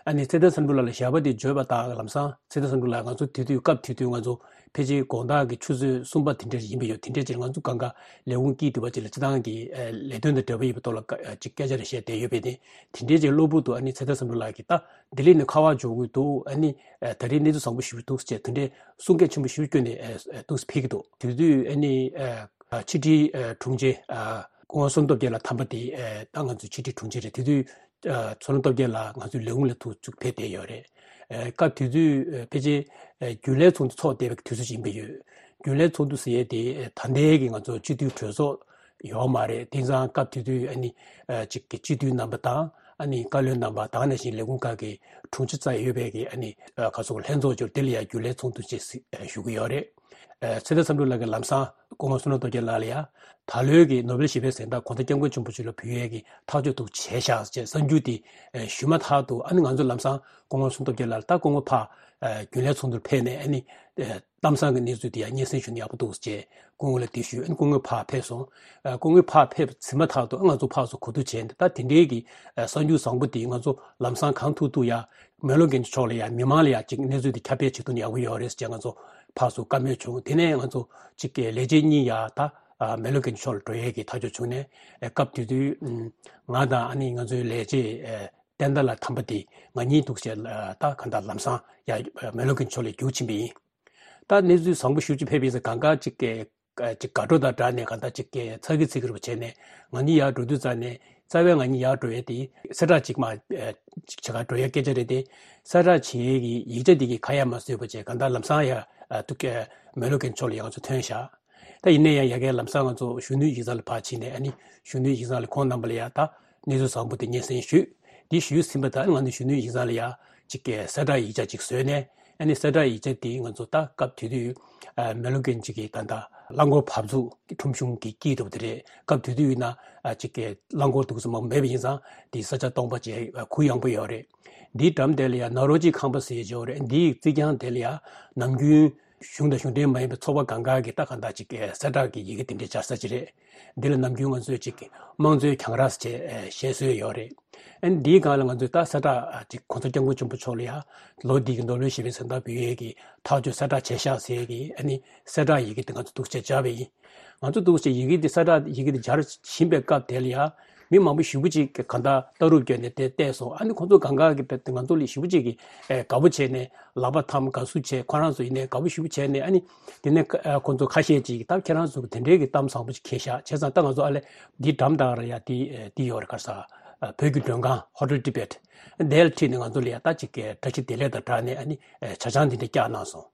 ཨ་ནི་ཚེ་བརྟན་བསམ་འགྲུབ་ལགས་ལ་ཞལ་པར་དེ་བརྗོད་པ་དང་ལམ་སང་ཚེ་བརྟན་བསམ་འགྲུབ་ལགས་ང་ཚོ་དེ་དུས་སྐབས་དེ་དུས་ང་ཚོ་ ཕལ་ཆེར་དགོང་དག་གི་ཆུ་ཚོད་གསུམ་པ་དེ་འདྲ་ཡིན་པ་ཡོད། དེ་འདྲའི་ཅིག་ང་ཚོ་གང་ག་ལས་ཁུངས་སྐྱིད་འདུག་པ་ཅིག་ལ་སྤྱི་བཏང་གི་ཨ་ལས་དོན་དང་འབྲེལ་བ་ཡོད་པའི་ཐོག་ལ་ཀ་ཨ་ཅིག་སྐད་ཆ་རེ་བཤད་བསྡད་ཡོད་པས་ཏེ། དེ་འདྲའི་ཅིག་གློ་བུར་དུ་ཨ་ནི་ཚེ་བརྟན་བསམ་གྲུབ་ལགས་ཀྱིས་ད་ལྡི་ལི་ནས་ཁ་པར་འབྱོར་གྱི་འདུག་ཨ་ནི་ཨ་ད་རེས་གནས་ཚུལ་བཟང་པོ་ཞེ་པོ་འདུག་ཅེས་དེ་འདྲའི་གསུང་སྐད་ཆེན་པོ་ཞེ་པོ་བསྐྱོན་ནས་ཨ་ཨ་འདུག་སེ་ཕེབས་ཀྱི་འདུག་དེ་དུས་ཨ་ནི་ཨ་ཕྱི་དྲིལ་ཨ་དྲུང་ཆེ་ཨ་སྐུ་ངོ་བསོད་ནམས་སྟོབས་རྒྱལ་ལགས་དམ་པ་དེ་ཨ་ད་ང་ཚོའི་ཕྱི་དྲིལ་དྲུང་ཆེ་རེད། དེ་དུས་ཨ་བསོད་ནམས་སྟོབས་རྒྱལ་ལགས་ང་ཚོའི་ལས་ཁུངས་ལ་ཐུག་བཅུག་ཕེབས་བསྡད་ཡོད་རེད། ཨ་སྐབས་དེ་དུས་ཨ་ཕལ་ཆེར་ཨ་རྒྱུན་ལས་ཚོགས་འདུ་ཚོགས་བསྡད་པའི་དུས་ཚོད་ཅིག་ཡིན་པ་ཡོད། རྒྱུན་ལས་ཚོགས་འདུ་ཟེར་ཡས་དེ་ཨ་ད་ལྟའི་གི་ང་ཚོ་སྤྱི་འཐུས་གྲོས་ཚོགས་ཡོད་མ་རེད། དེང་སང་སྐབས་དེ་དུས་ཨ་ནི་ཨ་ཅིག་གི་སྤྱི་འཐུས་རྣམ་པ་དང་ཨ་ནི་བཀའ་བློན་རྣམ་པ་དང་ནང་བཞིན་ལས་ཁུངས་ཁག་གི་དྲུང་ཆེ་རྩ་ཡོད་པའི་གི་ཨ་ནི་ཨ་ག་ཚོད་ལྷན་ཚོགས་འབྱོར་དེ་ལ་ཡང་རྒྱུན་ལས་ཚོགས་འདུ་ཅེས་ཞུ་གི་ཡོད་རེད། ཨ་ཚེ་བརྟན་བསམ་གྲུབ་ལགས་ཀྱིས་ལམ་སང་སྐུ་ངོ་བསོད་ནམས་སྟོབས་རྒྱལ་ལགས་ལ་ཡང་ད་ལོའི་གི་ནོ་བེལ་ཞི་བའི་གཟེངས་རྟགས་༸གོང་ས་༸སྐྱབས་མགོན་ཆེན་པོ་མཆོག་ལ་ཕུལ་ཡས་ཀྱི་ཐག་གཅོད་དུ་བྱས་ཤག་ཅེས་གསར་འགྱུར་དེ་ཨ་ཞུས་མ་ཐག་ཏུ་ཨ་ནི་ང་ཚོ་ལམ་སང་སྐུ་ངོ་བསོད་ནམས་སྟོབས་རྒྱལ་ལགས་ལ་ད་སྐུ་ངོ་ཕར་ཨ་རྒྱུན་ལས་ཚོགས་འདུར་ཕེབས་ནས་ཨ་ནི་ཨ་གཏམ་བཟང་གི་གནས་ཚུལ་དེ་ཡང་སྙན་སེང་ཞུ་ན་ཡག་པོ་འདུག་ཅེས་སྐུ་ངོ་ལ་དེ་ཞུས། ཨ་ནི་སྐུ་ངོ་ཕར་ཕེབས་སོང་། ཨ་སྐུ་ངོ་ཕར་ཕེབས་ཟིན་མ་ཐག་ཏུ་ཨ་ང་ཚོ་ཕར་ཚུར་གོ་བསྡུར་བྱས་ནས་ད་དེ་འདྲའི་གི་ཨ་གསར་འགྱུར་བཟང་པོ་དེ་ང་ཚོ་ལམ་སང་གང་ཐུབ་ཐུབ་ཡ་མེག་ལོར་རྒྱལ་མཆོག་ལ་ཡ་མི་མང་ལ་ཡ་ཅིག་གནས་ཚུལ་དེ་ཁྱབ་སྤེལ་བྱེད་ཐུབ་ན་ཡག་པོ་ཡོད་རེད་ཅེས་ང་ཚོ་ཕར་ཚུར་བཀའ་མོལ་བྱུང་། དེ་ནས་ང་ཚོ་ཅིག་གི་ལས་བྱེད་གཉིས་ཡ་ད་ཨ་མེག་ལོར་རྒྱལ་མཆོག་ལ་འགྲོ་ཡས་ཀྱི་ཐག་གཅོད་བྱུང་ནས་ཨ་སྐབས་དེ་དུས་ཨ་ང་དང་ཨ་ནི་ང་ཚོའི་ལས་བྱེད་ཨ་བསྟན་དར་ལགས་དམ་པ་དེ་ང་གཉིས་འདུག་བྱས་ཨ་ད་གང་ལྟར་ལམ་སང་ཡ་མེག་ལོར་རྒྱལ་མཆོག་ལ་རྒྱུགས་ཕྱིན་པ་ཡིན། ད་གནས་ཚུལ་བཟང་པོ་ཞེ་པོ་ཅིག་ཕེབས་པའི་ཚེ་གང་ག་ཅིག་གི་ཅིག་དགའ་སྤྲོ་དང་སྦྲགས་ནས་གང་ལྟར་ཅིག་གི་ཚ་གི་ཚི་གི་རུ་བྱས་ནས་ང་གཉིས་ཡར་འགྲོ་དུས་ཙམ་ནས་རྩ་བའི་ང་གཉིས་ཡར་འགྲོ་ཡས་དེ་གསལ་བསྒྲགས་ཅིག་མ་ཨ་ཅིག་བྱེད་གར་འགྲོ་ཡས་སྐད་ཆ་རེད་དེ། གསལ་བསྒྲགས་བྱེད་ཡས་ཀྱི་ཡིག་ཆ་དེ་གི་ཁ་ཡ་མ་བཟོས་པ་བྱས་གང་ལྟར་ལམ་སང་ཡ་ཨ་ཐུག་གི་མེག་ལོར་རྒྱལ་མཆོག་ལ་ཡ་ང་ཚོ་ཐོན་བཞག་ད་ཡིན་ན་ཡང་ཡ་གིའི་ལམ་སང་ང་ཚོ་གཞོན་ནུའི་ཡིག་ཚང་ལ་ཕར་ཕྱིན་ནས་ཨ་ནི་གཞོན་ནུའི་ཡིག་ཚང་ལ་ཁོང་རྣམ་པ་ལ་ཡ་ད་གནས་ཚུལ་བཟང་པོ་དེ་སྙན་སེང་ཞུས། དེ་ཞུས་ཟིན་པ་དང་ང་ཚོ་གཞོན་ནུའི་ཡིག་ཚང་ལ་ཡ་ཅིག་གི་གསལ་བསྒྲགས་ཡིག་ཆ་ཅིག་བཟོས་ནས་ཨ་ནི་གསལ་བསྒྲགས་ཡིག་ཆ་དེ་ང་ཚོ་ད་སྐབས་དེ་དུས་ཨ་མེག་ལོར་རྒྱལ་མཆོག་གི་ད་ལྟ་རླངས་འཁོར་བབས་ཚུགས་ཁྲོམ་གཞུང་གི་དཀྱིལ་དུ་དེ་རེད། སྐབས་དེ་དུས་ཡིན་ན་ཨ་ཅིག་གི་རླངས་འཁོར་འདུག་སེ་མང་པོ་མེད་པ་ཡིན་ཙང་དེ་ས་ཆ་སྟོང་པ་བྱས་ཨ་གུ་ཡངས་པོ་ཡོད་རེད། འདིའི་འགྲམ་དེ་ལ་ཡ་ནཱ་རོ་ཇི་ཁང་པ་ཟེར་ཡས་ཅིག་ཡོད་རེད། འདིའི་རྩིག་གྱང་དེ་ལ་ཡ་ནམ་རྒྱུན་གཞུང་དང་གཞུང་འབྲེལ་མ་ཡིན་པའི་ཚོགས་པ་གང་ག་གི་ད་གང་ལྟར་ཅིག་གསལ་བསྒྲགས་ཀྱི་ཡི་གེ་དེ་འདྲ་སྦྱར་ས་ཅིག་རེད། འདི་ལ་ནམ་རྒྱུན་ང་ཚོས་ཅིག་དམངས་གཙོའི་གྱང་ར་ཟེར་བྱས་བཤད་སྲོལ་ཡོད་རེད། ཨ་ནི་འདིའི་སྒང་ལ་ང་ཚོས་ད་གསལ་བསྒྲགས་ཅིག་༸གོང་ས་༸སྐྱབས་མགོན་ཆེན་པོ་མཆོག་ལ་ཡ་ལོ་འདི་གི་ནོ་བེལ་ཞི་བའི་གཟེངས་རྟགས་འབུལ་ཡས་ཀྱི་ཐག་གཅོད་གསལ་བསྒྲགས་བྱས་ཤག་ཟེར་ཡས་ཀྱི་ཨ་ནི་གསལ་བསྒྲགས་ཡི་གེ་དེ་ང་ཚོ་འདུག་སེ་སྦྱར་བ་ཡིན། ང་ཚོ་འདུག་སེ་ཡི་གེ་འདི་གསལ་བསྒྲགས་ཡི་གེ་འདི་སྦྱར་བཞིན་པའི་སྐབས་དེ་ལ་ཡ་མི་མང་པོ་ཞེ་པོ་ཅིག་གིས་གང་ལྟར་ལྟ་གྲུབ་བསྐྱོན་ནས་དེ་བལྟས་སོང་། ཨ་ནི་ཁོང་ཚོ་གང་ག་གིས་དཔེ་ང་ཚོ་ལས་ཞེ་པོ་ཅིག་གིས་ཨེ་དགའ་པོ་བྱས་ནས་ལག་པ་འཐམ་དགའ་བསུ་བྱས། ཁོ་རང་ཚོ་ཡིན་ནའི་དགའ་པོ་ཞེ་པོ་བྱས་ནས་ཨ་ནི་དེ་ནས་ཨ་ཁོང་ཚོ་ཁ་ཤས་ཅིག་གིས་ད་ཁྱེད་རང་ཚོ་གིས་དེ་འདྲའི་གི་གཏམ་བཟང་པོ་ཅིག་འཁྱེར་ཤག་བྱས་ཙང་ད་ང་ཚོ་ཨ་ལས་འདིའི་འགྲམ་དེ་ལ་ཡ་འདི་ཨེ་འདི་ཡོད་རེད། ག་རེ་ཟེར་ཨ་བོད་ཀྱི་མགྲོན་ཁང་Hotel Tibet་དེ་ལ་ཁྲིད་ནས་ང་ཚོ་ལ་ཡ་ད་ཅིག་གི་བཀྲ་ཤིས་བདེ་ལེགས་དང་སྦྲགས་ནས་ཨ་ནི་ཨེ་ཇ་ཆང་འདི་འདྲ་བཀྱགས་གནང་སོང་།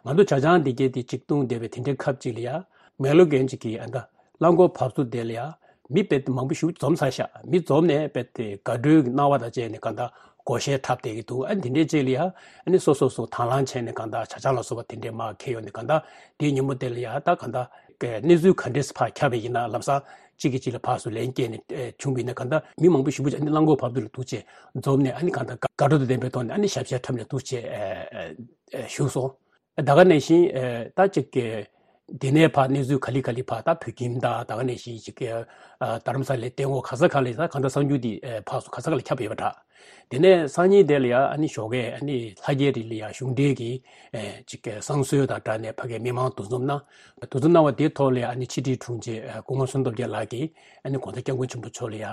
ང་ཚོ་ཇ་ཆང་འདི་གས་དེ་གཅིག་བཏུང་བསྡད་པའི་དེ་འདྲའི་སྐབས་ཅིག་ལ་ཡ་མེག་ལོར་རྒྱལ་མཆོག་གི་ཨ་ད་རླངས་འཁོར་བབས་ཚུགས་དེ་ལ་ཡ་མི་དཔེ་མང་པོ་ཞིག་འཛོམས་ཚར་ཤག་མི་འཛོམས་ནས་དཔེ་དེ་དགའ་སྤྲོའི་སྣང་བ་དང་བཅས་ནས་གང་ལྟར་སྒོར་གཞས་འཁྲབ་བསྡད་ཀྱི་འདུག་ཨ་འདི་འདྲའི་རྗེས་ལ་ཡ་ཨ་ནི་སོ་སོ་སོ་དང་བླངས་བྱས་ནས་གང་ལྟར་ཇ་ཆང་ལ་སོགས་པ་དེ་འདྲའི་མར་འཁྱེར་ཡོང་ནས་གང་ལྟར་དེའི་ཉིན་མོ་དེ་ལ་ཡ་ད་གང་ལྟར་གནས་ཚུལ་ག་འདྲས་ཕར་ཁྱབ་པ་ཡིན་ན་ལམ་སང་གཅིག་གིས་གཅིག་ལ་ཕར་ཚུར་ལན་སྐྱེལ་ནས་བྱུང་བ་ཡིན་ན་གང་ལྟར་མི་མང་པོ་ཞེ་པོ་ཅིག་ཨ་ནི་རླངས་འཁོར་བབས་དུས་ལ་འདུག་བྱས་འཛོམས་ནས་ཨ་ནི་གང་ལྟར་དགའ་སྤྲོ་དང་ལྡན་པའི་ཐོག་ནས་ཨ་ནི་ཞབས་ཕྱི་འཁྲབ་ནས་འདུག་བྱས་བཞུགས་སོང་། ད་ག་ནང་བཞིན་ད་ཅིག་གི་དེ་ནས་ཕར་གནས་ཚུལ་ག་ལེ་ག་ལེ་ཕར་ད་བོད་ཁྱིམ་དང་ད་ག་ནང་བཞིན་ཅིག་གི་རྡ་རམ་ས་ལའི་སྟེང་འོག་ག་ས་ག་ལ་ད་གང་ལྟར་གསར་འགྱུར་འདི་ཕར་ཚུར་ག་ས་ག་ལ་ཁྱབ་ཡོད་པ་འདྲ། དེ་ནས་སང་ཉིན་དེ་ལ་ཡ་ཨ་ནི་ཞོགས་ཀས་ཨ་ནི་ལྷ་རྒྱལ་རི་ལ་ཡ་གཞུང་འབྲེལ་གྱི་ཅིག་གི་བསང་གསོལ་དང་སྦྲགས་ནས་ཕ་གིའི་མི་མང་འདུ་འཛོམས་གནང་། འདུ་འཛོམས་གནང་བ་དེའི་ཐོག་ལ་ཡ་ཨ་ནི་ཕྱི་དྲིལ་དྲུང་ཆེ་སྐུ་ངོ་བསོད་ནམས་སྟོབས་རྒྱལ་ལགས་ཀྱིས་ཨ་ནི་༸གོང་ས་༸སྐྱབས་མགོན་ཆེན་པོ་མཆོག་ལ་ཡ་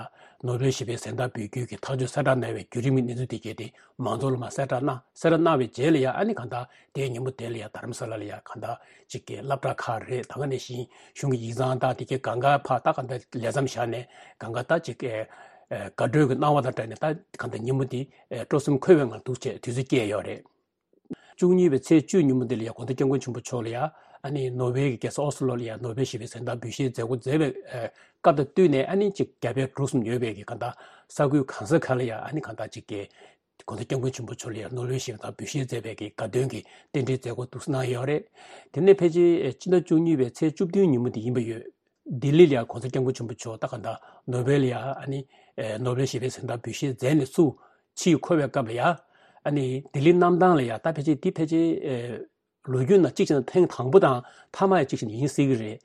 ནོ་བེལ་ཞི་བའི་གཟེངས་རྟགས་འབུལ་རྒྱུ་གི་ཐག་གཅོད་གསལ་བསྒྲགས་གནང་བའི་བརྒྱུད་རིམ་གྱི་གནས་ཚུལ་དེ་གས་དེ་མང་ཚོགས་ལ་མར་གསལ་བསྒྲགས་གནང་། གསལ་བསྒྲགས་གནང་བའི་རྗེས་ལ་ཡ་ཨ་ནི་གང་ལྟར་དེའི་ཉིན་མོ་དེ་ལ་ཡ་རྡ་རམ་ས་ལ་ལ་ཡ་གང་ལྟར་ཅིག་གི་སློབ་གྲྭ་ཁག་རེད། ད་ག་ནང་བཞིན་གཞུང་གི་ཡིག་ཚང་དང་དེ་གས་གང་ག་ཕར་ད་གང་ལྟར་ལས་མཚམས་བཞག་ནས་གང་ག་ད་ཅིག་གི་དགའ་སྤྲོའི་གི་སྣང་བ་དང་སྦྲགས་ནས་ད་གང་ལྟར་ཉིན་མོ་དེ་སྤྲོ་སེམས་འཁོལ་བའི་ངང་འདུག་བྱས་དུས་ཚོད་བསྐྱལ་ཡོད་རེད། བཅུ་གཉིས་པའི་ཚེས་བཅུ་ཉིན་མོ་དེ་ལ་ཡ་༸གོང་ས་༸སྐྱབས་མགོན་ཆེན་པོ་མཆོག་ལ་ཡ་ཨ་ནི་ནོར་ཝེ་གི་རྒྱལ་ས་ཨོ་སི་ལོ་ལ་ཡ་ནོ་བེལ་ཞི་བའི་གཟེངས་རྟགས་འབུལ་བཞེས་མཛད་སྒོ་མཛད་པའི་སྐབས་དང་བསྟུན་ནས་ཨ་ནི་ཅིག་རྒྱ་བལ་འབྲུག་གསུམ་ཡོད་པའི་གི་གང་ལྟར་ས་ཁུལ་གང་ས་ག་ལ་ཡ་ཨ་ནི་གང་ལྟར་ཅིག་གི་༸གོང་ས་༸སྐྱབས་མགོན་ཆེན་པོ་མཆོག་ལ་ཡ་ནོ་བེལ་ཞི་བའི་གཟེངས་རྟགས་འབུལ་བཞེས་མཛད་པའི་གི་དགའ་སྟོན་གྱི་རྟེན་འབྲེལ་མཛད་སྒོ་འདུག་གནང་ཡོད་རེད། དེ་ནས་ཕལ་ཆེར་ཕྱི་ཟླ་བཅུ་གཉིས་པའི་ཚེས་བཅུ་བདུན་ཉིན་མོ་དེ་ཡིན་པ་ཡོད། ལྡི་ལི་ལ་ཡ་༸གོང་ས་༸སྐྱབས་མགོན་ཆེན་པོ་མཆོག་ད་གང་ལྟར་ནོ་བེལ་ལ་ཡ་ཨ་ནི་ནོ་བེལ་ཞི་བའི་གཟེངས་རྟགས་འབུལ་བཞེས་མཛད་ནས་ཚུར་ཕྱིར་འཁོར་བའི་སྐབས་ལ་ཡ་ཨ་ནི་ལྡི་ལི་གནམ་ཐང་ལ་ཡ་ད་ཕལ་ཆེར་འདི་ཕལ་ཆེར་ལོ་རྒྱུས་ནང་གཅིག་བྱས་ན་ཐེངས་དང་པོ་དང་མཐའ་མ་ཡ་གཅིག་བྱས་ན་ཡིན་སྲིད་ཀྱི་རེད།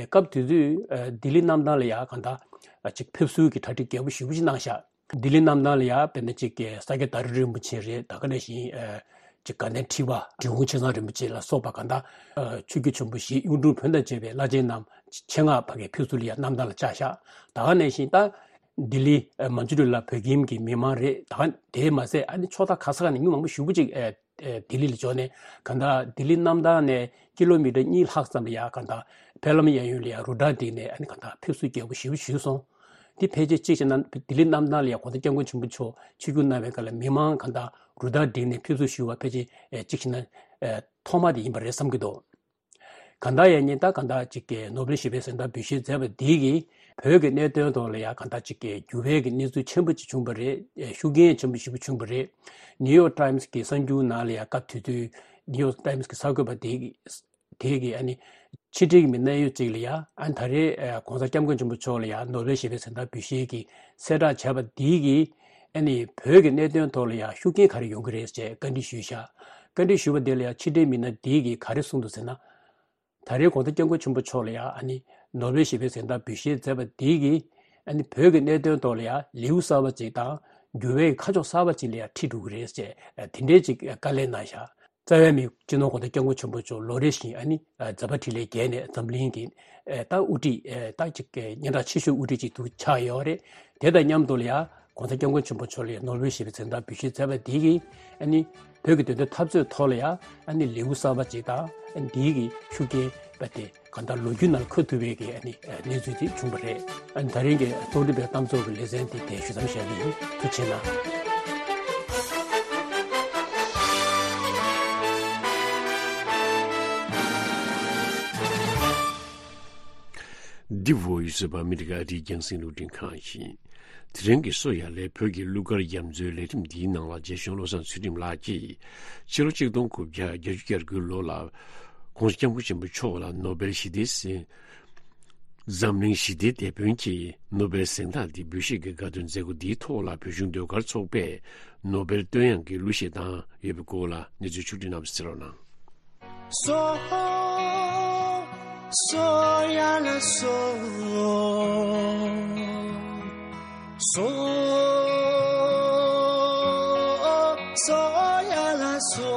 སྐབས་དེ་དུས་ལྡི་ལི་གནམ་ཐང་ལ་ཡ་གང་ལྟར་ཅིག་ཕེབས་བསུའི་གི་གྲ་སྒྲིག་རྒྱས་པོ་ཞེ་པོ་ཅིག་གནང་ཤག་ལྡི་ལི་གནམ་ཐང་ལ་ཡ་དཔེར་ན་ཅིག་གི་ས་སྐྱ་དར་རིན་པོ་ཆེ་རེད། ད་ག་ནང་བཞིན་ ཅིག་དགའ་ལྡན་ཁྲི་པ་འབྲི་གུང་ཆེ་ཚང་རིན་པོ་ཆེ་ལ་སོགས་པ་གང་ལྟར་ཆོས་བརྒྱུད་ཆེན་པོ་བཞི་གཡུང་དྲུང་བོན་དང་བཅས་པའི་བླ་ཆེན་རྣམས་ཆེད་མངགས་ཕ་གིར་ཕེབས་བསུ་ལ་ཡང་རྣམ་ཐར་ལ་བཅར་བཞག་ད་ག་ནང་བཞིན་ད་ལྡི་ལི་མན་ཇུ་རི་ལ་བོད་ཁྱིམ་གྱི་མི་མང་རེད། ད་ག་དེ་མ་ཟད་ཨ་ནི་ཕྱོགས་མཐའ་ག་ས་ག་ནས་མི་མང་པོ་ཞེ་པོ་ཅིག་ལྡི་ལི་ལ་འབྱོར་ནས་གང་ལྟར་ལྡི་ལི་གནམ་ཐང་ནས་ཀི་ལོ་མི་ཊར་གཉིས་ལྷག་ཙམ་ལ་ཡང་གང་ལྟར་ཕེབས་ལམ་གཡས་གཡོན་ལ་ཡང་རུ་ཊར་བསྒྲིགས་ནས་ཨ་ནི་གང་ལྟར་ཕེབས་བསུ་རྒྱས་པོ་ཞེ་པོ་ཞུས་སོང་། འདི་ཕལ་ཆེར་གཅིག་བྱས་ན་ལྡི་ལི་གནམ་ཐང་ལ་ཡང་གོང་ས་སྐྱབས་མགོན་ཆེན་པོ་མཆོག་ཆིབས་བསྒྱུར་གནང་བའི་སྐབས་ལ་མི་མང་གང་ལྟར་རུ་ཊར་བསྒྲིགས་ནས་ཕེབས་བསུ་ཞུ་བ་ཕལ་ཆེར་གཅིག་བྱས་ན་ཐོག་མ་དེ་ཡིན་པ་རེད་བསམ་གྱི་འདུག་གང་ལྟར་ཡང་ཉིན་ལྟར་གང་ལྟར་ཅིག་གི་ནོ་བེལ་ཞི་བའི་གཟེངས་རྟགས་འབུལ་བཞེས་མཛད་པ་འདི་གིས་བོད་ཀྱི་གནད་དོན་ཐོག་ལ་ཡང་གང་ལྟར་ཅིག་གི་འགྱུར་བའི་གི་གནས་ཚུལ་ཆེན་པོ་ཅིག་བྱུང་བ་རེད། ཤུགས་རྐྱེན་ཆེན་པོ་ཞེ་པོ་བྱུང་བ་རེད། ནིའུ་ཡོག་ཊའིམ་སི་གི་གསར་འགྱུར་ནང་ལ་ཡང་སྐབས་དེ་དུས་ནིའུ་ཡོག་ཊའིམ་སི་གི་གསར་འགོད་པ་དེ་དེ་གིས་ཨ་ནི་ཕྱི་འབྲེལ་གྱི་མི་སྣ་ཡོད་ཅིག་ལ་ཡང་ཨ་ནི་ད་རེས་གོང་ས་སྐྱབས་མགོན་ཆེན་པོ་མཆོག་ལ་ཡང་ནོ་བེལ་ཞི་བའི་གཟེངས་རྟགས་འབུལ་བཞེས་ཀྱི་གསལ་བསྒྲགས་བྱས་པ་འདི་གིས་ཨ་ནི་བོད་ཀྱི་གནད་དོན་ཐོག་ལ་ཡང་ཤུགས་རྐྱེན་ག་རེ་ཡོང་གི་རེད་ཅེས་བཀའ་འདྲི་ཞུས་ཤག་བཀའ་འདྲི་ཞུས་པ་དེ་ལ་ཡང་ཕྱི་འབྲེལ་མི་སྣ་འདི་གིས་ག་རེ་གསུངས་འདུག་ཟེར་ན། ད་རེས་གོང་ས་སྐྱབས་མགོན་ཆེན་པོ་མཆོག་ལ་ཡང་ཨ་ནི་ནོ་བེལ་ཞི་བའི་གཟེངས་རྟགས་འབུལ་བཞེས་མཛད་པ་འདི་གིས་ཨ་ནི་བོད་ཀྱི་གནད་དོན་ཐོག་ལ་ཡང་ལེའུ་གསར་པ་ཅིག་དང་འགྱུར་བའི་ཁ་ཕྱོགས་གསར་པ་ཅིག་ལ་ཡང་ཁྲིད་འགྲོ་གི་རེད་ཅེས་དེ་འདྲའི་ཅིག་བཀའ་ལན་གནང་ཤག་རྩ་བའི་མི་སྤྱི་ནོར་གོང་ས་སྐྱབས་མགོན་ཆེན་པོ་མཆོག་ལོ་རེ་བཞིན་ཨ་ནི་མཛད་པ་འཕྲིན་ལས་རྒྱས་ནས་འཛམ་གླིང་གི་ད་དབུ་ཁྲིད་ད་ཅིག་སྙན་གྲགས་ཆེ་ཤོས་དབུ་ཁྲིད་ཅིག་ཏུ་ཆགས་ཡོད་རེད། དེ་དང་མཉམ་དུ་ལ་ཡང་གོང་ས་སྐྱབས་མགོན་ཆེན་པོ་མཆོག་ལ་ནོ་བེལ་ཞི་བའི་གཟེངས་རྟགས་འབུལ་བཞེས་མཛད་པ་འདི་གིས་ཨ་ནི་བོད་ཀྱི་བདེན་དོན་འཐབ་རྩོད་ཐོག་ལ་ཡང་ཨ་ནི་ལེའུ་གསར་པ་ཅིག་དང་ཨ་ནི་འདིའི་གི་ཤུགས་རྐྱེན་པ་དེ་གང་ལྟར་ལོ་རྒྱུས་ནང་འཁོད་ཐུབ་པའི་གི་ཨ་ནི་གནས་ཚུལ་དེ་བྱུང་བ་རེད། ཨ་ནི་ད་རིང་གི་རྟོག་སྒྲིལ་བའི་གཏམ་ཚོགས་ཀྱི་ལེ་ཚན་དེ་དེ་ཞུ་མཚམས་བཞག་གི་ཡིན། ཐུགས་རྗེ་གནང་། འདི་Voice of America ཨ་རིའི་རྒྱང་སྲིང་རླུང་འཕྲིན་ཁང་ཡིན། དེ་རིང་གི་གསོ་ཡ་ལས་བོད་ཀྱི་གླུ་གར་རྒྱ་མཚོའི་ལས་རིམ་འདིའི་ནང་ལ་རྗེ་གཞུང་བློ་བཟང་ཚུལ་ཁྲིམས་ལགས་ཀྱིས་ཕྱི་ལོ་ཆིག་སྟོང་དགུ་བརྒྱ་བརྒྱད་ཅུ་གྱ་དགུའི་ལོ་ལ་༸གོང་ས་༸སྐྱབས་མགོན་ཆེན་པོ་མཆོག་ལ་ནོ་བེལ་ཞི་བདེའི་གཟེངས་འཛམ་གླིང་ཞི་བདེའི་དེད་དཔོན་གྱི་ནོ་བེལ་གཟེངས་རྟགས་འདི་འབུལ་བཞེས་ཀྱི་དགའ་སྟོན་མཛད་སྒོ་འདིའི་ཐོག་ལ་བོད་གཞུང་ཟློས་གར་ཚོགས་པས་ནོ་བེལ་བསྟོད་དབྱངས་ཀྱི་གླུ་གཞས་བཏང་ཡོད་པའི་སྐོར་ལ་གནས་ཚུལ་ཕྱོགས་སྒྲིག་གནང་བ་གསན་རོགས་གནང་། སོ། སོ་ཡ་ལ་སོ། སོ། སོ་ཡ་ལ་སོ།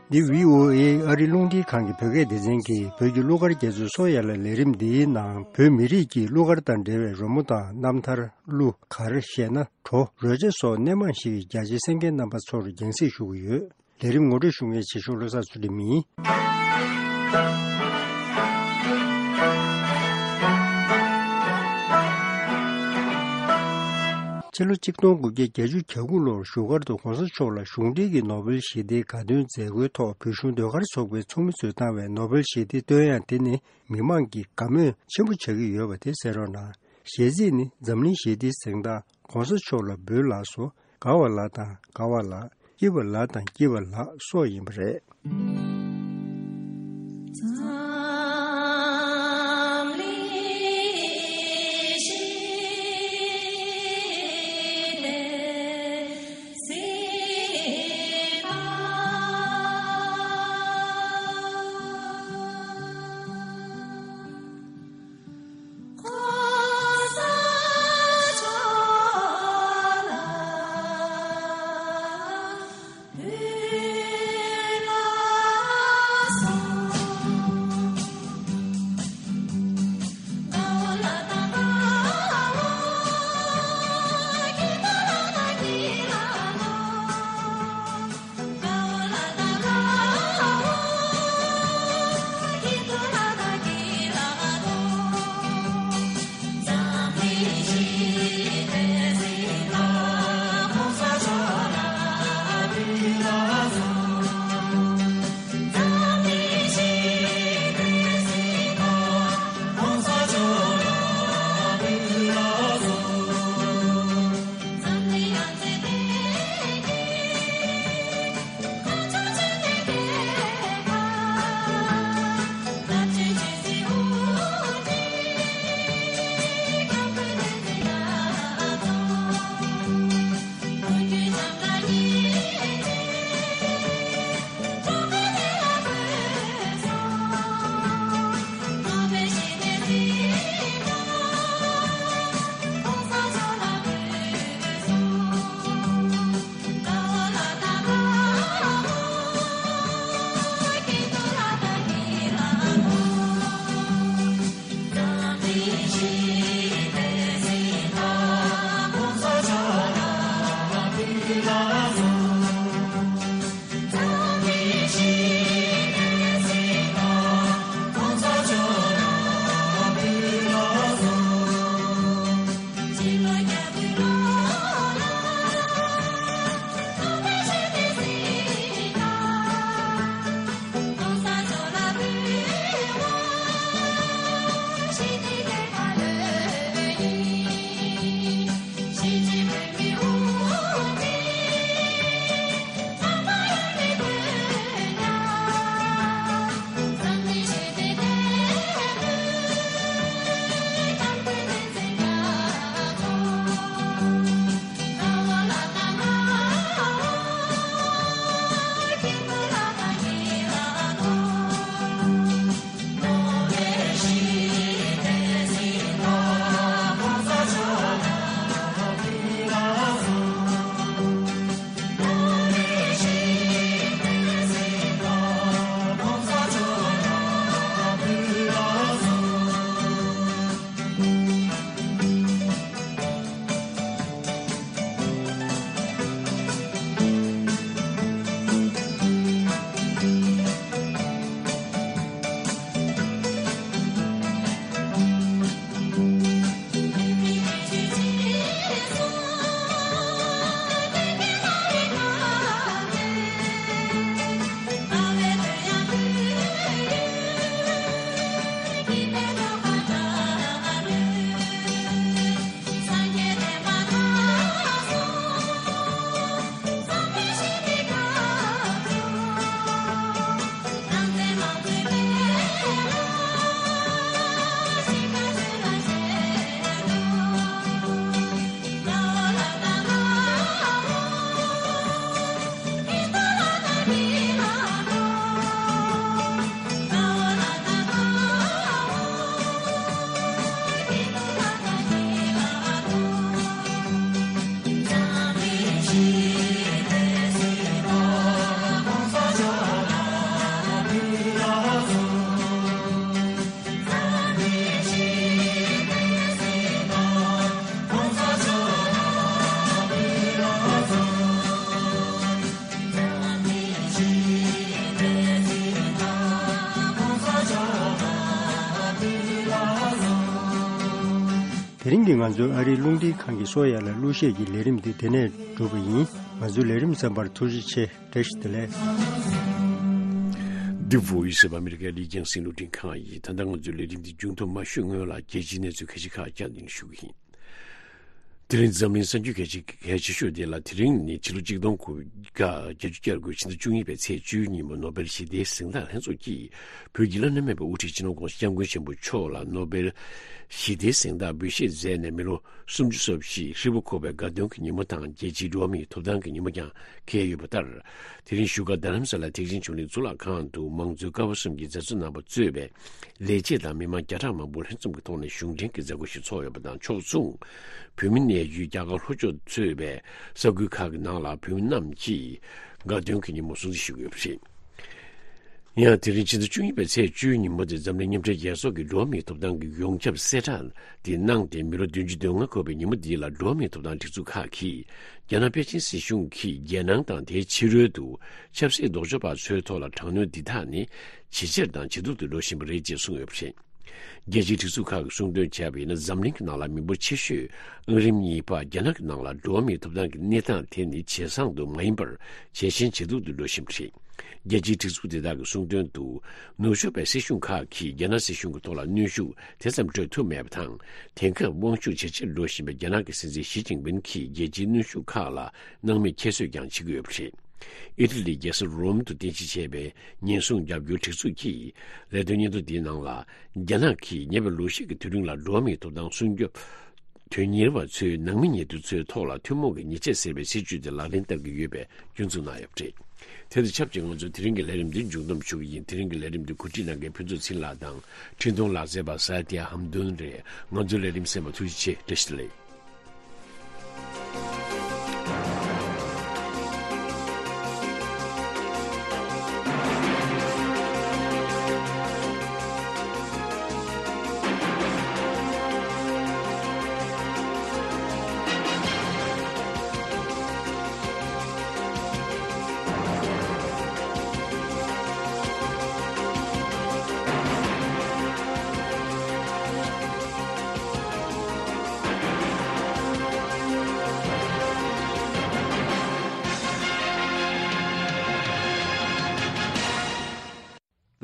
འདི་བྷི་ཨོ་ཨེ་ཨ་རི་རླུང་འཕྲིན་ཁང་གི་བོད་སྐད་སྡེ་ཚན་གྱིས་བོད་ཀྱི་གླུ་གར་རྒྱ་མཚོའི་སོ་ཡ་ལ་ལས་རིམ་འདིའི་ནང་བོད་མི་རིགས་ཀྱི་གླུ་གར་དང་འབྲེལ་བའི་རོལ་མོ་དང་རྣམ་ཐར། གླུ་གར་གཞས་སྣ། བྲོ། རོལ་ཆ་སོགས་སྣེ་མང་ཞིག་གི་རྒྱ་ཆེའི་གསན་མཁན་རྣམ་པ་ཚོར་རྒྱང་སྲིང་ཞུ་གི་ཡོད། ལས་རིམ་ངོ་སྤྲོད་ཞུ་མཁན་རྗེ་གཞུང་བློ་བཟང་ཚུལ་ཁྲིམས་ཡིན། ཕྱི་ལོ་ཆིག་སྟོང་དགུ་བརྒྱ་བརྒྱད་ཅུ་གྱ་དགུ་ལོར་བཞུགས་སྒར་དུ་གོང་ས་མཆོག་ལ་གཞུང་འབྲེལ་གྱི་ནོ་བེལ་ཞི་བདེའི་དགའ་སྟོན་མཛད་སྒོའི་ཐོག་བོད་གཞུང་ཟློས་གར་ཚོགས་པའི་ཚོགས་མི་ཚོས་བཏང་བའི་ནོ་བེལ་ཞི་བདེའི་བསྟོད་དབྱངས་དེ་ནི་མི་མང་གི་དགའ་མོས་ཆེན་པོ་བྱ་གི་ཡོད་པ་དེ་གསན་རོགས་གནང་། གཞས་ཚིག་ནི་འཛམ་གླིང་ཞི་བདེའི་གཟེངས་རྟགས་གོང་ས་མཆོག་ལ་འབུལ་ལགས་སོ། དགའ་བ་ལ་དང་དགའ་བ་ལ། སྐྱིད་པ་ལ་དང་སྐྱིད་པ་ལ་སོགས་ཡིན་པ་རེད། དེ་རིང་གི་ང་ཚོའི་ཨ་རིའི་རླུང་འཕྲིན་ཁང་གི་གསོ་ཡ་ལ་གླུ་གཞས་ཀྱི་ལས་རིམ་འདི་དེ་ནས་གྲུབ་པ་ཡིན། ང་ཚོའི་ལས་རིམ་གསན་པར་ཐུགས་རྗེ་ཆེ། བཀྲ་ཤིས་བདེ་ལེགས། འདི་Voice of America་ལི་ཀྱང་སིན་རླུང་འཕྲིན་ཁང་ཡིན། ད་ལྟ་ང་ཚོའི་ལས་རིམ་འདི་མཇུག་བསྡོམས་མ་ཞུས་སྔོན་ལ་རྒྱལ་སྤྱིའི་གནས་ཚུལ་ཁ་ཤས་ཁག་བསྐྱར་ནས་ཞུ་གི་ཡིན། དེ་རིང་འཛམ་གླིང་གསར་འགྱུར་གལ་ཆེ་གལ་ཆེ་ཤོས་དེ་ལ། དེ་རིང་ནི་ཕྱི་ལོ་གཅིག་སྟོང་དགུ་བརྒྱ་བརྒྱད་ཅུ་གྱ་དགུ་ཕྱི་ཟླ་བཅུ་གཉིས་པའི་ཚེས་བཅུའི་ཉིན་མོ་ནོ་སྦེལ་ཞི་བདེའི་གཟེངས་རྟགས་ལྷན་ཚོགས་ཀྱིས་བོད་ཀྱི་བླ་ན་མེད་པའི་དབུ་ཁྲིད་སྤྱི་ནོར་༧གོང་ས་༧སྐྱབས་མགོན་ཆེན་པོ་མཆོག་ལ་ནོ་སྦེལ་ཞི་བདེའི་གཟེངས་རྟགས་འབུལ་བཞེས་མཛད་ནས་མི་ལོ་སུམ་ཅུ་སོ་བཞི་ཧྲིལ་པོ་འཁོར་བའི་དགའ་སྟོན་གྱི་ཉིན་མོ་དང་རྒྱལ་སྤྱིའི་འགྲོ་བ་མིའི་ཐོབ་ཐང་གི་ཉིན་མོ་ཀྱང་འཁེལ་ཡོད་པ་ལྟར། དེ་རིང་བཞུགས་སྒར་རྡ་རམ་ས་ལ་ཐེག་ཆེན་ཆོས་གླིང་གཙུག་ལག་ཁང་དུ་མང་གཙོའི་ཀ་བ་གསུམ་གྱི་མཛད་གཙོ་རྣམ་པ་གཙོས་པའི་ལས་བྱེད་དང་མི་མང་བརྒྱ་ཕྲག་མང་པོ་ལྷན་འཛོམས་ཀྱི་ཐོག་ནས་གཞུང་འབྲེལ་གྱི་མཛད་སྒོ་ཞིག་ཚོགས་ཡོད་པ་དང་ཕྱོགས་མཚུངས། བོད་མི་གནས་ཡུལ་རྒྱ་གར་ལྷོ་ཕྱོགས་གཙོས་པའི་ས་ཁུལ་ཁག་གི་ནང་ལ་བོད་མི་རྣམས་ཀྱིས་དགའ་སྟོན་གྱི་ཉིན་མོ་སྲུང་བརྩི་ཞུ་གི་ཡོད་པ་རེད། ཡང་དེ་རིང་ཕྱི་ཟླ་བཅུ་གཉིས་པའི་ཚེས་བཅུའི་ཉིན་མོ་དེ་འཛམ་གླིང་མཉམ་འབྲེལ་རྒྱལ་ཚོགས་ཀྱི་འགྲོ་བ་མིའི་ཐོབ་ཐང་གི་ཡོངས་ཁྱབ་གསལ་བསྒྲགས་དེ་གནང་སྟེ། མི་ལོ་བདུན་ཅུ་དོན་ལྔ་འཁོར་བའི་ཉིན་མོ་འདི་ལ་འགྲོ་བ་མིའི་ཐོབ་ཐང་སྒྲིག་འཛུགས་ཁག་གིས་རྒྱ་ནག་པེ་ཅིན་སྲིད་གཞུང་གིས་རྒྱལ་ནང་དང་དེའི་ཕྱི་རོལ་དུ་ཆབ་སྲིད་ལྡོག་ཕྱོགས་པ་ཚོའི་ཐོག་ལ་དྲག་གནོན་འདི་དག་ནི་ཇེ་ཆེར་དང་ཇེ་སྡུག་ཏུ་འགྲོ་བཞིན་པ་རེད་ཅེས་གསུངས་ཡོད་པ་རེད། རྒྱལ་སྤྱིའི་སྒྲིག་འཛུགས་ཁག་གིས་གསུངས་དོན་བྱས་པ་ཡིན་ན། འཛམ་གླིང་གི་ནང་ལ་མི་འབོར་ཆེ་ཤོས་ཨང་རིམ་གཉིས་པ་རྒྱ་ནག་གི་ནང་ལ་འགྲོ་བ་མིའི་ཐོབ་ཐང་གི་གནས་སྟངས་དེ་ནི་ཇེ་བཟང་དུ་མ་ཡིན་པར་ཇེ་ཞན་ཇེ་སྡུག་ཏུ་འགྲོ་བཞིན་པ་རེད། རྒྱལ་སྤྱིའི་སྒྲིག་འཛུགས་དེ་དག་གིས་གསུངས་དོན་དུ། ནུབ་ཕྱོགས་པའི་སྲིད་གཞུང་ཁག་གིས་རྒྱ་ནག་སྲིད་གཞུང་གི་ཐོག་ལ་གནོན་ཤུགས་དེ་ཙམ་སྤྲོད་ཐུབ་མེད་པ་དང་། དེང་སྐབས་དབང་ཤུགས་ཇེ་ཆེར་འགྲོ་བཞིན་པའི་རྒྱ་ནག་གི་སྲིད་འཛིན་ཞི་ཅིན་ཕིན་གྱིས་རྒྱལ་སྤྱིའི་གནོན་ཤུགས་ཁག་ལ་སྣང་མེད་ཁྱད་གསོད་ཀྱང་བྱེད་ཀྱི་ཡོད་པ་རེད། ཨི་ཊ་ལིའི་རྒྱལ་ས་རོམ་དུ་རྟེན་གཞི་བྱས་པའི་ཉེན་སྲུང་རྒྱབ་སྐྱོར་སྒྲིག་འཛུགས་ཀྱིས་ལས་དོན་སྙན་ཐོ་འདིའི་ནང་ལ། རྒྱ་ནག་གིས་ཉེ་བའི་ལོ་ཤས་ཀྱི་དུས་རིང་ལ་འགྲོ་བ་མིའི་ཐོབ་ཐང་སྲུང་སྐྱོབ་དོན་གཉེར་བ་ཚོའི་ནང་མི་ཉེ་དུ་ཚོའི་ཐོག་ལ་ཐུན་མོང་གི་ཉེས་ཆད་ཟེར་བའི་སྲིད་ཇུས་དེ་ལག་ལེན་བསྟར་གྱི་ཡོད་པའི་སྐྱོན་འཛུགས་གནང་ཡོད་པ་རེད། དེ་དང་ཆབས་ཅིག་ང་ཚོས་དེ་རིང་གི་ལས་རིམ་འདི་མཇུག་བསྡོམས་ཞུ་གི་ཡིན། དེ་རིང་གི་ལས་རིམ་འདི་གོ་སྒྲིག་གནང་མཁན་ཕུན་ཚོགས་ཚེ་རིང་ལགས་དང་། འཕྲིན་གཏོང་ལག་རྩལ་པ་ས་ཏི་ཧམ་དུན་རེད། ང་ཚོའི་ལས་རིམ་གསན་པར་ཐུགས་རྗེ་ཆེ། བཀྲ་ཤིས་བདེ་ལེགས།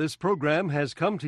This program has come to